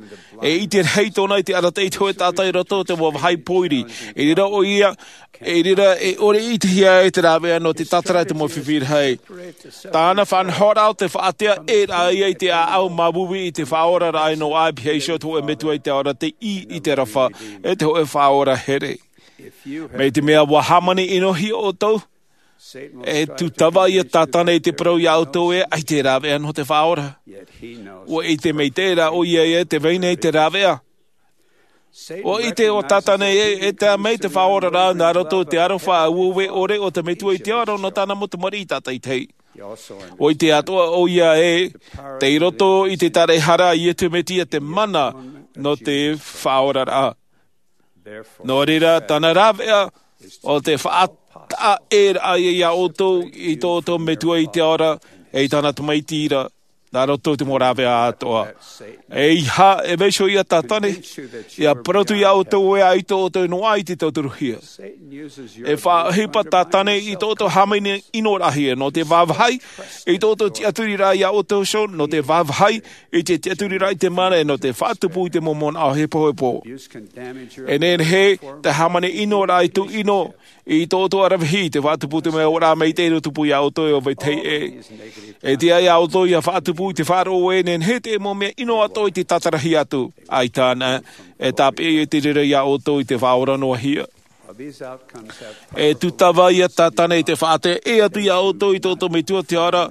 E ʻite rahi tōna i te arataʻi i te hoʻe taʻata i roto o te mau vāhi pōiri. I reira ʻoia i reira e ʻore i ʻitehia ai te rāveʻa nō te tātara i te mau fifi rahi. Tāna faʻanahoraʻa o te faʻatea ʻē raʻa ia i te ʻāʻau māuiui i te faʻaoraraʻa i noaʻa e piha iho te hoʻe metua i te ao ra te ʻī i te aroha e te hoʻe faʻaora here. Mai te mea ua hāmani ʻinohia ʻoutou e tūtava ia tātane i te parau iā ʻoutou e ʻaita e rāveʻa nō te faʻaora. Ua ʻite mai te reira ʻoia e te vai nei te rāveʻa. Ua ʻite o tātane e e tae mai te faʻaoraraʻa nā roto i te aroha auaue ʻore o te metua i te ao ra nō tāna mau tamariʻi tātaitahi. Ua ʻite atoʻa ʻoia e tei roto i te taraehara a iesu mesia te mana nō te faʻaoraraʻa. Nō reira tāna rāveʻa o te faʻataʻa ʻē raʻa ia iā ʻoutou i tō ʻoutou metua i te ao ra e i tāna tamaiti ra. Nā roto i te mau rāveʻa atoʻa e iha e vaiho ia tātane ia parau atu iā ʻoutou e ʻaita ʻoutou e noaʻa i te tauturuhia. E faʻaʻohipa tātane i tō ʻoutou hāmani ʻinoraʻahia nō te vāvāhi i tō ʻoutou tiʻaturiraʻa iā ʻoutou iho nō te vāvāhi i te tiʻaturiraʻa i te mana e nō te faʻatupu i te mau manaʻo hepohepo. E nehenehe te hāmani ʻinoraʻa i tūʻino i tō ʻoutou aravihi i te faʻatupu te mea ora mai te ʻino tupu iā ʻoutou e ʻāvae tahi ʻē. E tiʻa iā ʻoutou ia faʻatupu i te faʻaroʻo e nehenehe te mau mea ʻino atoʻa i te tātarahia atu. ʻAita ānei e tāpeʻa ia te reira iā ʻoutou i te faʻaora noa hia. E tūtava ia Tātane i te faʻaʻite atu iā ʻoutou i tō ʻoutou Metua te Ao ra,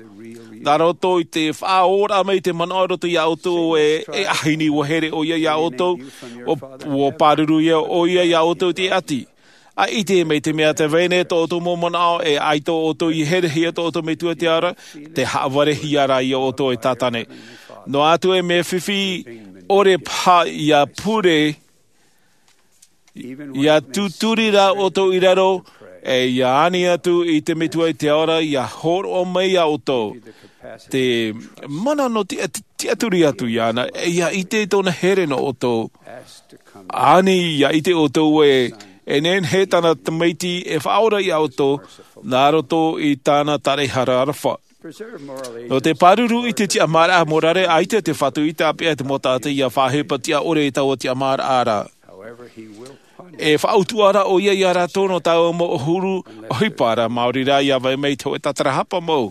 nā roto i te faʻaora mai i te manaʻo i roto iā ʻoutou e, e ʻahiʻahi ua here ʻoia iā ʻoutou, ua, ua pāruru ia ʻoia iā ʻoutou i te ʻati. ʻAita, mai te mea tē vai nei tō ʻoutou mau manaʻo, e ʻaita ʻoutou i herehia tō ʻoutou Metua te Ao ra, tē haʻavarehia ra iā ʻoutou e Tātane. Noa atu e mea fifi, ʻore paha ia pure, ia tūturi rā ʻoutou i raro, e ia ani atu i te Metua i te Ao ra, ia hōroʻa mai iā ʻoutou. Te mana nō te tiʻa-, tiʻaturi atu iāna, e ia ʻite tōna here nō ʻoutou. Ani ia ʻite ʻoutou ē, e nehenehe tāna Tamaiti e faʻaora iā ʻoutou, nā roto i tāna taraehara aroha. Nō te pāruru i te tiʻamāraʻa morare, ʻaita te Fatu i tāpeʻa te mau taʻata ia faʻaʻohipa tiʻa ʻore i taua tiʻamāraʻa ra. E faʻautuʻa ra ʻoia iā rātou nō taua mau ʻōhuru ʻohipa ra, maori rā ia vai mai te hōʻē tātarahapa mau.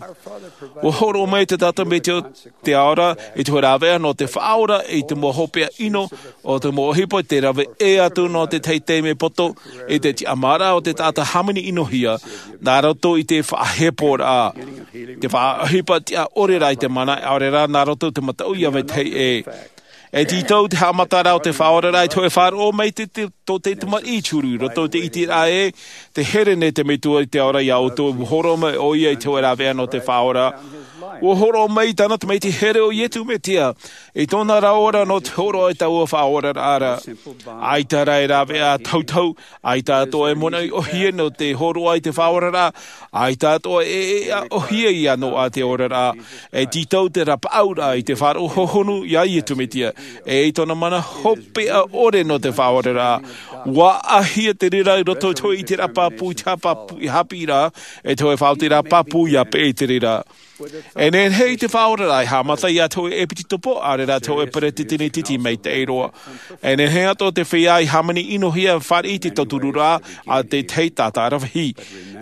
Ua hōroʻa mai te Tātane Metua te Ao ra i te hōʻē rāveʻa nō te faʻaora i te mau hopeʻa ʻino o te mau ʻohipa, tē rave ʻē atu nō te taime poto i te tiʻamāraʻa o te taʻata hāmani ʻinohia, nā roto i te faʻaheporaʻa, te faʻaʻohipa tiʻa ʻore rā i te mana, ʻaore rā nā roto i te mataʻu ia vetahi ʻē. E tītau te haʻamataraʻa o te Faʻaoraraʻa i te hōʻē faʻaroʻo mai te, te, tō te tamariʻi i te huru, i roto i te ʻiteraʻa ē, tē here nei te Metua i te Ao ra iā ʻoutou, ua hōroʻa mai ʻoia i te hōʻē rāveʻa nō te Faʻaora. Ua hōroʻa mai i tāna Tamaiti here ʻo Iesu Mesia, i tōna rāveʻa nō te hōroʻa i taua Faʻaoraraʻa ra. ʻAita rā e rāveʻa tautau, ʻaita atoʻa e manaʻo ʻōhie nō te hōroʻa i te Faʻaoraraʻa, ʻaita atoʻa e, e, e ʻōhie ia noa te oraraʻa, e tītau te rapaʻauraʻa i te faʻaroʻo hohonu iā Iesu Mesia, e i tōna mana hopeʻa ʻore nō te Faʻaoraraʻa. Ua ʻāhia te reira i roto i te hōʻē ʻiteraʻa pāpū, i te hāpāpū, i haʻapiʻiraʻa, e te hōʻē faʻaotiraʻa pāpū ia peʻe i te reira. E nehenehe i te Faʻaoraraʻa e haʻamata ia te hōʻē ʻepikopo, ʻaore rā te hōʻē peretiteni tītī maitaʻi roa. E nehenehe atoʻa te feiā i hāmani ʻinohia fāriʻi i te tautururaʻa a te tahi taʻata aravihi.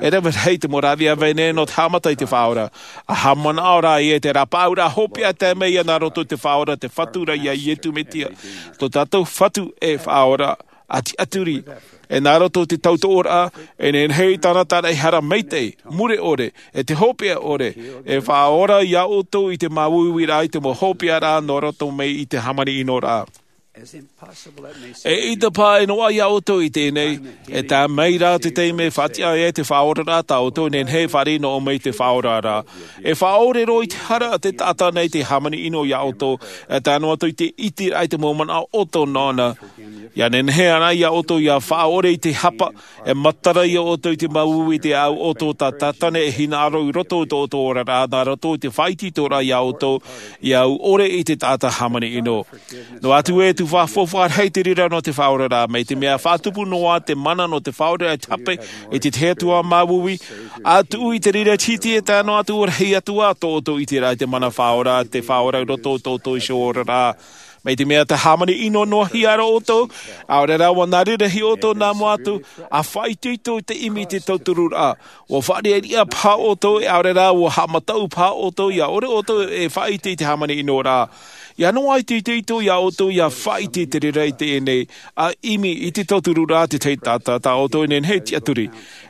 E rave rahi te mau rāveʻa vai nei nō te haʻamata i te Faʻaora. ʻA haʻamanaʻo rā ïa i te rapaʻauraʻa hopeʻa tae mai ia nā roto i te Faʻaora, te Fatu ra ia Iesu Mesia, tō tātou Fatu e Faʻaora, ʻa tiʻaturi. E nā roto i te tautoʻoraʻa, e nehenehe i tāna taraehara maitaʻi, mure ʻore, e te hopeʻa ʻore, e faʻaora iā ʻoutou i te māuiuiraʻa, i te mau hopeʻaraʻa nō roto mai i te hāmani ʻinoraʻa. E ʻaita paha e noaʻa iā ʻoutou i teie nei, e tae mai rā te taime e faʻatiʻa ai te Faʻaoraraʻa tā ʻoutou e nehenehe e fāriʻi noa mai i te Faʻaoraraʻa. E faʻaʻore roa i te hara a te taʻata nei te hāmani ʻino iā ʻoutou, e tae noa atu i te ʻiteraʻa i te mau manaʻo ʻoto nōna. ʻIa nehenehe anaʻe iā ʻoutou ʻia faʻaʻore i te hapa, e matara iā ʻoutou i te māuiui i te ʻāʻau ʻoto tā Tātane e hinaʻaro i roto i tō ʻoutou oraraʻa, nā roto i te faʻaitoitoraʻa iā ʻoutou, ʻia au ʻore i te taʻata hāmani ʻino. Noa atu ē, tē faʻafaufaʻa rahi te reira nō te Faʻaoraraʻa, mai te mea faʻatupu noa te mana nō te Faʻaoraraʻa i te hape i te tahi atu ā māuiui, ʻa tuʻu i te reira tītī e tae noa atu ʻo rahi atu ā tō ʻoutou ʻiteraʻa i te mana faʻaora, te Faʻaora i roto i tō ʻoutou iho oraraʻa. Mai te mea tē hāmani ʻino noa hia ra ʻoutou, ʻaore rā ʻua nā reira hia ʻoutou nā mua atu, ʻa faʻaitoito i te ʻimi i te tautururaʻa. ʻUa faʻariʻariʻa paha ʻoutou, e ʻaore rā ʻua haʻamataʻu paha ʻoutou, ʻia ʻore ʻoutou e faʻaʻite i te hāmani ʻinoraʻa. ʻIa noaʻa i te itoito iā ʻoutou ʻia faʻaʻite i te reira i teie nei, ʻa ʻimi i te tautururaʻa a te tahi taʻata tā ʻoutou e nehenehe e tiʻaturi.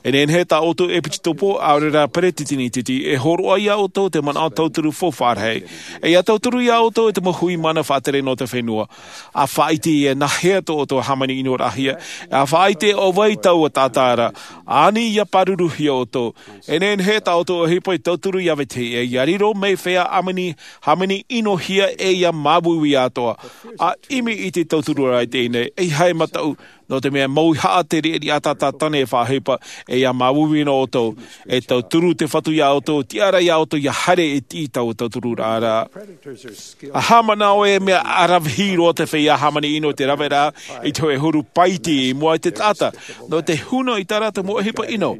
E nehenehe tā ʻoutou ʻepikopo, ʻaore rā peretiteni tītī, e hōroʻa iā ʻoutou te manaʻo tauturu faufaʻa rahi. E ʻia tauturu iā ʻoutou e te mau hui mana faʻatere nō te fenua. ʻA faʻaʻite ïa nāhea tō ʻoutou hāmani ʻinoraʻahia, ʻa faʻaʻite ʻo vai taua taʻata ra, ani ʻia pāruruhia ʻoutou. E nehenehe tā ʻoutou ʻohipa e tauturu iā vetahi ʻē, ʻia riro mai feiā hāmani, hāmani ʻinohia ʻe ʻia māuiui atoʻa. ʻA ʻimi i te tautururaʻa i teie nei, ʻeiaha e mataʻu, nō te mea mauihaʻa te riʻariʻa tā Tātane e faʻaʻohipa, ʻe ʻia māuiui noa ʻoutou, e tauturu te Fatu iā ʻoutou, tiʻa ra iā ʻoutou ʻia haere e tiʻi i taua tautururaʻa ra. ʻA haʻamanaʻo ē, mea aravihi roa te feiā hāmani ʻino i te rave ra i te hōʻē huru paiti i mua i te taʻata, nō te huna i tā rātou mau ʻohipa ʻino.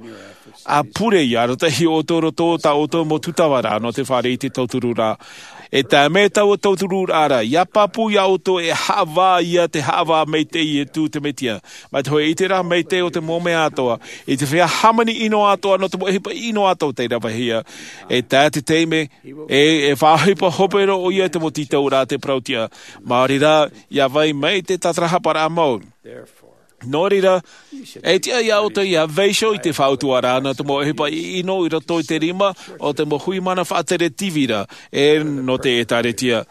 ʻA pure ïa arataʻihia ʻoutou i roto i tā ʻoutou mau tūtava ra nō te fāriʻi i te tautururaʻa. E tae mai taua tautururaʻa ra, ʻia pāpū iā ʻoutou e haʻavā ïa te haʻavā maitaʻi i Iesu te Mesia, mai te hōʻē ʻiteraʻa maitaʻi o te mau mea atoʻa, i te feiā hāmani ʻino atoʻa nō te mau ʻohipa ʻino atoʻa tei ravehia. E tae te taime, e, e faʻaʻohipa hope roa ʻoia i te mau tītauraʻa a te parautiʻa, maori rā, ʻia vai mai te tātarahaparaʻa mau. Nō reira, e tiʻa iā ʻoutou ia vaiiho i te faʻautuaraʻa nō te mau ʻohipa ʻino i roto i te rima o te mau hui mana faʻatere tīvira ʻe nō te ʻēkālesia.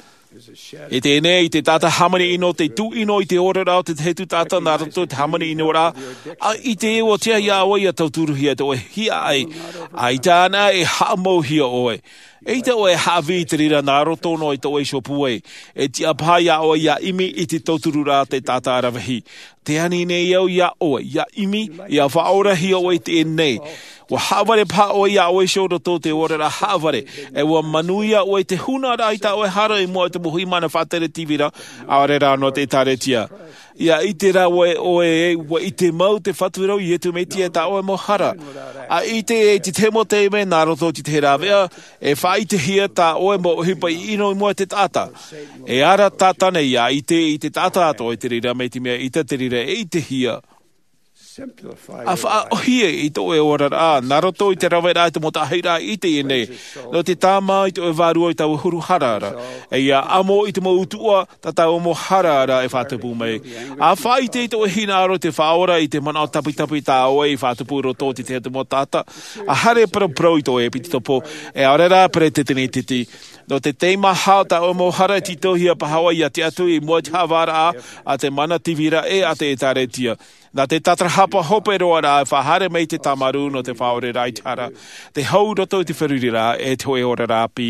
I teie nei, te taʻata hāmani ʻino te tūʻino i te oraraʻa o te tahi atu taʻata nā roto i te hāmani ʻino ra, ʻaita e ʻua tiʻa iā ʻoe ia tauturuhia tō ʻoe hiaʻai, ʻaita anaʻe e haʻamauhia ʻoe. ʻAita ʻoe e haʻavī i te reira nā roto noa i tō ʻoe iho pūai. E tiʻa paha iā ʻoe ia ʻimi i te tautururaʻa te taʻata ravehi. Tē ani nei au iā ʻoe ia ʻimi, ia faʻaorahia ʻoe i teie nei. ʻUa haʻavare paha ʻoe iā ʻoe iho roto i te oraraʻa haʻavare, ʻe ʻua manuia ʻoe i te hūnaraʻa i tā ʻoe hara i mua i te mau hui mana faʻatere tīvira, ʻaore rā nō te ʻēkālesia. Ia ʻite rā ʻoe, ʻoe ē, ʻua ʻite mau te Fatu ra ʻo Iesu Mesia i tā ʻoe mau hara. ʻAita e i te tahi mau taime nā roto i te tahi rāveʻa, e faʻaʻitehia tā ʻoe mau ʻohipa ʻino i mua i te taʻata. E ara Sātane ia ʻite i te taʻata atoʻa i te reira mai te mea ʻaita te reira e ʻitehia. ʻA faʻaʻohie i tō ʻoe oraraʻa, nā roto i te raveraʻa i te mau taʻahiraʻa i teie nei, nō te tāmā i tō ʻoe vārua i taua huru hara ra, ʻe ia ʻamo i te mau utuʻa tā taua mau hara ra e faʻatupu mai. ʻA faʻaʻite i tō ʻoe hinaʻaro i te Faʻaora i te manaʻo tapitapi tā ʻoe i faʻatupu i roto i te tahi atu mau taʻata, ʻa haere paraparau i tō ʻoe ʻepitopo, ʻe ʻaore rā peresideni tītī. Nō te teimaha tā ʻoe mau hara e tītauhia paha ʻoe ia tiʻa atu i mua i te haʻavāraʻa a te mana tīvira ʻe a te ʻēkālesia. Nā te tātarahapa hope roa rā e faʻahaere mai i te tāmarū nō te faʻaoreraʻa i te hara, te hau roto i te feruriraʻa ʻe te hōʻē oraraʻa ʻāpī.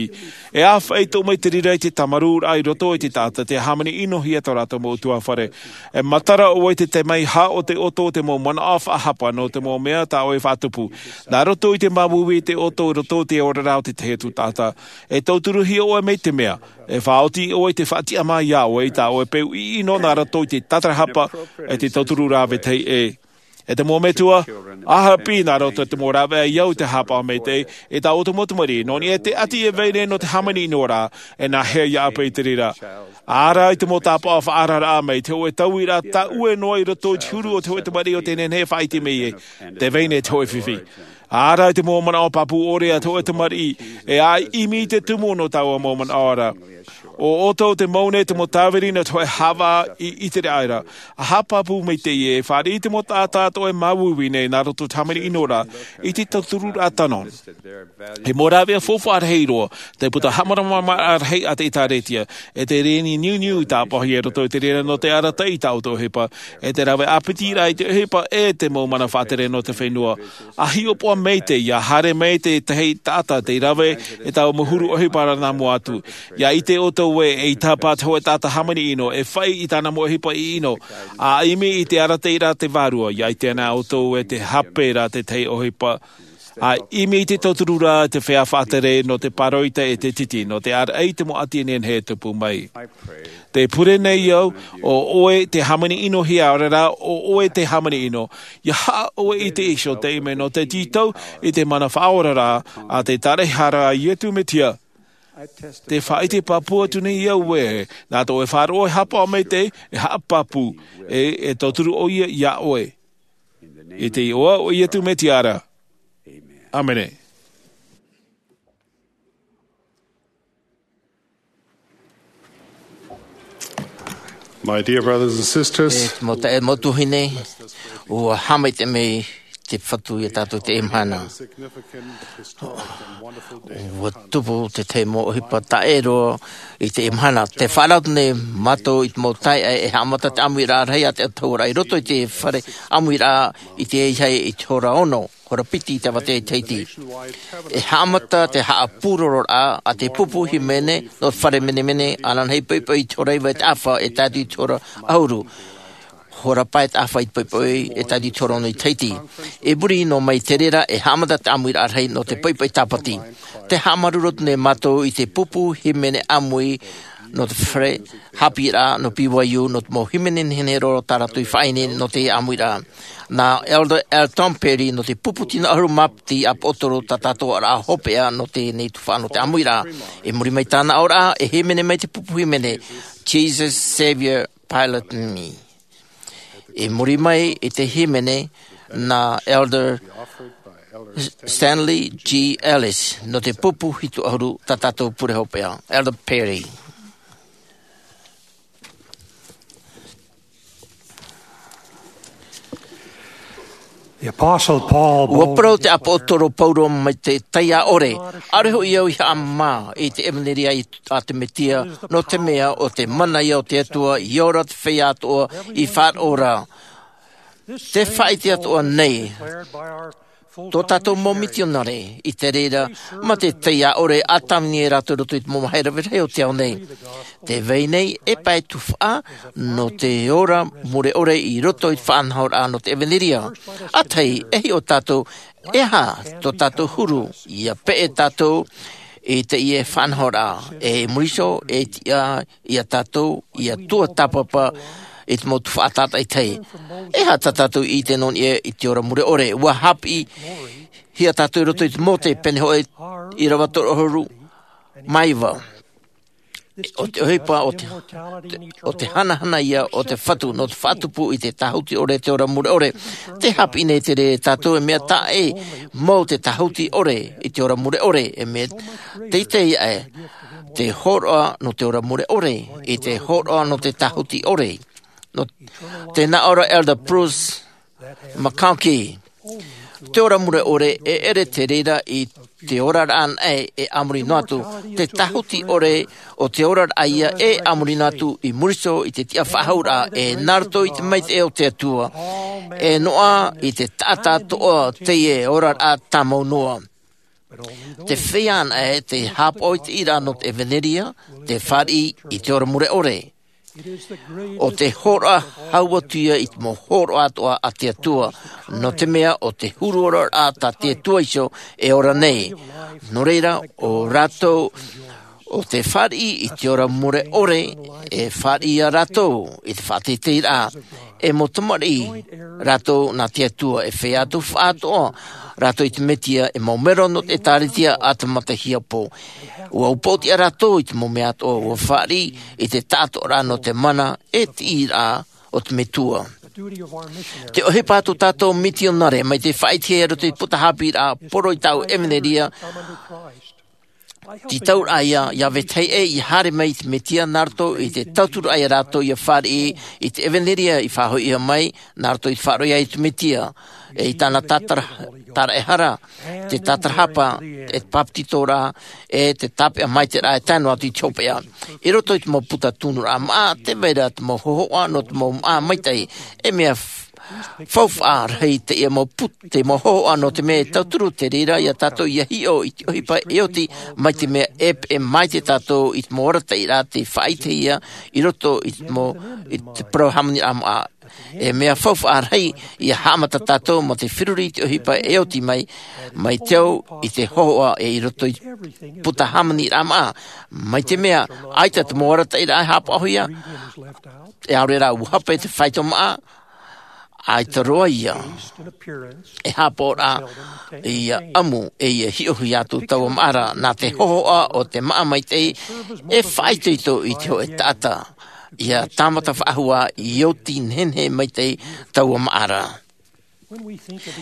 E ʻāfaʻi atoʻa mai te reira i te tāmarūraʻa i roto i te taʻata tē hāmani ʻinohia tō rātou mau ʻutuāfare. E matara ʻoe i te teimaha o te ʻoto o te mau manaʻo faʻahapa nō te mau mea tā ʻoe e faʻatupu. Nā roto i te māuiui i te ʻoto i roto i te oraraʻa o te tahi atu taʻata. E tauturuhia ʻoe mai te mea, e faʻaoti ʻoe i te faʻatiʻamā iā ʻoe i tā ʻoe peu ʻino nā roto i te tātarahapa ʻe te tauturu rā vetahi ʻē. ʻE te mau metua, ʻa haʻapiʻi nā roto i te mau rāveʻa i au i te haʻapaʻo maitaʻi, e tā ʻoutou mau tamariʻi, nō niʻa i te ʻati e vai nei nō te hāmani ʻino ra, e nāhea ia ʻāpī i te reira. ʻA ara i te mau tāpaʻo faʻaararaʻa mai te hōʻē tauiraʻa tāʻue noa i roto i te huru o te hōʻē tamariʻi ʻo tē nehenehe e faʻaʻite mai ē, tē vai nei te hōʻē fifi. ʻA ara i te mau manaʻo pāpū ʻore a te hōʻē tamariʻi, e ʻimi i te tumu nō taua mau manaʻo ra. ʻO ʻoutou te mau nei te mau tāviri nō te hōʻē haʻavā i ʻiteraʻa ra. ʻA haʻapāpū maitaʻi ē, e fāriʻi te mau taʻata atoʻa e māuiui nei nā roto i te hāmani ʻino ra, i te tautururaʻa tano. E mau rāveʻa faufaʻa rahi roa, te puta haʻamāramarama rahi a te ʻĒtārētia, e te reni niuniu i tāpaʻohia i roto i te reira nō te arataʻi i tā ʻoutou ʻohipa, e te rave ʻāpitiraʻa i te ʻohipa ʻe te mau mana faʻatere nō te fenua. ʻA hiʻopoʻa maitaʻi, ʻa haere mai te tahi taʻata tei rave i taua mau huru ʻohipa ra nā mua atu. ʻIa ʻite ʻoutou ē, eʻita paha te hōʻē taʻata hāmani ʻino, e fāʻi i tāna mau ʻohipa ʻino, ʻa ʻimi i te arataʻiraʻa a te Vārua, ʻia ʻite anaʻe ʻoutou ē tē hape ra te tahi ʻohipa. ʻA ʻimi i te tautururaʻa te feiā faʻatere nō te pāroita ʻe te titi, nō te ʻāraʻi i te mau ʻati e nehenehe e tupu mai. Tē pure nei au, ʻo ʻoe tē hāmani ʻinohia, ʻaore rā, ʻo ʻoe tē hāmani ʻino. ʻIa haʻa ʻoe i te iho taime nō te tītau i te mana faʻaoraraʻa a te Tāraʻehara a Iesu Mesia. Tē faʻaʻite pāpū atu nei au ē, nā tō ʻoe faʻaroʻo e haʻapaʻo maitaʻi, e haʻapāpū, ʻe, e tauturu ʻoia iā ʻoe. I te iʻoa o Iesu Mesia ra. ʻĀmene. My dear brothers and sisters, E mau taeaʻe, mau tuahine, ʻua haʻamaitaʻi mai te Fatu ia tātou i teie mahana. ʻUa tupu te tahi mau ʻohipa taʻero i teie mahana. Tē faʻaara atu nei mātou i te mau taeaʻe e haʻamata te ʻāmuiraʻa rahi a te autahuʻaraʻa i roto i te fare ʻāmuiraʻa i te Ahiahi i te hora ono, hora piti i te avatea i Tahiti. E haʻamata te haʻapūrororaʻa a te pupu hīmene nō te fare menemene ananahi poʻipoʻi i te hora iva i te ʻāfa e tae atu i te hora ʻahuru. Hora pae te ʻāfa i te poʻipoʻi e tae atu i te hora ono i Tahiti. I muri noa mai i te reira e haʻamata te ʻāmuiraʻa rahi nō te poʻipoʻi tāpati. Tē haʻamāuruuru atu nei mātou i te pupu hīmene ʻāmui nō te fare haʻapiʻiraʻa nō B Y U, nō te mau hīmene nehenehe roa tā rātou i faʻaineine nō te ʻāmuiraʻa. Nā Elder L. Tom Perry nō te pupu tino ʻahuru mā piti ʻāpōsetolo tātātoʻaraʻa hopeʻa nō teie tuhaʻa nō te ʻāmuiraʻa. I muri mai i tāna aʻoraʻa, e hīmene mai te pupu hīmene, Jesus Savior Pilot Me. I muri mai i te hīmene nā Elder Stanley G. Ellis nō te pupu hitu ʻahuru tā tātou pure hopeʻa, Elder Perry. Ua parau te ʻāpōsetolo Paulo mai te taiaʻore, ʻaore hoʻi au i haʻamā i te ʻevanelia a te Mesia, nō te mea ʻo te mana ia o te Atua i ora te feiā atoʻa i faʻaroʻo ra. Te faʻaʻite atoʻa nei tō tātou mau mitionare i te reira mā te taiaʻore a tāvini e rātou i roto i te mau mahera rahi o te ao nei. Te vai nei e pae tufaʻa nō te ora mure ʻore i roto i te faʻanahoraʻa nō te ʻevanelia. ʻĀtahi e hiʻo tātou e aha tō tātou huru, ia peʻe tātou i teie faʻanahoraʻa, e muri iho e tiʻa ia tātou ia tuatāpapa i te mau tufaʻa tātaʻitahi. E aha tā tātou i ʻite nō niʻa i te ora mure ʻore? Ua hāpiʻihia tātou i roto i te Mōte pene hōʻē ʻīrava toru ʻahuru mā iva. ʻO te ʻohipa o te, o te hanahana ia o te Fatu nō te faʻatupu i te tāhuti ʻore, te ora mure ʻore. Te hāpiʻi nei te reira e tātou e mea taʻa ʻē mau te tāhuti ʻore i te ora mure ʻore, e mea teitei aʻe te hōroʻa nō te ora mure ʻore i te hōroʻa nō te tāhuti ʻore. Nō te nā ʻō ra Elder Bruce McConkie, te ora mure ʻore e ʻere te reira i te oraraʻa anaʻe e a muri noa atu. Te tāhuti ʻore o te oraraʻa ia e a muri noa atu i muri iho i te tiʻa faʻahou ra, e nā roto i te maitaʻi o te Atua, e noaʻa i te taʻata atoʻa teie oraraʻa tāmau noa. Te feiā anaʻe tei haʻapaʻo i te ʻīraʻa nō te ʻevanelia, te fāriʻi i te ora mure ʻore. ʻO te hōroʻa hau atu ia i te mau hōroʻa atoʻa a te Atua, nō te mea ʻo te huru oraraʻa tā te Atua iho e ora nei. Nō reira, ʻo rātou ʻo te fāriʻi i te ora mure ʻore, e fāriʻi ia rātou i te faʻateiteiraʻa, e mau tamariʻi rātou nā te Atua, e feiā tufaʻa atoʻa rātou i te Mesia, e mau mero nō te ʻĒtārētia a te Mata Hiapo. Ua upoʻotiʻa rātou i te mau mea atoʻa, ua fāriʻi i te taʻatoʻaraʻa nō te mana e te ʻīraʻa o te Metua. Te ʻohipa a tō tātou mitionare, mai te faʻaʻitehia i roto i te puta haʻapiʻiraʻa, poro i tāʻu ʻevanelia, tītauraʻa ia, ia vetahi ʻē ia haere mai i te Mesia nā roto i te tauturu ia rātou ia fāriʻi i te ʻevanelia i faʻahoʻihia mai nā roto i te faʻaroʻo ia i te Mesia, e i tāna tātara-, tāraʻehara, te tātarahapa, e te bāpetizoraʻa, e te tāpeʻa maitaʻiraʻa e tae noa atu i te hopeʻa. I roto i te mau puta tunuraʻa māʻa, tē vai ra te mau hōhoʻa nō te mau māʻa maitaʻi, e mea f-, faufaʻa rahi teie mau put-, te mau hōhoʻa nō te mea e tauturu te reira ia tātou ia hiʻo i te ʻohipa e oti mai te mea e peʻe maitaʻi tātou i te mau arataʻiraʻa tei faʻaʻitehia i roto i te mau, i te parau hāmaniraʻa māʻa. E mea faufaʻa rahi ia haʻamata tātou mā te feruri i te ʻohipa e oti mai, mai te au i te hōhoʻa e i roto i te puta hāmaniraʻa māʻa. Mai te mea, ʻaita te mau arataʻiraʻa e haʻapaʻohia, e ʻaore rā ua hape te faito māʻa, ʻaita roa ia e haʻapaʻo ra ia ʻamu e ia hiʻohia atu taua māʻa ra, nā te hōhoʻa o te māʻa maitaʻi e faʻaitoito i te hōʻē taʻata. Ia tāmata faʻahou i oti nehenehe maitaʻi taua māʻa ra.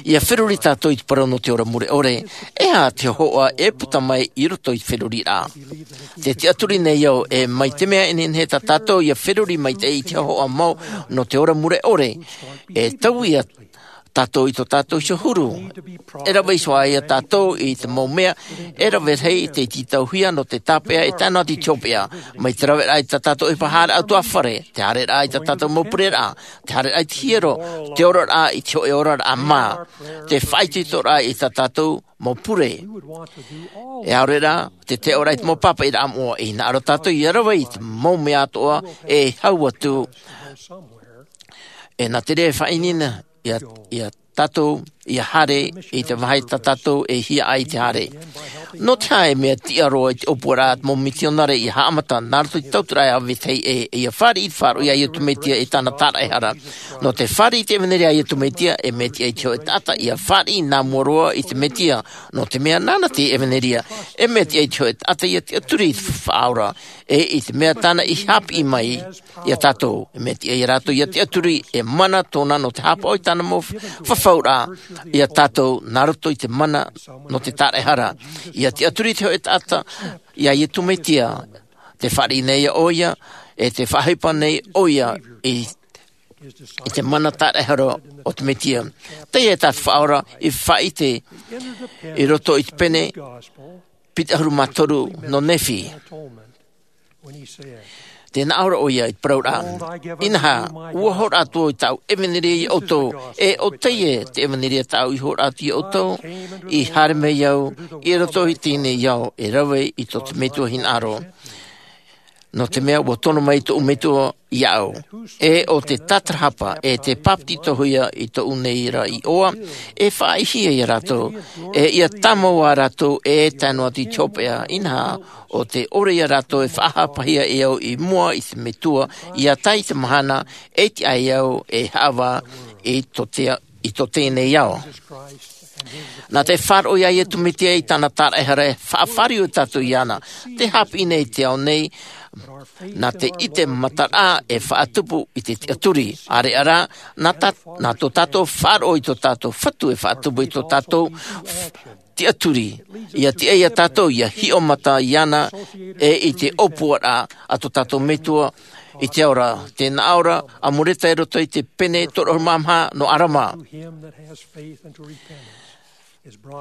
Ia feruri tātou i te parau nō te ora mure ʻore, e aha te hōhoʻa e puta mai i roto i te feruriraʻa? Te tiʻaturi nei au, e mai te mea e nehenehe tā tātou ia feruri maitaʻi i te hōhoʻa mau nō te ora mure ʻore, e taui ia tātou i tō tātou iho huru. E rave iho ā ia tātou i te mau mea e rave rahi tei tītauhia nō te tāpeʻa e tae noa atu i te hopeʻa. Mai te raveraʻa i tā tātou ʻohipa haereraʻa atu ā fare, te haereraʻa i tā tātou mau pureraʻa, te haereraʻa i te hiero, te oraraʻa i te hōʻē oraraʻa mā, te faʻaitoitoraʻa i tā tātou mau pure. E ʻaore rā te teʻoraʻa i te mau pāpaʻiraʻa moʻa, e hinaʻaro tātou ia rave i te mau mea atoʻa e hau atu. E nā te reira e faʻaineine ia, ia tātou ia haere i te vāhi tā tātou e hiaʻai te haere. Nō te aha e mea tiʻa roa i te ʻōpuaraʻa a te mau mitionare ia haʻamata nā roto i te tauturu a vetahi ʻē, e ia fāriʻi i te faʻaroʻo ia Iesu Mesia e tāna tāraʻehara? Nō te fāriʻi i te ʻevanelia a Iesu Mesia, e mea tiʻa i te hōʻē taʻata ia fāriʻi nā mua roa i te Mesia, nō te mea nāna te ʻevanelia. E mea tiʻa i te hōʻē taʻata ia tiʻaturi i te faʻaora, e i te mea tāna i haʻapiʻi mai ia tātou, e mea tiʻa ia rātou ia tiʻaturi, e mana tōna nō te haʻapaʻo i tāna mau f-, fafauraʻa ia tātou, nā roto i te mana nō te tāraʻehara. Ia tiʻaturi i te hōʻē taʻata ia Iesu Mesia, te fāriʻi nei ʻoia, e te faʻaʻohipa nei ʻoia i, i te mana tāraʻehara o te Mesia. Teie tā te Faʻaora i faʻaʻite i roto i te pene piti ʻahuru mā toru nō Nephi. Tē nā ʻō ra ʻoia i te parauraʻa: Inaha, ʻua hōroʻa atu au i tāʻu ʻevanelia iā ʻoutou, e ʻo teie te ʻevanelia tāʻu i hōroʻa atu iā ʻoutou, i haere mai au i roto i teie nei ao e rave i tō te Metua hinaʻaro. Nō te mea ʻua tono mai tōʻu Metua iāʻu, e ʻo te tātarahapa, e tē papetitohia i tōʻu nei ra iʻoa, e faʻaʻitehia ia rātou, e ʻia tāmau ā rātou e tae noa atu i te hopeʻa. Inaha, ʻo te ʻore ia rātou e faʻahapahia e au i mua i te Metua, ʻia tae i te mahana e tiʻa ai au e haʻavā i tō te, i tō teie nei ao. Nā te faʻaroʻo iā Iesu Mesia i tāna tāraʻehara e faʻafāriu tātou iāna. Tē haʻapiʻi nei te ao nei, nā te ʻite mataraʻa e faʻatupu i te tiʻaturi. ʻĀreʻa rā, nā tā, nā tō tātou faʻaroʻo i tō tātou Fatu e faʻatupu i tō tātou f-, tiʻaturi. ʻIa tiʻa ia tātou ʻia hiʻo mata iāna, e i te ʻōpuaraʻa a tō tātou Metua i te ao ra. Tē nā ʻō ra a Moreta i roto i te pene toru ʻahuru mā maha nō ʻĀrama.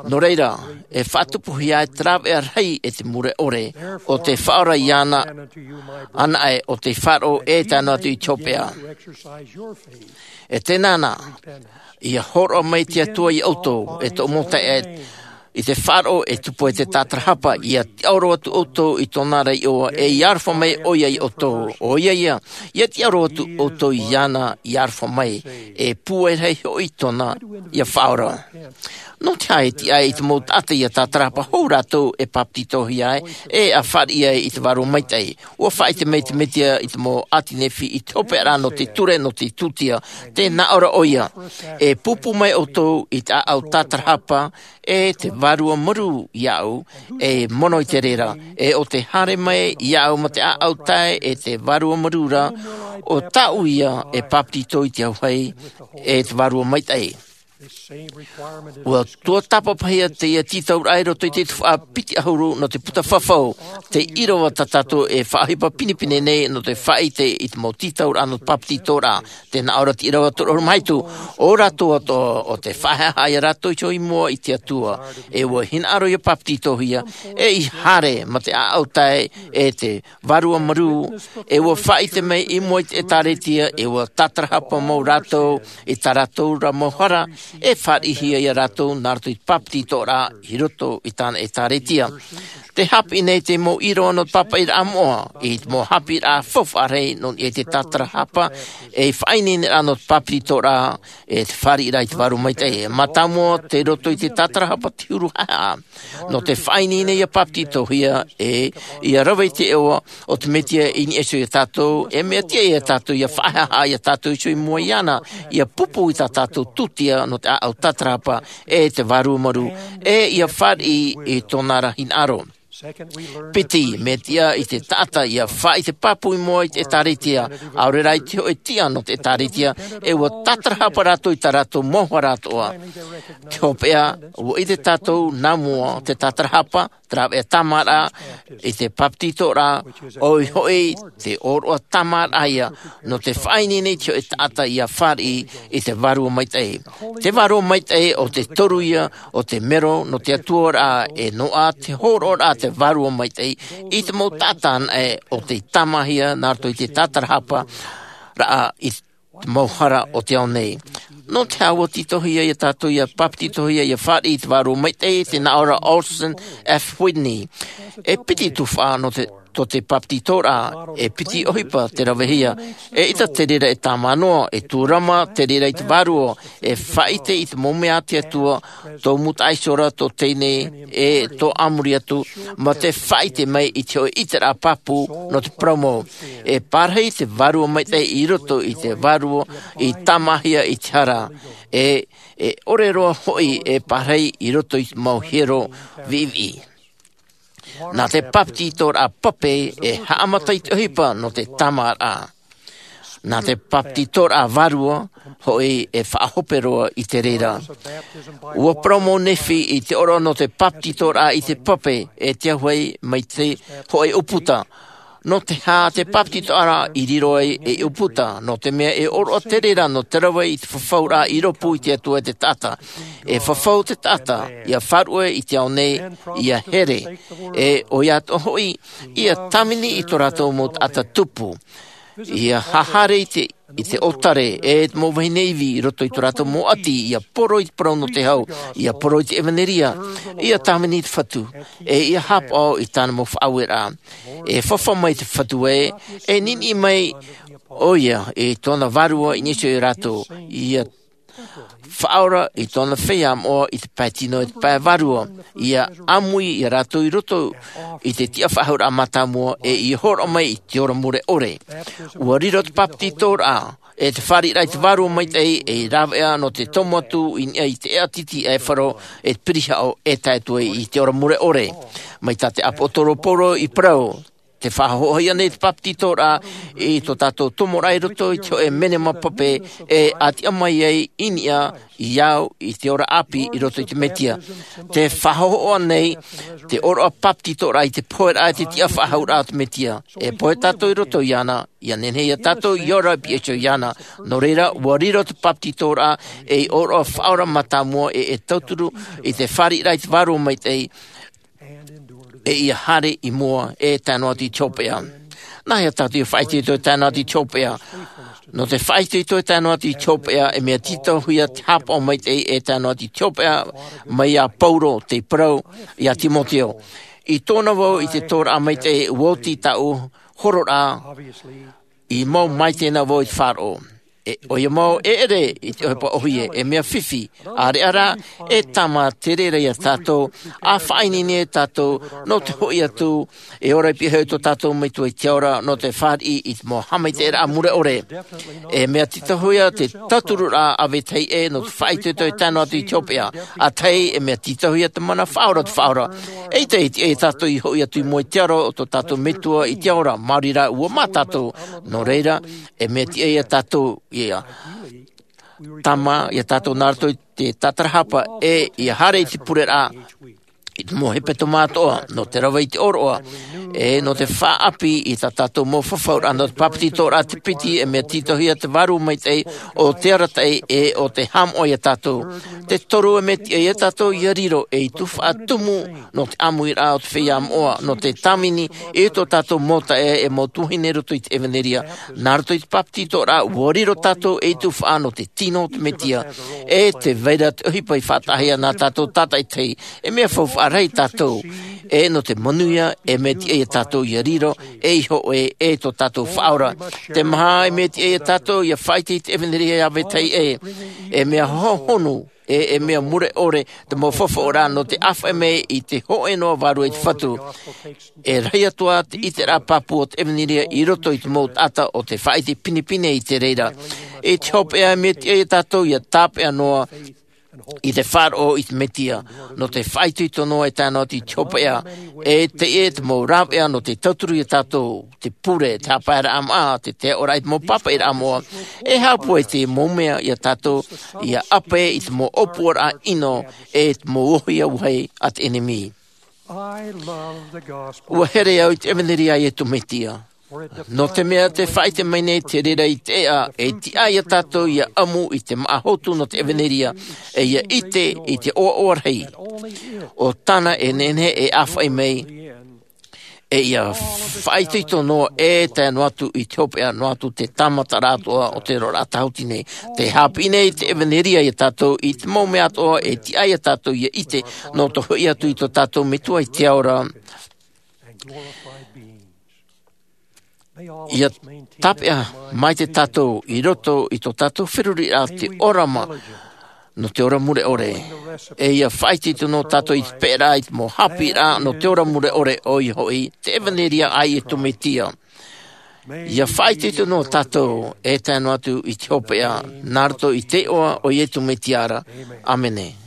Nō reira, e faʻatupuhia ai te rāveʻa rahi e te mure ʻore, ʻo te Faʻaora iāna anaʻe ʻo tē faʻaroʻo e tae noa atu i te hopeʻa. E tēnā na, ʻia hōroʻa mai te Atua iā ʻoutou, e tōʻu mau taeaʻe, i te faʻaroʻo e tupu ai te tātarahapa, ʻia tiʻaoro atu ʻoutou i tōna ra iʻoa, e ʻia aroha mai ʻoia iā ʻoutou. ʻOia ia, ʻia tiʻaoro atu ʻoutou iāna, ʻia aroha mai, e pūai rahi hoʻi tōna ʻia faʻaora. Nō te aha e tiʻa ai te mau taʻata ʻia tātarahapa hou rātou e papetitohia ai, e ʻia fāriʻi ai i te Vārua Maitaʻi? ʻUa faʻaʻite mai te Mesia i te mau ʻāti Nephi i te hopeʻa ra nō te ture, nō te tūtia. Tē nā ʻō ra ʻoia: E pūpū mai ʻoutou i te ʻāʻau tātarahapa, e te Vārua Marū iāʻu, e mono i te reira, e ʻo te haere mai iāʻu ma te ʻāʻau tae e te Vārua Marū ra, ʻo tāʻu ia e papetito i te auahi, e te Vārua Maitaʻi. ʻUa tuatāpapahia teie tītauraʻa i roto i te tuhaʻa piti ʻahuru nō te puta fafau, te ʻīrava tā tātou e faʻaʻohipa pinepine nei nō te faʻaʻite i te mau tītauraʻa nō te papetitoraʻa. Tē nā ʻō ra te ʻīrava toru ʻahuru mā hitu: ʻO rātou atoʻa, ʻo tē faʻaeaʻa ia rātou i mua i te Atua, e ʻua hinaʻaro ʻia papetitohia, e ʻia haere ma te ʻāʻau tae e te Vārua Marū, e ʻua faʻaʻite mai i mua i te ʻĒtārētia, e ʻua tātarahapa mau rātou i tā rātou ra mau hara, e fāriʻihia ia rātou nā roto i te papetitoraʻa i roto i tāna ʻĒtārētia. Tē haʻapiʻi nei te mau ʻīrava nō te pāpaʻiraʻa moʻa, i te mau haʻapiʻiraʻa faufaʻa rahi nō niʻa i te tātarahapa, e faʻaineineraʻa nō te papetitoraʻa, e te fāriʻiraʻa i te Vārua Maitaʻi. Mātāmua, tei roto i te tātarahapa te huru haʻehaʻa. Nō te faʻaineine ʻia papetitohia, e ʻia rave i te iʻoa o te Mesia i niʻa iho ia tātou, e mea tiʻa ia tātou ʻia faʻaeaʻa ia tātou iho i mua iāna, ʻia pūpū i tā tātou tūtia nō te ʻāʻau tātarahapa, e te Vārua Marū, e ʻia fāriʻi i tōna ra hinaʻaro. Piti, mea tiʻa i te taʻata ʻia faʻaʻite pāpū i mua i te ʻĒtārētia, ʻaore rā i te hōʻē tiʻa nō te ʻĒtārētia, e ʻua tātarahapa rātou i tā rātou mau hara atoʻa. Te hopeʻa, ʻua ʻite tātou nā mua te tātarahapa, te rāveʻa tāmāraʻa, i te papetitoraʻa, ʻoia hoʻi te ʻōroʻa tāmāraʻa ia, nō te faʻaineine i te hōʻē taʻata ʻia fāriʻi i te Vārua Maitaʻi. Te Vārua Maitaʻi ʻo te toru ia o te mero nō te Atuaraʻa, e noaʻa te hōroʻaraʻa te Vārua Maitaʻi i te mau taʻata anaʻe ʻo tei tāmāhia nā roto i te tātarahapa raʻa i te mau hara o te ao nei. Nō te aha ʻua tītauhia ia tātou ʻia papetitohia ʻia fāriʻi i te Vārua Maitaʻi? Tē nā ʻō ra Orson F. Whitney: E piti tuhaʻa nō te, tō te papetitoraʻa, e piti ʻohipa tē ravehia. E ʻita te reira e tāmā noa, e tūrama te reira i te Vārua, e faʻaʻite i te mau mea a te Atua, tō mūtaʻa iho ra, tō teie nei, e tō a muri atu, mā te faʻaʻite mai i te hōʻē ʻiteraʻa pāpū nō te parau mau. E pārahi te Vārua Maitaʻi i roto i te Vārua i tāmāhia i te hara, e, e ʻore roa hoʻi e pārahi i roto i te mau hiero viʻiviʻi. Nā te papetitoraʻa pape e haʻamata i te ʻohipa nō te tāmāraʻa. Nā te papetitoraʻa vārua hoʻi e faʻahope roa i te reira. ʻUa parau mau Nephi i te ʻōroʻa nō te papetitoraʻa i te pape, e te auahi mai te hōʻē ʻūputa. Nō te aha te bāpetizoraʻa i riro ai ei ʻūputa? Nō te mea e ʻōroʻa te reira nō te rave i te fafauraʻa i rōpū i te Atua e te taʻata. E fafau te taʻata, ʻia faʻaruʻe i te ao nei, ʻia here. E ʻoia atoʻa hoʻi, ʻia tāvini i tō rātou mau taʻata tupu. ʻIa haere i te, i te ʻōtare, e te mau vahine ivi i roto i tō rātou mau ʻati, ʻia poro i te parau nō te hau, ʻia poro i te ʻevanelia, ʻia tāvini i te Fatu, e ʻia haʻapaʻo i tāna mau faʻaueraʻa. E fafau mai te Fatu ē, e niniʻi mai ʻoia i tōna vārua i niʻa iho ia rātou, ʻia faʻaora i tōna feiā moʻa i te pae tino, i te pae vārua, ʻia ʻāmui ia rātou i roto i te tiʻafaʻahouraʻa mātāmua, e ʻia hōroʻa mai i te ora mure ʻore. ʻUa riro te bāpetizoraʻa, e te fāriʻiraʻa i te Vārua Maitaʻi, ei rāveʻa nō te tomo atu i niʻa i te ʻēʻa tītī ʻaifaro, e te pirihaʻo, e tae atu ai i te ora mure ʻore. Mai tā te ʻāpōsetolo Paulo i parau, te faʻahoʻohia nei te bāpetizoraʻa i tō tātou tomoraʻa i roto i te hōʻē menema pape, e ʻātiʻa mai ai i niʻa ia au i te ora ʻāpī i roto i te Mesia. Te faʻahoʻohia nei te ʻōroʻa bāpetizoraʻa i te poheraʻa e te tiʻafaʻahouraʻa o te Mesia. E pohe tātou i roto iāna, ʻia nehenehe ia tātou ʻia ora i niʻa iho iāna. Nō reira, ʻua riro te bāpetizoraʻa ei ʻōroʻa faʻaora mātāmua, e e tauturu i te fāriʻiraʻa i te Vārua Maitaʻi, e ʻia haere i mua, e tae noa atu i te hopeʻa. Nā hea tātou ʻia faʻaitoito e tae noa atu i te hopeʻa? Nō te faʻaitoito e tae noa atu i te hopeʻa, e mea tītauhia te haʻapaʻo maitaʻi e tae noa atu i te hopeʻa, mai iā Paulo tei parau iā Timoteo. I tōna vau i te tōraʻa maitaʻi, ʻua oti tāʻu hororaʻa, i mau maitaʻi na vau i te faʻaroʻo. E, ʻoia mau e ʻere i te ʻohipa ʻōhie, e mea fifi, ʻāreʻa rā, e tāmā te reira ia tātou, ʻa faʻaineine ia tātou, nō te hoʻi atu, e ora i niʻa iho i tō tātou Metua i te ao ra, nō te fāriʻi i te mau haʻamaitaʻiraʻa mure ʻore. E mea tītauhia te tautururaʻa a vetahi ē, nō te faʻaitoito e tae noa atu i te hopeʻa, ʻa tahi e mea tītauhia te mana faʻaora o te Faʻaora. ʻEita e tiʻa ia tātou i hoʻi atu i mua i te aro o tō tātou Metua i te ao ra, maori rā ʻua mā tātou, nō reira, e mea tiʻa ia tātou, ia tāmā ia tātou nā roto i te tātarahapa, e ʻia haere i te pureraʻa, i te mau hepetoma atoʻa, nō te rave i te ʻōroʻa, e nō te faʻaʻāpī i tā tātou mau fafauraʻa, nō te bāpetizoraʻa te piti, e mea tītauhia te Vārua Maitaʻi, ʻo te arataʻi, e ʻo te haʻamoʻa ia tātou. Te toru, e mea tiʻa ia tātou ʻia riro ei tuhaʻa tumu, nō te ʻāmuiraʻa o te feiā moʻa, nō te tāvini i tō tātou mau taeaʻe e mau tuahine i roto i te ʻevanelia. Nā roto i te bāpetizoraʻa, ʻua riro tātou ei tuhaʻa nō te tino o te Mesia, e tē vai ra te ʻohipa i faʻataʻahia nā tātou tātaʻitahi, e mea faufaʻa rahi tātou, e nō te manuia, e mea tiʻa ia tātou ʻia riro, ei hōʻē, e tō tātou Faʻaora. Te maha, e mea tiʻa ia tātou ʻia faʻaʻite i te ʻevanelia a vetahi ē, e mea hohonu, e, e mea mure ʻore te mau fafauraʻa nō te ʻāfaʻi mai i te hōʻē noa vārua i te Fatu. E rahi atu ā te ʻiteraʻa pāpū o te ʻevanelia i roto i te mau taʻata ʻo tē faʻaʻite pinepine i te reira. I te hopeʻa, e mea tiʻa ia tātou ʻia tāpeʻa noa i te faʻaroʻo i te Mesia, nō te faʻaitoito noa e tae noa atu i te hopeʻa, e teie te mau rāveʻa nō te tauturu ia tātou, te pure, te haʻapaeraʻa maʻa, te, te tiʻaraʻa i te mau pāpaʻiraʻa moʻa, e haʻapūai te mau mea ia tātou, ʻia ʻape i te mau ʻōpuaraʻa ʻino, e te mau ʻōhie auahi a te ʻenemi. ʻUa here au i te ʻevanelia a Iesu Mesia. Nō te mea tē faʻaʻite mai nei te reira i te ʻēʻa, e tiʻa ia tātou ʻia ʻamu i te māʻa hotu nō te ʻevanelia, e ʻia ʻite i te ʻoaʻoa rahi. ʻO tāna e nehenehe e ʻāfaʻi mai, e ʻia faʻaitoito noa e tae noa atu i te hopeʻa, noa atu te tāmataraʻa atoʻa o te oraraʻa tāhuti nei. Tē haʻapiʻi nei te ʻevanelia ia tātou i te mau mea atoʻa e tiʻa ia tātou ʻia ʻite, nō te hoʻi atu i tō tātou Metua i te ao ra. ʻIa tāpeʻa maitaʻi tātou i roto i tō tātou feruriraʻa te ʻōrama nō te ora mure ʻore. E ʻia faʻaitoito noa tātou i te peʻeraʻa i te mau haʻapiʻiraʻa nō te ora mure ʻore, ʻoia hoʻi, te ʻevanelia a Iesu Mesia. ʻIa faʻaitoito noa tātou e tae noa atu i te hopeʻa, nā roto i te iʻoa o Iesu Mesia ra. ʻĀmene.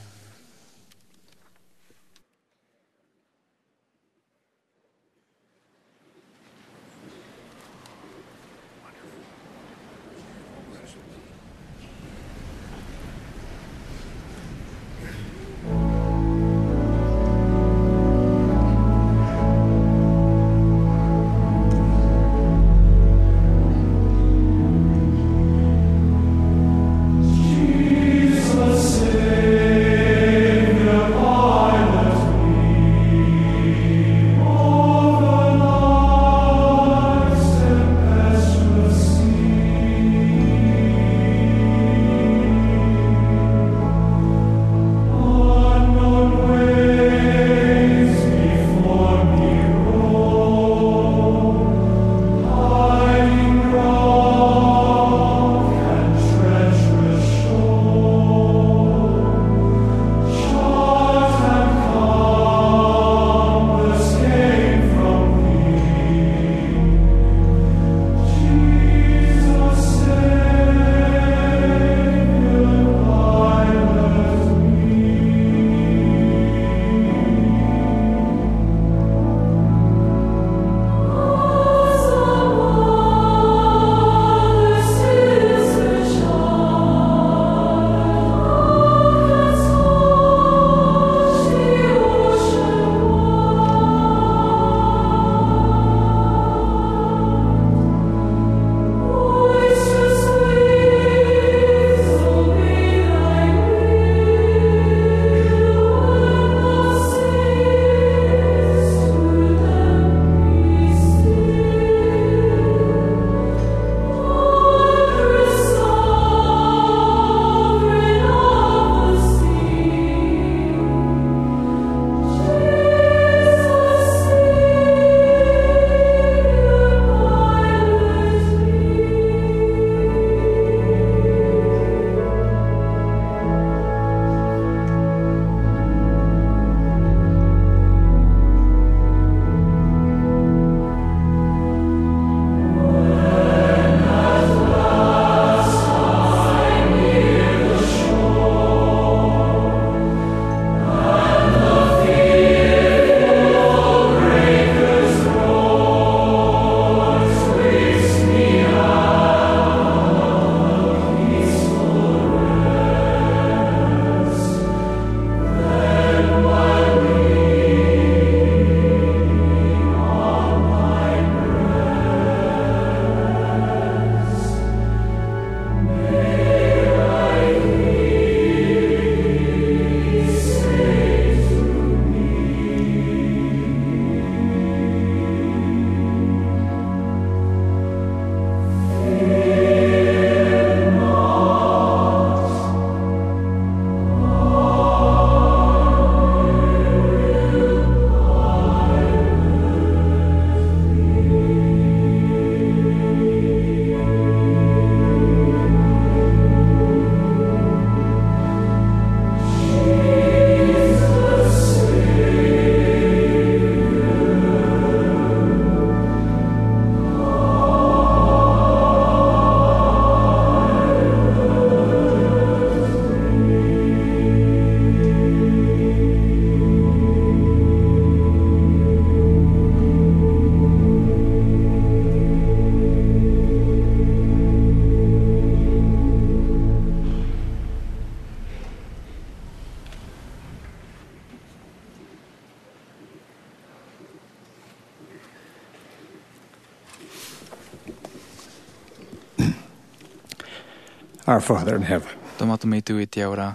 Our Father in heaven. Tō mātou Metua i te ao ra.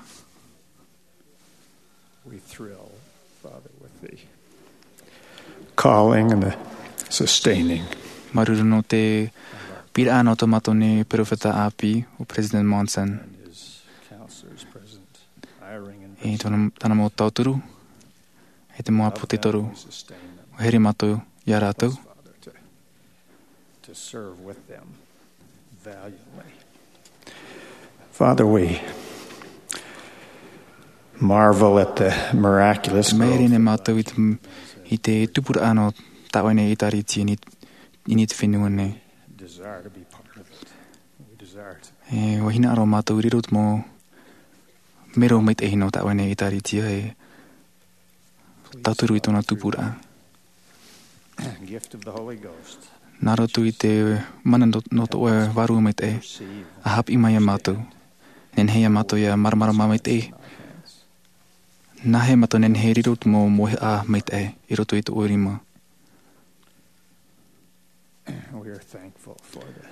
We thrill, Father, with the calling and the sustaining. Māuruuru nō te pīraʻa nō tō mātou nei peropheta ʻāpī, ʻo President Monson. And his counselors, President Eyring and E tōna, tāna mau tauturu, e te mau ʻāpōsetolo. ʻUa here mātou iā rātou. Father, to, to serve with them valiantly. Father, we marvel at the miraculous growth. Māere nei mātou i te, i te tupuraʻa nō tā ʻoe nei ʻēkālesia i niʻa i te fenua nei. Desire to be part of it. We desire to E, ʻua hinaʻaro mātou i riro te mau mero maitaʻi nō tā ʻoe nei ʻēkālesia e tauturu i tōna tupuraʻa. Gift of the Holy Ghost. Nā roto i te mana nō, nō tō ʻoe Vārua Maitaʻi, ʻa haʻapiʻi mai iā mātou. Nehenehe iā mātou ʻia māramarama maitaʻi. Nāhea mātou nehenehe e riro te mau mauhaʻa maitaʻi i roto i tō ʻoe rima. We are thankful for the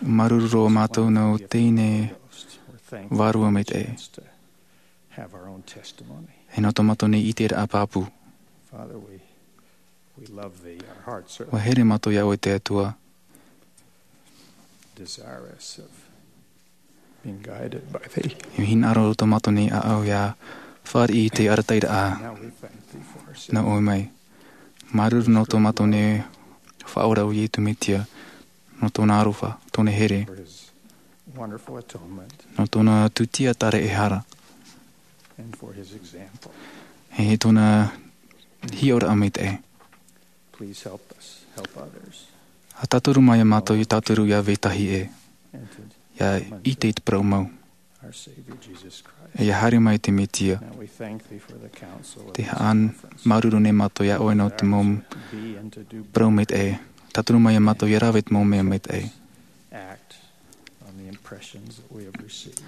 Māuruuru roa mātou nō teie nei Vārua Maitaʻi. Have our own testimony. E nō tō mātou nei ʻiteraʻa pāpū. Father, we, we love thee. Our hearts are ʻUa here mātou iā ʻoe te Atua. Desirous of being guided by thee. E hinaʻaro tō mātou nei ʻāʻau ʻia fāriʻi i te arataʻiraʻa Now we thank thee for our sin. Nō ʻoe mai. Māuruuru nō tō mātou nei Faʻaora ʻo Iesu Mesia, nō tōna aroha, tōna here, For his wonderful atonement nō tōna tūtia tāraʻehara, and for his example. E tōna hiʻoraʻa maitaʻi. Please help us, help others. ʻA tauturu mai iā mātou ʻia tauturu ʻia vetahi ʻē, And to ʻia ʻite i te parau mau. Our Savior Jesus Christ. ʻIa haere mai te Mesia. Now we thank thee for the counsel of Te this haʻa conference. Māuruuru nei mātou iā ʻoe nō te mau Be and to do parau maitaʻi. Tauturu mai iā mātou ʻia rave i te mau mea maitaʻi. Act on the impressions that we have received.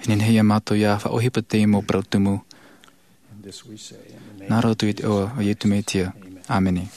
E nehenehe iā mātou ʻia faʻaʻohipa i te mau parau tumu. And this we say in the name Nā roto i te iʻoa o Iesu Mesia. Amen. Āmene.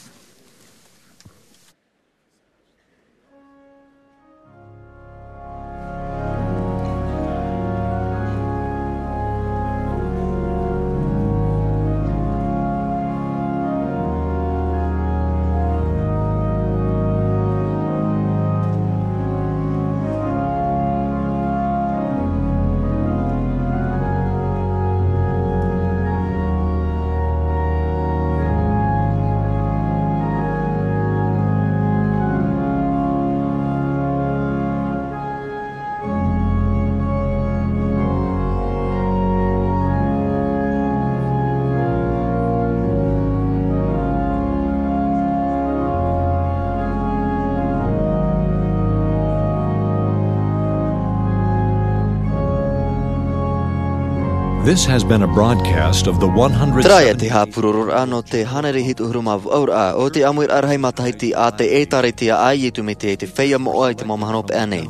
This has been a broadcast of the one hundred Terā ia te haʻapurororaʻa nō te hānere hitu ʻahuru mā vaʻu ra o te ʻāmuiraʻa rahi matahiti a te ʻĒtārētia a Iesu Mesia i te feiā moʻa i te mau mahana hopeʻa nei.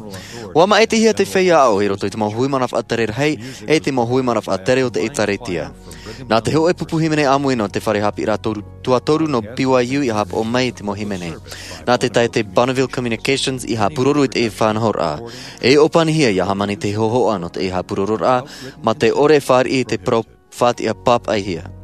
ʻUa māʻitihia te feiā aʻo i roto i te mau hui mana faʻatere rahi, e te mau hui mana faʻatere o te ʻĒtārētia. Nā te hōʻē pupu hīmene ʻāmui nō te fare haʻapiʻiraʻa toru, tuatoru nō B Y U ʻia haʻapaʻo mai i te mau hīmene. Nā te taeaʻe Bonneville Communications i haʻapuroro i te faʻanahoraʻa. E ʻōpanihia ʻia hāmani te hōhoʻa nō te haʻapurororaʻa, mā te ʻore e fāriʻi i te parau faʻatiʻa pāpaʻihia.